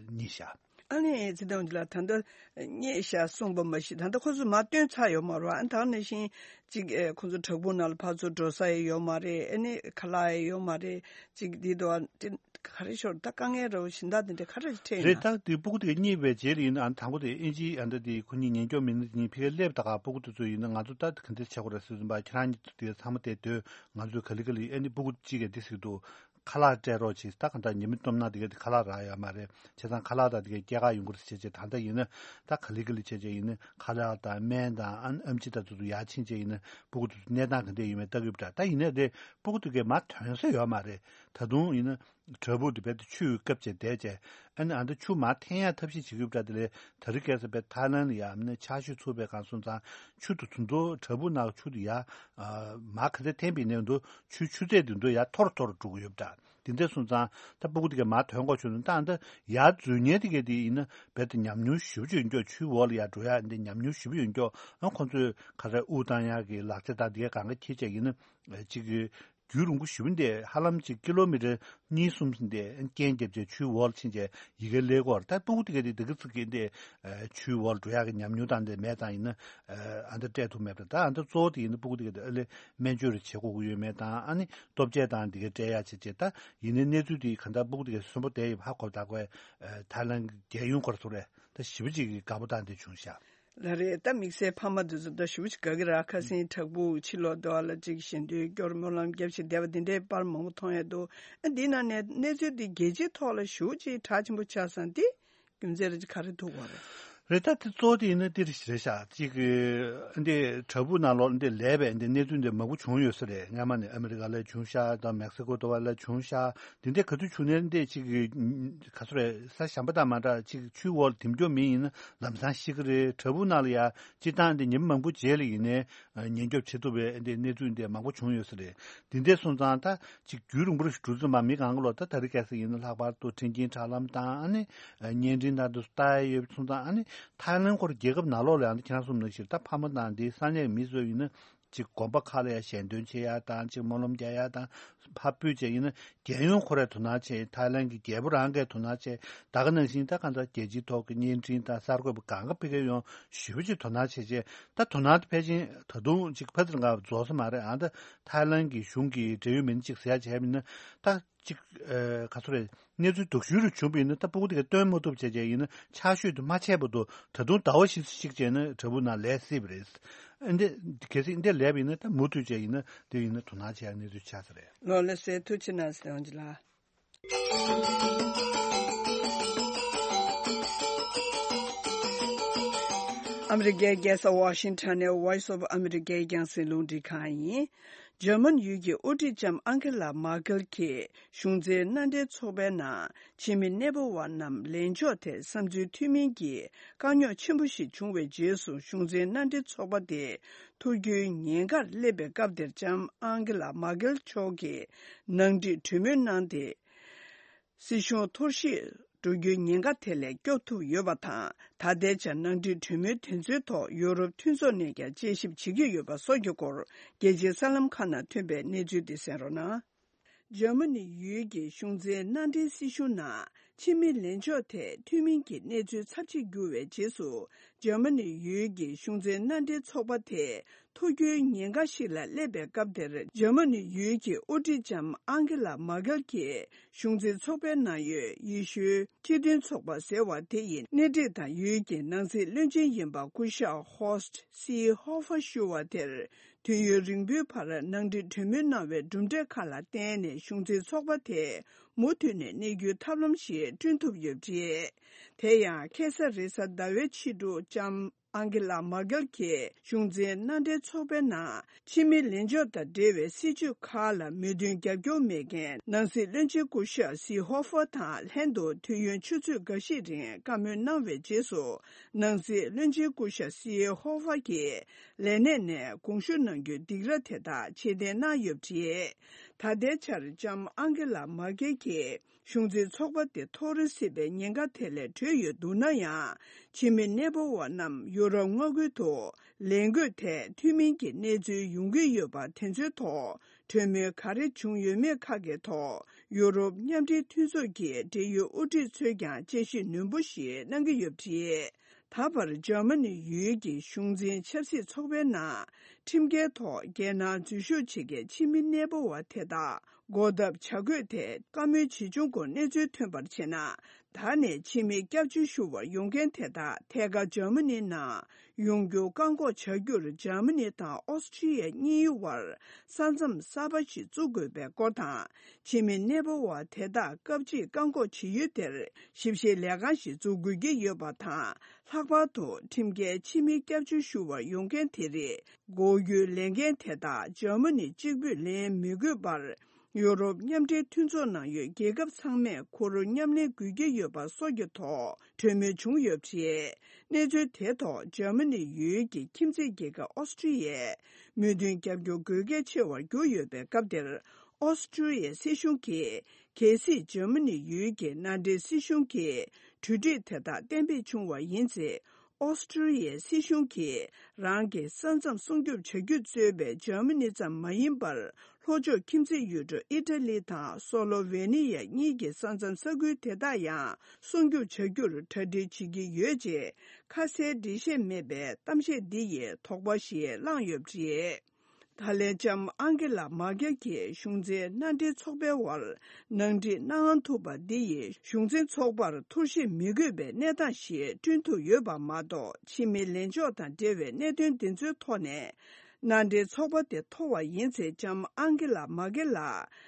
རྙེད་ཤག་ཨ་ནི་ཚེ་བརྟན་ལགས་ད་ལྟ་རྙེད་ཤག་གསུངས་པ་མ་གཞི་ད་ལྟ་ཁོ་ཚོས་མར་བཏོན་ཚར་ཡོད་མ་རེད་པ། ཨ་ནི་ད་ག་ནང་བཞིན་ཅིག་ཨེ་ཁོ་ཚོ་བྲག་ཕུག་ནང་ལ་ཕར་ཚུར་འགྲོ་ས་ཡང་ཡོད་མ་རེད། ཨ་ནི་ཁ་ལག་ཡང་ཡོད་མ་རེད། ཅིག་འདི་དོ་ཨ་ག་རེ་ཤོར་ད་དཀའ་ངལ་རོ་ཞིང་ད་དེ་འདྲ་ག་རེ་འཕྲད་ཡོད་རེད། ན། ད་དེ་སྤུ་གུ་དེ་ག་རྙེད་པའི་རྗེས་ལ་ཡིན་ན་ཨ་ནི་དང་པོ་དེ་ཨིན་ཇིའི་ཨ་ནི་ད་དེ་ཁོ་གཉིས་ཉེན་སྐྱོབ་མི་སྣ་དེ་གཉིས་ཕ་གིར་སླེབས་ད་ག་སྤུ་གུ་དེ་ཚོ་ཡིན་ན་ང་ཚོ་ད་ག་འདྲ་བྱེད་དགོས་རེད་ཟེར་དུས་ཁྱེད་རང་གཉིས་དེ་ཚང་མ་དེ་སྡོད་ང་ཚོས་ག་ལེ་ག་ལེ་ཨ་ནི་སྤུ་གུ་གཅིག་གིས་འདི་ཟེར་གྱི་འདུག་ཁ་ལག་སྤྲད་རོགས་བྱེད། ད་གང་ལྟར་ཉི་མ་སྟོབས་ན་དེ་ག་དེ་ཁ་ལག་རག་ཡོད་མ་རེད། བྱས་ཙང་ཁ་ལག་དང་དེ་ག་སྐྱེལ་ག་ཡོང་གི་རེད་ཟེར་བྱས་ད་ལྟ་ཡིན་ན་ད་ག་ལེ་ག་ལེ་བྱས་བྱས་ཡིན་ན་ཁ་ལག་དང་སྨན་དང་ཨ་ཨེམ་ཆི་དང་དེ་ཚོ་ཡར་ཕྱིན་བྱས་ཡིན་ན་སྤུ་གུ་དེ་ཚོ་གནས་སྟངས་ག་འདྲ་ཡོད་མེད་ལྟ་གི་ཡོད་པ་འདྲ། ད་ཡིན་ནའི་དེ་སྤུ་གུ་དེ་ག་མར་ཐོན་ས་ཡོད་མ་རེད། ད་དུང་ཡིན་ན་བྲག་ཕུག་དེ་རྦད་དེ་ཆུས་བཀབ་བྱས་བསྡད་བྱས་ཨ་ནི་ཨ་ད་ཆུ་མར་འཐེན་ཡ་ཐབས་ཤེས་བྱེད་ཀྱི་ཡོད་པ་འདྲ། དེ་ལས་ད་རེས་ཁ་སང་རྦད་ཐའི་ལན་ལ་ཡ་ཨ་ནི་ཆར་ཞོད་ཚུགས་པའི་སྒང་སོང་ཙང་ཆུ་དེ་ཚོ་བྲག་ཕུག་ནང་ཆུ་དེ་ཡ་མར་ག་ཚོད་འཐེན་པ་ཡིན་ནའི་འདུག་ཆུའི་ཆུ་ཚད་དེ་འདུག་ཡ་མཐོ་རུ་མཐོ་རུ་འགྲོ་གི་ཡོད་པ་འདྲ། དེ་འདྲ་སོང་ཙང་ད་སྤུ་གུ་དེ་ག་མར་ཐོན་དགོས་བྱུང་ན་ད་ཨ་ད་ཡར་འཛུལ་མཁན་དེ་ག་དེ་ཡིན་ན་རྦད་དེ་ཉམས་མྱོང་ཞེ་པོ་ཅིག་ཡོད་མཁན། ཆུའི་འོག་ལ་ཡར་འགྲོ་ཡ་འདི་ཉམས་མྱོང་ཞེ་པོ་ཡོད་མཁན། ཨ་ཁོང་ཚོས་ག་རེ་དབུགས་བཏང་ཡ་གི་ལག་ཆ་དང་དེ་ག་གང་ག་འཁྱེར་བྱས་ཡིན་ན་ཅིག་གི་རྒྱུན་རིང་པོ་ཞེ་པོ་འདི་ཧ་ལམ་ཅིག་ཀི་ལོ་མི་ཊར་གཉིས་གསུམ་འདི་རྐྱེན་བརྒྱབ་བྱས་ཆུའི་འོག་ལ་ཕྱིན་བྱས་ཡ་གི་སླེབས་ཀྱི་ཡོད་རེད། ད་སྤུ་གུ་དེ་ག་དེ་དེ་ག་ཙིག་གི་འདི་ཆུའི་འོག་ལ་འགྲོ་ཡ་གི་ཉམས་མྱོང་དང་འདི་མེད་ཙང་ཡིན་ན་ཨ་ད་སྤྲད་ཐུབ་མེད་པ། ད་ཨ་ད་གཙོ་བོ་དེ་ཡིན་ན་སྤུ་གུ་དེ་ག་དེ་ཨ་ལས་སྨན་བཅོས་རེ་བྱེད་དགོས་ཀྱི་ཡོད་མེད་དང་ཨ་ནི་ལྟོ་ཆས་དང་འདི་ག་སྤྲད་ཡ་བྱས་བྱས། ད་ཡིན་ནའི་གནས་ཚུལ་དེ་ག་འདྲ་སྤུ་གུ་དེ་ག་གསོན་པོ་བསྡད་ཡོད་པ་ཧ་གོ་བ་ད་གོ་ཐའི་ལན་གྱི་རྒྱལ་ཡོངས་སྐོར་ཚོ་རེད། ད་ཞེ་པོ་ཅིག་གི་དགའ་པོ་དང་དེ་བྱུང་ཤག་ལགས་རེད། ད་དམིགས་བསལ་ཕ་མ་དེ་ཚོ་ད་ཞེ་པོ་ཅིག་དགའ་གི་རེད། ཁ་སང་བྲག་ཕུག་ཕྱི་ལོགས་དེ་བ་ལ་ཅིག་ཞལ་འདོན་སྐྱོར་སྨོན་ལམ་རྒྱབ་བྱས་བསྡད་པ་དེ་འདྲའི་པར་མང་པོ་མཐོང་ཡ་འདུག་ཨ་འདི་ནང་ནས་གནས་ཚུལ་འདི་རྒྱལ་སྤྱིའི་ཐོག་ལ་ཞེ་པོ་ཅིག་གྲགས་ཆེན་པོ་ཆགས་སོང་། འདི་རྒྱུ་མཚན་རེ་ཅིག་ག་རེ་ཐུག་པ་རེད། རེད། ད་དེ་གཙོ་བོ་དེ་ཡིན་ན་འདི་རེད་ཤག་ཅིག་གི་འདི་བྲག་ཕུག་ནང་ལོགས་འདི་ལས་པའི་འདི་གནས་ཚུལ་འདི་མང་པོ་བྱུང་ཡོད་ས་རེད། སྔ་མ་ནས་ཨ་མི་རི་ཀ་ལ་བྱུང་ཤག་དང་མེག་སི་ཀོ་དེ་བ་ལ་བྱུང་ཤག་འདི་འདྲ་ག་དུས་བྱུང་ནས་འདི་ཅིག་གི་ག་ཚོད་རེད། ས་ཞན་པ་དང་མ་འདྲ་ཅིག་ཆུའི་འོག་ལ་འཐིམ་རྒྱུ་མི་ཡིན་ན་ལམ་སང་ཤི་གི་རེད། བྲག་ཕུག་ནང་ལ་ཡ་སྤྱིར་བཏང་འདི་ཉིན་མང་པོ་རྗེས་ལ་ཡིན་ནའི་ཉེན་སྐྱོབ་བྱེད་ཐུབ་པའི་འདི་གནས་ཚུལ་འདི་མང་པོ་བྱུང་ཡོད་ས་རེད། འདི་འདྲ་སོང་ཙང་ད་ཅིག་རྒྱུན་རིང་པོ་ཞིག་འགྲོ་ཙམ་པ་མི་གང་ག་ལོ་ད་ད་རེས་ཁ་སང་ཡིན་ན་ལྷག་པར་དུ་མཁྲེགས་འཁྱིལ་ཁྲ་ལམ་དང་ཨ་ནི་བརྙན་འཕྲིན་དང་དུ་ལྟ་ཡ་ཡོད་སོང་ཙང་ཨ་ནི་ཐའི་ལན་ཁོ་ར་རྒྱལ་ཁབ་ནང་ལོགས་ལ་ཡང་ཁྱེད་རང་གསུངས་ནང་བཞིན་ད་ཕ་མ་དང་འདི་ས་གནས་མི་ཚོ་ཡིན་ན་ཅིག་དགོན་པ་ཁག་ལ་ཡང་ཞལ་འདོན་བྱེད་ཡ་དང་ཅིག་སྨོན་ལམ་རྒྱག་ཡ་དང་ཕར་སྤོས་བྱས་ཡིན་ན་རྒྱལ་ཡོངས་ཁོ་རའི་དོ་སྣང་བྱེད། ཐའི་ལན་གྱི་རྒྱལ་པོ་རང་གིས་དོ་སྣང་བྱེད། ད་ག་ནང་བཞིན་ད་གང་ལྟར་རྒྱལ་སྤྱིའི་ཐོག་གི་བརྙན་འཕྲིན་དང་གསར་འགོད་པ་གང་ག་ཕ་གིར་ཡོང་ཞེ་པོ་ཅིག་དོ་སྣང་བྱེད་བྱེད། ད་དོ་སྣང་དེ་ཕལ་ཆེར་ད་དུང་ཅིག་ཕ་ཚིར་འགའ་རྫོགས་ས་མ་རེད། ཨ་ད་ཐའི་ལན་གྱི་གཞུང་གི་འབྲེལ་ཡོད་མི་སྣ་ཅིག་ཟེར་ཡ་བྱས་མིན་ན་ད་ཅིག་ཨ་ག་ཚོད་རེད། གནས་ཚུལ་སྡུག་ཤོས་རུ་བྱུང་བ་ཡིན་ན་ད་སྤུ་གུ་དེ་ག་སྟོན་མ་ཐུབ་བྱས་བྱས་ཡིན་ན་ཆ་ཤོས་དེ་མ་ཆད་བར་དུ་ད་དུང་ཟླ་བ་བཞི་ཙམ་ཞིག་བྱས་ན་བྲག་ཕུག་ནང་ལས་སྲིད་པ་རེད། ཨ་འདི་གལ་སྲིད་འདི་ལས་པ་ཡིན་ན་ད་མུ་མཐུད་བྱས་ཡིན་ན་དེ་ཡིན་ན་དོ་སྣང་བྱེད་ཡ་གནས་ཚུལ་ཆགས་ས་རེད། ལོ་ལ་སེ་ཐུགས་ཆེ་གནང་ཟེར་འོང་ཅི་ལ། ཨ་མི་རི་ཀའི་རྒྱལ་ས་ཝ་ཤིང་ཊོན་ནས་Voice of America རྒྱང་སྲིང་རླུང་འཕྲིན་ཁང་ཡིན། འཇར་མན་ཡུལ་གྱི་དབུ་ཁྲིད་ལྕམ་ཨང་ཀེ་ལ་མར་ཀེལ་གྱིས་གཞུང་འཛིན་མནའ་འབྲེལ་ཚོགས་པའི་ནང་ཕྱི་མི་གནས་སྤོ་བ་རྣམས་ལེན་ཕྱོགས་ཐད་བསམ་ཚུལ་མཐུན་མིན་གྱི་དཀའ་རྙོག་ཆེན་པོ་ཞིག་བྱུང་བའི་རྗེས་སུ་གཞུང་འཛིན་མནའ་འབྲེལ་ཚོགས་པ་དེ་ཐུགས་རྒྱུའི་ཉེན་ཁར་སླེབས་པའི་སྐབས་དེར་ལྕམ་ཨང་ཀེ་ལ་མར་ཀེལ་མཆོག་གིས་ནང་འགྲིག་གྲོས་མོལ་གནང་སྟེ། སྲིད་གཞུང་འཐོར་ཞིག་འགྲོ་རྒྱུའི་ཉེན་ཁ་དེ་ལས་སྐྱོབ་ཐུབ་ཡོད་པ་དང་། ད་ལྟའི་ཆར་ནང་འགྲིག་གྲོས་མོལ་དེ་ཚོའི་ཐོག་ཡུ་རོབ་མཐུན་ཚོགས་ནས་ཀྱང་དཔྱད་ཞིབ་བྱེད་ཀྱི་ཡོད་པ་སོགས་ཀྱི་སྐོར་རྒྱལ་སྤྱིའི་གསར་ལམ་ཁག་ནང་ཐོན་པའི་གནས་ཚུལ་འདི་གསན་རོགས་གནང་། འཇར་མ་ནི་ཡུལ་གྱི་གཞུང་འཛིན་མནའ་འབྲེལ་སྲིད་གཞུང་ནང་ཕྱི་མི་ལེན་ཕྱོགས་ཐད་མཐུན་མིན་གྱི་གནས་ཚུལ་ཚབས་ཆེ་གྱུར་བའི་རྗེས་སུ། འཇར་མ་ནི་ཡུལ་གྱི་གཞུང་འཛིན་མནའ་འབྲེལ་ཚོགས་པ་དེ་འཐོར་རྒྱུའི་ཉེན་ཁ་ཞིག་ལ་སླེབས་པའི་སྐབས་དེར། འཇར་མ་ནི་ཡུལ་གྱི་དབུ་ཁྲིད་ལྕམ་ཨང་ཀེ་ལ་མར་ཀེལ་གྱིས་གཞུང་འཛིན་ཚོགས་པའི་ནང་ཡོད་ཡེ་ཤུའི་སྤྱི་མཐུན་ཚོགས་པ་ཟེར་བ་དེ་ཡི་སྣེ་ཁྲིད་དང་ཡུལ་གྱི་ནང་སྲིད་བློན་ཆེན་ཡིན་པ་སྐུ་ཞབས་ཧོར་སི་ཧོ་ཧྥ་ཞུ་བ་དེར། དུས་ཡུན་རིང་པོའི་བར་ནང་འགྲིག་གྲོས་མོལ་གནང་བའི་གྲུབ་འབྲས་ཁག་ལ་བརྟེན་ནས་གཞུང་འཛིན་ཚོགས་པ་དེ་མུ་མཐུད་ནས་གནས་རྒྱུའི་ཐབས་ལམ་ཞིག་བསྐྲུན་ཐུབ་ཡོད་པ་རེད། དེ་ཡང་ཁ་སང་རེས་གཟའ་ཟླ་བའི་ཕྱི་དྲོ་ལྕམ་ཨང་ཀེ་ལ་མར་ཀེལ་གྱིས་གཞུང་འཛིན་མནའ་འབྲེལ་ཚོགས་པའི་ནང་ཕྱི་མི་ལེན་ཕྱོགས་དང་འབྲེལ་བའི་སྲིད་བྱུས་ཁག་ལ་མོས་མཐུན་རྒྱབ་སྐྱོར་མེད་མཁན་ནང་སྲིད་བློན་ཆེན་སྐུ་ཞབས་སི་ཧོ་ཧྥ་དང་ལྷན་དུ་དུས་ཡུན་ཆུ་ཚོད་འགའ་ཤས་རིང་བཀའ་མོལ་གནང་བའི་རྗེས་སུ། ནང་སྲིད་བློན་ཆེན་སྐུ་ཞབས་སི་ཧོ་ཧྥ་གྱིས་ལས་གནས་ནས་དགོངས་ཞུ་གནང་རྒྱུའི་སྡིགས་ར་དེ་དག་ཕྱིར་འཐེན་གནང་ཡོད་པ་རེད། ད་ལྟའི་ཆར་ལྕམ་ཨང་ཀེ་ལ་མར་ཀེལ་གྱིས་གཞུང་འཛིན་ཚོགས་པ་དེ་འཐོར་སྲིད་པའི་ཉེན་ཁ་དེ་ལས་གྲོལ་ཡོད་འདུག་ན་ཡང་། ཕྱི་མི་གནས་སྤོ་བ་རྣམས་ཡུ་རོབ་མངའ་ཁུལ་དུ་ལེན་དགོས་ཐད་མཐུན་མིན་གྱི་གནས་ཚུལ་ཡོང་གི་ཡོད་པ་དེ་ཚོའི་ཐོག་གྲོས་མོལ་ག་རེ་བྱུང་ཡོད་མེད་ཁག་གི་ཐོག་ཡུ་རོབ་མཉམ་འབྲེལ་མཐུན་ཚོགས་ཀྱི་འབྲེལ་ཡོད་དབུ་ཁྲིད་ཚོས་ཀྱང་དཔྱད་ཞིབ་ནན་པོ་ཞིག་གནང་གི་ཡོད་པ་རེད། ད་བར་འཇར་མ་ནི་ཡུལ་གྱི་གཞུང་འཛིན་ཆབ་སྲིད་ཚོགས་པའི་ནང་ཁྲིམས་འགལ་ཐོག་རྒྱལ་ནང་འཛུལ་ཞུགས་བྱེད་མཁན་ཕྱི་མི་གནས་སྤོ་བ་དེ་དག་སྒོ་བརྡབ་བྱ་དགོས་ཐད་བཀའ་མོལ་ཇི་བྱུང་སྐོར་གནས་ཚུལ་ཐོན་པར་བྱས་ན། ད་ནས་ཕྱི་མི་སྐྱབས་བཅོལ་ཞུ་བར་ཡོང་མཁན་དེ་དག་ཐད་ཀར་འཇར་མ་ནི་ནང་ཡོང་རྒྱུ་བཀག་འགོག་བྱ་རྒྱུར་འཇར་མ་ནི་དང་ཨོ་སི་ཀྲི་ཡ་གཉིས་བར་ས་མཚམས་གསར་པ་ཞིག་བཙུགས་དགོས་པའི་སྐོར་དང་། ཕྱི་མི་གནས་སྤོ་བ་དེ་དག་སྐབས་གཅིག་བཀག་འགོག་བྱེད་ཡུལ་དེར་ཞིབ་བཤེར་ལས་ཁང་ཞིག་འཛུགས་དགོས་ཀྱི་ཡོད་པ་དང་། ལྷག་པར་དུ་ཁྲིམས་འགལ་ཕྱི་མི་སྐྱབས་བཅོལ་ཞུ་བར་ཡོང་མཁན་དེ་རིགས་མགོ་སྐྱོད་ལས་འགན་དེ་དག་འཇར་མ་ནི་གཅིག་པུས་ལེན་མི་དགོས་པར། ཡུ་རོབ་མཉམ་འབྲེལ་མཐུན་ཚོགས་ནང་ཡོད་རྒྱལ་ཁབ་ཚང་མས་ཁོ་རང་མཉམ་ལེན་དགོས་ཀྱི་ཡོད་པ་སོགས་ཀྱི་ཐོག་གྲོས་མོལ་བྱུང་ཡོད་པ་རེད། གནས་ཚུལ་དེ་ཐོག་འཇར་མ་ནི་ཡུལ་གྱི་ཁྱིམ་མཚེས་རྒྱལ་ཁབ་ཨོ་སི་ཀྲི་ཡས་མོས་མཐུན་རྒྱབ་སྐྱོར་དགོས་གལ་ཆེ་བར་གྱུར་ཡོད་པའི་སྐབས་དེར། ཨོ་སི་ཀྲི་ཡའི་སྲིད་གཞུང་གིས་གལ་སྲིད་འཇར་མ་ནི་ཡུལ་གྱི་མནའ་འབྲེལ་སྲིད་གཞུང་གི་གྲོས་འགྲིག་དེ་དག་གཏན་འབེབས་བྱུང་བ་ཡིན་ཚེ། ཨོ་སི་ཀྲི་ཡའི་སྲིད་གཞུང་གིས་རང་གི་ས་མཚམས་སྲུང་སྐྱོབ་བྱ་རྒྱུ་གཙོས་པའི་འཇར་མ་ནི་ཙམ་མ་ཡིན་པར། ལྷོ་ཕྱོགས་ཁྱིམ་མཚེས་ཡུལ་གྲུ་ཨི་ཊ་ལི་དང་སོ་ལོ་ཝེ་ནི་ཡ་གཉིས་ཀྱི་ས་མཚམས་ས་ཁུལ་དེ་དག་ཡང་སྲུང་སྐྱོབ་བྱ་རྒྱུར་གྲ་སྒྲིག་བྱེད་ཀྱི་ཡོད་ཅེས་ཁ་གསལ་འགྲེལ་བཤད་མེད་པའི་གཏམ་བཤད་འདི་ཡིས་དོགས་པ་ཞིག་བསླངས་ཡོད་པ་རེད། ད་ལན་ལྕམ་ཨང་ཀེ་ལ་མར་ཀེལ་གྱིས་གཞུང་འཛིན་མནའ་འབྲེལ་ཚོགས་པའི་དབར་ནང་འགྲིག་གནང་ཐུབ་པ་འདི་ཡིས་གཞུང་འཛིན་ཚོགས་པར་འཐོར་ཞིག་མི་དགོས་པའི་གནས་སྟངས་ཤིག་བསྐྲུན་ཐུབ་ཡོད་པ་མ་གཏོགས། ཕྱི་མི་ལེན་ཕྱོགས་དང་འབྲེལ་བའི་གནད་དོན་འདི་ཚོའི་ཐོག་ནས་ མནའ་འབྲེལ་ཚོགས་པ་དེ་མཐོ་བ་ཡིན་ཚེ། ལྕམ་ཨང་ཀེ་ལ་མ་ཀེ་ལ་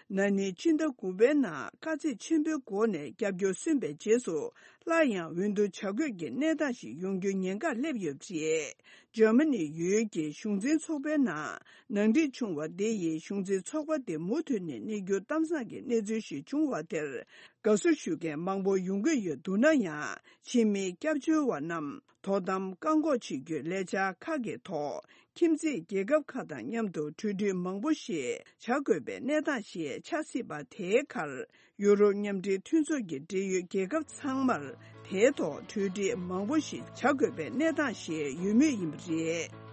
ན་ནིང་སྤྱི་ཟླ་དགུ་པའི་ནང་དཀའ་ཚེགས་ཆེན་པོའི་སྒོ་ནས་སྐྱབས་བཅོལ་སོན་པའི་རྗེས་སུ། སླར་ཡང་འོས་བསྡུ་བྱ་དགོས་ཀྱི་གནས་སྟངས་ཤིག་ཡོང་རྒྱུའི་ཉེན་ཁ་སླེབས་ཡོད་པ་རེད། འཇར་མ་ནི་ཡུལ་གྱི་གཞུང་འཛིན་ཚོགས་པའི་ནང་ནང་འགྲིག་བྱུང་བ་དེ་ཡིས། གཞུང་འཛིན་ཚོགས་པ་དེ་མུ་མཐུད་ནས་གནས་རྒྱུ་གཏམ་བཟང་གི་གནས་ཚུལ་ཞིག་བྱུང་བ་དེར་དགའ་བསུ་ཞུ་མཁན་མང་པོ་ཡོང་གི་ཡོད་འདུག་ན་ཡང་། ཕྱི་མི་སྐྱབས་བཅོལ་བ་རྣམས་དོ་དམ་བཀག་འགོག་བྱེད་རྒྱུའི་ལས་འཆར་ཁག་གི་ཐོག་ཁྱིམ་མཚེས་རྒྱལ་ཁབ་ཁག་དང་མཉམ་དུ་གྲོས་སྒྲིག་མང་པོ་ཞིག་བྱ་དགོས་པའི་གནས་སྟངས་ཤིག་ཆགས་སྲིད་པ་དེའི་ཁར། ཡུ་རོབ་མཉམ་འབྲེལ་མཐུན་ཚོགས་ཀྱི་འབྲེལ་ཡོད་རྒྱལ་ཁབ་ཚང་མར་དེའི་ཐོག་གྲོས་འགྲིག་མང་པོ་ཞིག་བྱ་དགོས་པའི་གནས་སྟངས་ཤིག་ཡོད་མུས་ཡིན་པ་རེད།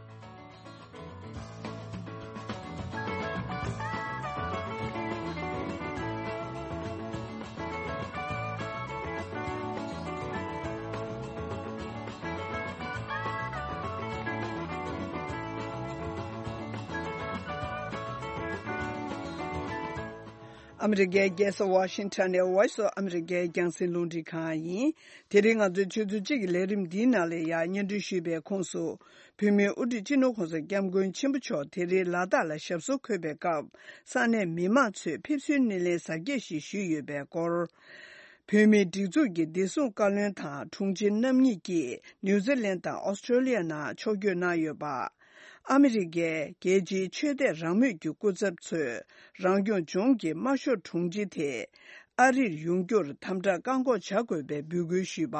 ཨ་མི་རི་ཀའི་རྒྱལ་ས་ཝ་ཤིང་ཊོན་ནས་Voice of America རྒྱང་སྲིང་རླུང་འཕྲིན་ཁང་ཡིན། དེ་རིང་ང་ཚོའི་ཆུ་ཚོད་གཅིག་གི་ལས་རིམ་འདིའི་ནང་ལ་ཡང་སྙན་སྒྲོན་ཞུས་པའི་ཁོངས་སུ། བོད་མིའི་དབུ་ཁྲིད་སྤྱི་ནོར་༸གོང་ས་༸སྐྱབས་མགོན་ཆེན་པོ་མཆོག་དེ་རིང་ལ་དྭགས་ལ་ཞབས་སོར་འཁོད་པའི་སྐབས། ས་གནས་མི་མང་ཚོས་ཕེབས་བསུའི་སྣེ་ལེན་གཟབ་རྒྱས་ཤིག་ཞུས་ཡོད་པའི་སྐོར། བོད་མིའི་སྒྲིག་འཛུགས་ཀྱི་བདེ་སྲུང་བཀའ་བློན་དང་དྲུང་ཆེ་རྣམ་གཉིས་ཀྱིས་ནིའུ་ཛི་ལན་དང་ཨོ་སི་ཀྲོ་ལི་ཡ་ནང་ཕྱོགས་བསྐྱོད་གནང་ཡོད་པ། ཨ་མི་རི་ཀའི་རྒྱལ་སྤྱིའི་ཆོས་དད་རང་མོས་ཀྱི་སྐུ་ཚབ་ཚོས་རང་སྐྱོང་ལྗོངས་ཀྱི་དམར་ཤོག་དྲུང་ཆེ་དེ་ཨ་རིར་ཡོང་རྒྱུར་དམ་དྲག་བཀག་འགོག་བྱ་དགོས་པའི་འབོད་སྐུལ་ཞུས་པ།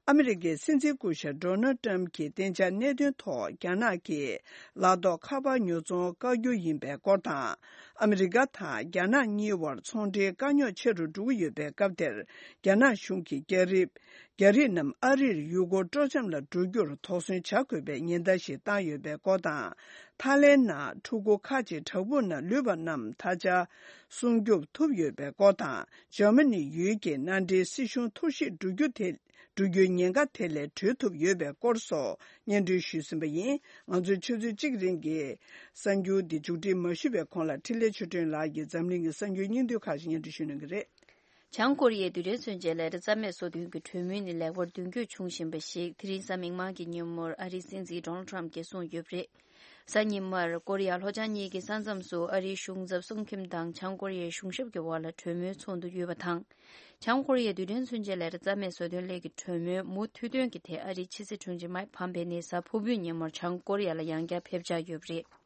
ཨ་མི་རི་ཀའི་སྲིད་འཛིན་སྐུ་ཞབས་ཌོ་ནལ་ཏྲམ་གྱི་གཏན་འཇགས་གནད་དོན་ཐོག་རྒྱ་ནག་གིས་ལག་ཐོགས་ཁ་པར་ཉོ་ཚོང་བཀག་རྒྱུ་ཡིན་པའི་སྐོར་དང་། ཨ་མི་རི་ཀ་དང་རྒྱ་ནག་གཉིས་བར་ཚོང་འབྲེལ་དཀའ་རྙོག་ཆེ་རུ་འགྲོ་གི་ཡོད་པའི་སྐབས་དེར། རྒྱ་ནག་གཞུང་གིས་རྒྱ་རིགས། རྒྱ་རིགས་རྣམས་ཨ་རིར་ཡུལ་སྐོར་སྤྲོ་འཆམ་ལ་འགྲོ་རྒྱུར་དོགས་ཟོན་བྱ་དགོས་པའི་ཉེན་བརྡ་ཞིག་བཏང་ཡོད་པའི་སྐོར་དང་། ཐའི་ལེན་ནང་ཕྲུ་གུ་ཁག་ཅིག་བྲག་ཕུག་ནང་ལུས་པ་རྣམས་ད་ཆ་སྲུང་སྐྱོབ་ཐུབ་ཡོད་པའི་སྐོར་དང་། འཇར་མ་ནི་ཡུལ་གྱི་མནའ་འབྲེལ་སྲིད་གཞུང་འཐོར་བཤིག་འགྲོ་རྒྱུ་དེ་འགྲོ་རྒྱུའི་ཉེན་ཁ་དེ་ལས་གྲོལ་ཐུབ་ཡོད་པའི་སྐོར་སོགས་སྙན་སྒྲོན་ཞུས་ཟིན་པ་ཡིན། ང་ཚོའི་ཆུ་ཚོད་གཅིག་རིང་གི་གསར་འགྱུར་འདི་མཇུག་སྒྲིལ་མ་ཞུས་པའི་གོང་ལ། འཕྲིན་ལས་ཆོས་སྒྲོན་ལགས་ཀྱིས་འཛམ་གླིང་གི་གསར་འགྱུར་སྙིང་བསྡུས་ཁག་ཅིག་སྙན་སྒྲོན་ཞུ་གནང་གི་རེད། བྱང་ཀོ་རི་ཡའི་རྡུལ་ཕྲན་མཚོན་ཆའི་ལས་གྲྭ་རྩ་མེད་བཟོ་འདུན་གྱི་གྲོས་མོལ་ནི་ལེགས་པར་མདུན་སྐྱོད་བྱུང་བཞིན་པ་ཞིག་དེ་རིང་གཟའ་མིག་དམར་གྱི་ཉིན་མོར་ཨ་རིའི་སྲིད་འཛིན་ཌོ་ནལ་ཊམ་གྱིས་གསུངས་ཡོད་པ་རེད། གཟའ་ཉི་མར་ཀོ་རི་ཡ་ལྷོ་བྱང་གཉིས་ཀྱི་ས་མཚམས་སུ་ཨ་རིའི་གཞུང་ཚབ་སུང་ཁིམ་དང་བྱང་ཀོ་རི་ཡའི་གཞུང་ཞབས་ཀྱི་དབར་ལ་གྲོས་མོལ་ཚོགས་འདུ་ཡོད་པ་དང་། བྱང་ཀོ་རི་ཡའི་རྡུལ་ཕྲན་མཚོན་ཆའི་ལས་གྲྭ་རྩ་མེད་བཟོ་འདུན་སླད་ཀྱི་གྲོས་མོལ་མུ་མཐུད་དོན་གྱི་ཐད། ཨ་རིའི་ཕྱི་སྲིད་དྲུང་ཆེ་མའིག་ཕམ་པེ་ནི་གཟའ་ཕུར་བུའི་ཉིན་མོར་བྱང་ཀོ་རི་ཡ་ལ་ཡང་བསྐྱར་ཕེབས་འཆར་ཡོད་པ་རེད།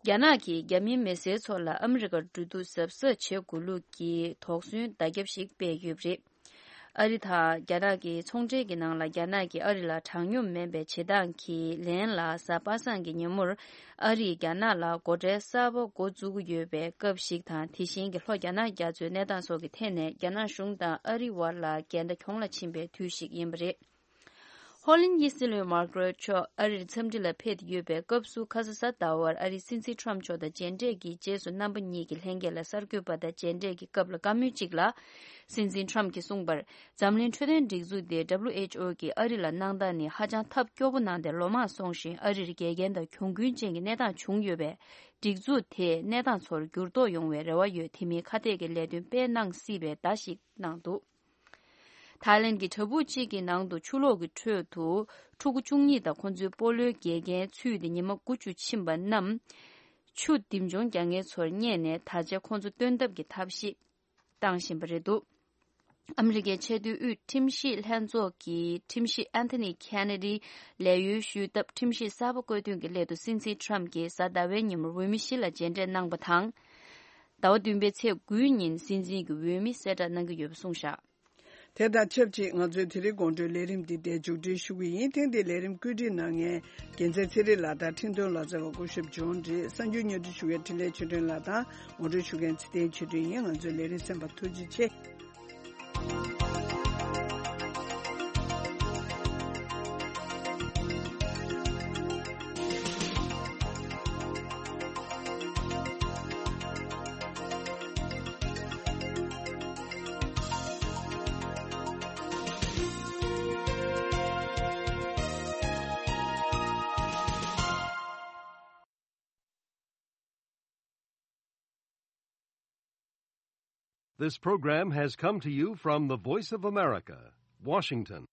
རྒྱ་ནག་གིས་རྒྱ་མིའི་མི་སེར་ཚོ་ལ་ཨ་མི་རི་ཀར་འགྲོ་འདུག་གཟབ་གཟབ་བྱེད་དགོས་ལུགས་ཀྱི་དོགས་ཟོན་བརྡ་ཁྱབ་ཞིག་སྤེལ་ཡོད་པ་རེད། ཨ་རི་དང་རྒྱ་ནག་གི་ཚོང་འབྲེལ་གྱི་ནང་ལ་རྒྱ་ནག་གིས་ཨ་རི་ལ་དྲང་སྙོམས་མིན་པའི་བྱེད་སྟངས་ཀྱི་ལན་ལ། གཟའ་པ་སངས་ཀྱི་ཉིན་མོར་ཨ་རིས་རྒྱ་ནག་ལ་སྒོ་ཁྲལ་གསར་པ་འགོ་འཛུགས་ཀྱི་ཡོད་པའི་སྐབས་ཤིག་དང་། དེ་བཞིན་གྱི་ལྷོ་རྒྱ་ནག་རྒྱ་མཚོའི་གནས་སྟངས་སོགས་ཀྱི་ཐད་ནས་རྒྱ་ནག་གཞུང་དང་ཨ་རི་དབར་ལ་འགལ་ཟླ་གྱོང་ལ་ཕྱིན་པའི་དུས་ཤིག་ཡིན་པ་རེད། ཧོ་ལན་དབྱི་སྲིད་བློན་མར་ཀ་རེད་མཆོག་ཨ་རིར་འཚམས་འདྲི་ལ་ཕེབས་ཡོད་པའི་སྐབས་སུ། ཁ་ས་གཟའ་ཟླ་བར་ཨ་རིའི་སྲིད་འཛིན་ཊམ་མཆོག་དང་མཇལ་འཕྲད་ཀྱིས། རྗེས་སུ་རྣམ་པ་གཉིས་ཀྱི་ལྷན་རྒྱས་ལ་གསར་འགོད་པ་དང་མཇལ་འཕྲད་ཀྱི་སྐབས་ལ། བཀའ་མོལ་གཅིག་ལ། སྲིད་འཛིན་ཊམ་གྱིས་གསུངས་པར། འཛམ་གླིང་འཕྲོད་བསྟེན་སྒྲིག་འཛུགས་དེ་ཌབ་ལུ་ཨེཆ་ཨོ་གིས་ཨ་རི་ལ་གནང་སྟངས་ནི་ཧ་ཅང་ཐབས་སྐྱོ་པོ་གནང་སྟེ། ལོ་མང་སོང་ཞིང་། ཨ་རིར་འགལ་རྐྱེན་དང་གྱོང་གུན་ཅན་གྱི་གནས་སྟངས་བྱུང་ཡོད་པས། སྒྲིག་འཛུགས་དེས་གནས་སྟངས་ཚོར་འགྱུར་ལྡོག་ཡོང་བའི་རེ་བ་ཡོད། དེ་མིན་ཁ་གཏད་ཀྱི་ལས་དོན་སྤེལ་གནང་སྲིད་པའི་བརྡ་ཞིག་གནང་འདུག། ཐའི་ལེན་གྱི་བྲག་ཕུག་ཅིག་གི་ནང་དུ་ཆུ་ལོག་གི་ཁྲོད་དུ་ཕྲུ་གུ་བཅུ་གཉིས་དང་ཁོ་ཚོའི་སྤོ་ལོའི་དགེ་རྒན་ཚུད་དེ་ཉི་མ་དགུ་བཅུ་ཕྱིན་པ་རྣམས། ཆུ་འདེམས་སྦྱོང་རྒྱག་མཁན་ཚོར་བསྙད་ནས། ད་ཆ་ཁོ་ཚོ་བཏོན་ཐབས་ཀྱི་ཐབས་ཤེས་བཏང་བཞིན་པ་རེད་འདུག། ཨ་མི་རི་ཀའི་ཆེས་མཐོའི་དབུས་ཁྲིམས་ཞིབ་ལྷན་ཚོགས་ཀྱི་ཁྲིམས་ཞིབ་ཨན་ཐོ་ནི་ཁེ་ནེ་ཌི་ལས་གཡོལ་ཞུས་སྟབས། ཁྲིམས་ཞིབ་གསར་པ་བསྐོས་དོན་གྱི་སླད་དུ་སྲིད་འཛིན་ཊམ་གྱིས་གཟའ་ཟླ་བའི་ཉིན་མོར་འོས་མི་བཞི་ལ་མཇལ་འཕྲད་གནང་བ་དང་། ཟླ་བ་བདུན་པའི་ཚེས་དགུའི་ཉིན་སྲིད་འཛིན་གྱི་འོས་མི་གསལ་བསྒྲགས་གནང་གི་ཡོད་པ་གསུངས་བཞག། དེ་དང་ཆབས་ཅིག་ང་ཚོའི་དེ་རིང་དགོང་དྲོའི་ལས་རིམ་འདི་འདིར་མཇུག་སྒྲིལ་ཞུ་གི་ཡིན། ཐེངས་འདིའི་ལས་རིམ་བཀོད་སྒྲིག་གནང་མཁན་རྒྱལ་མཚན་ཚེ་རིང་ལགས་དང་། འཕྲིན་གཏོང་ལག་རྩལ་བ་སྐུ་ཞབས་ཇོན་རེད། གསར་འགྱུར་སྙན་སྒྲོན་ཞུ་མཁན་འཕྲིན་ལས་ཆོས་སྒྲོན་ལགས་དང་། ངོ་སྤྲོད་ཞུ་མཁན་ཚེ་བརྟན་ཆོས་སྒྲོན་ཡིན། ང་ཚོའི་ལས་རིམ་གསན་པར་ཐུགས་རྗེ་ཆེ། This program has come to you from the Voice of America, Washington.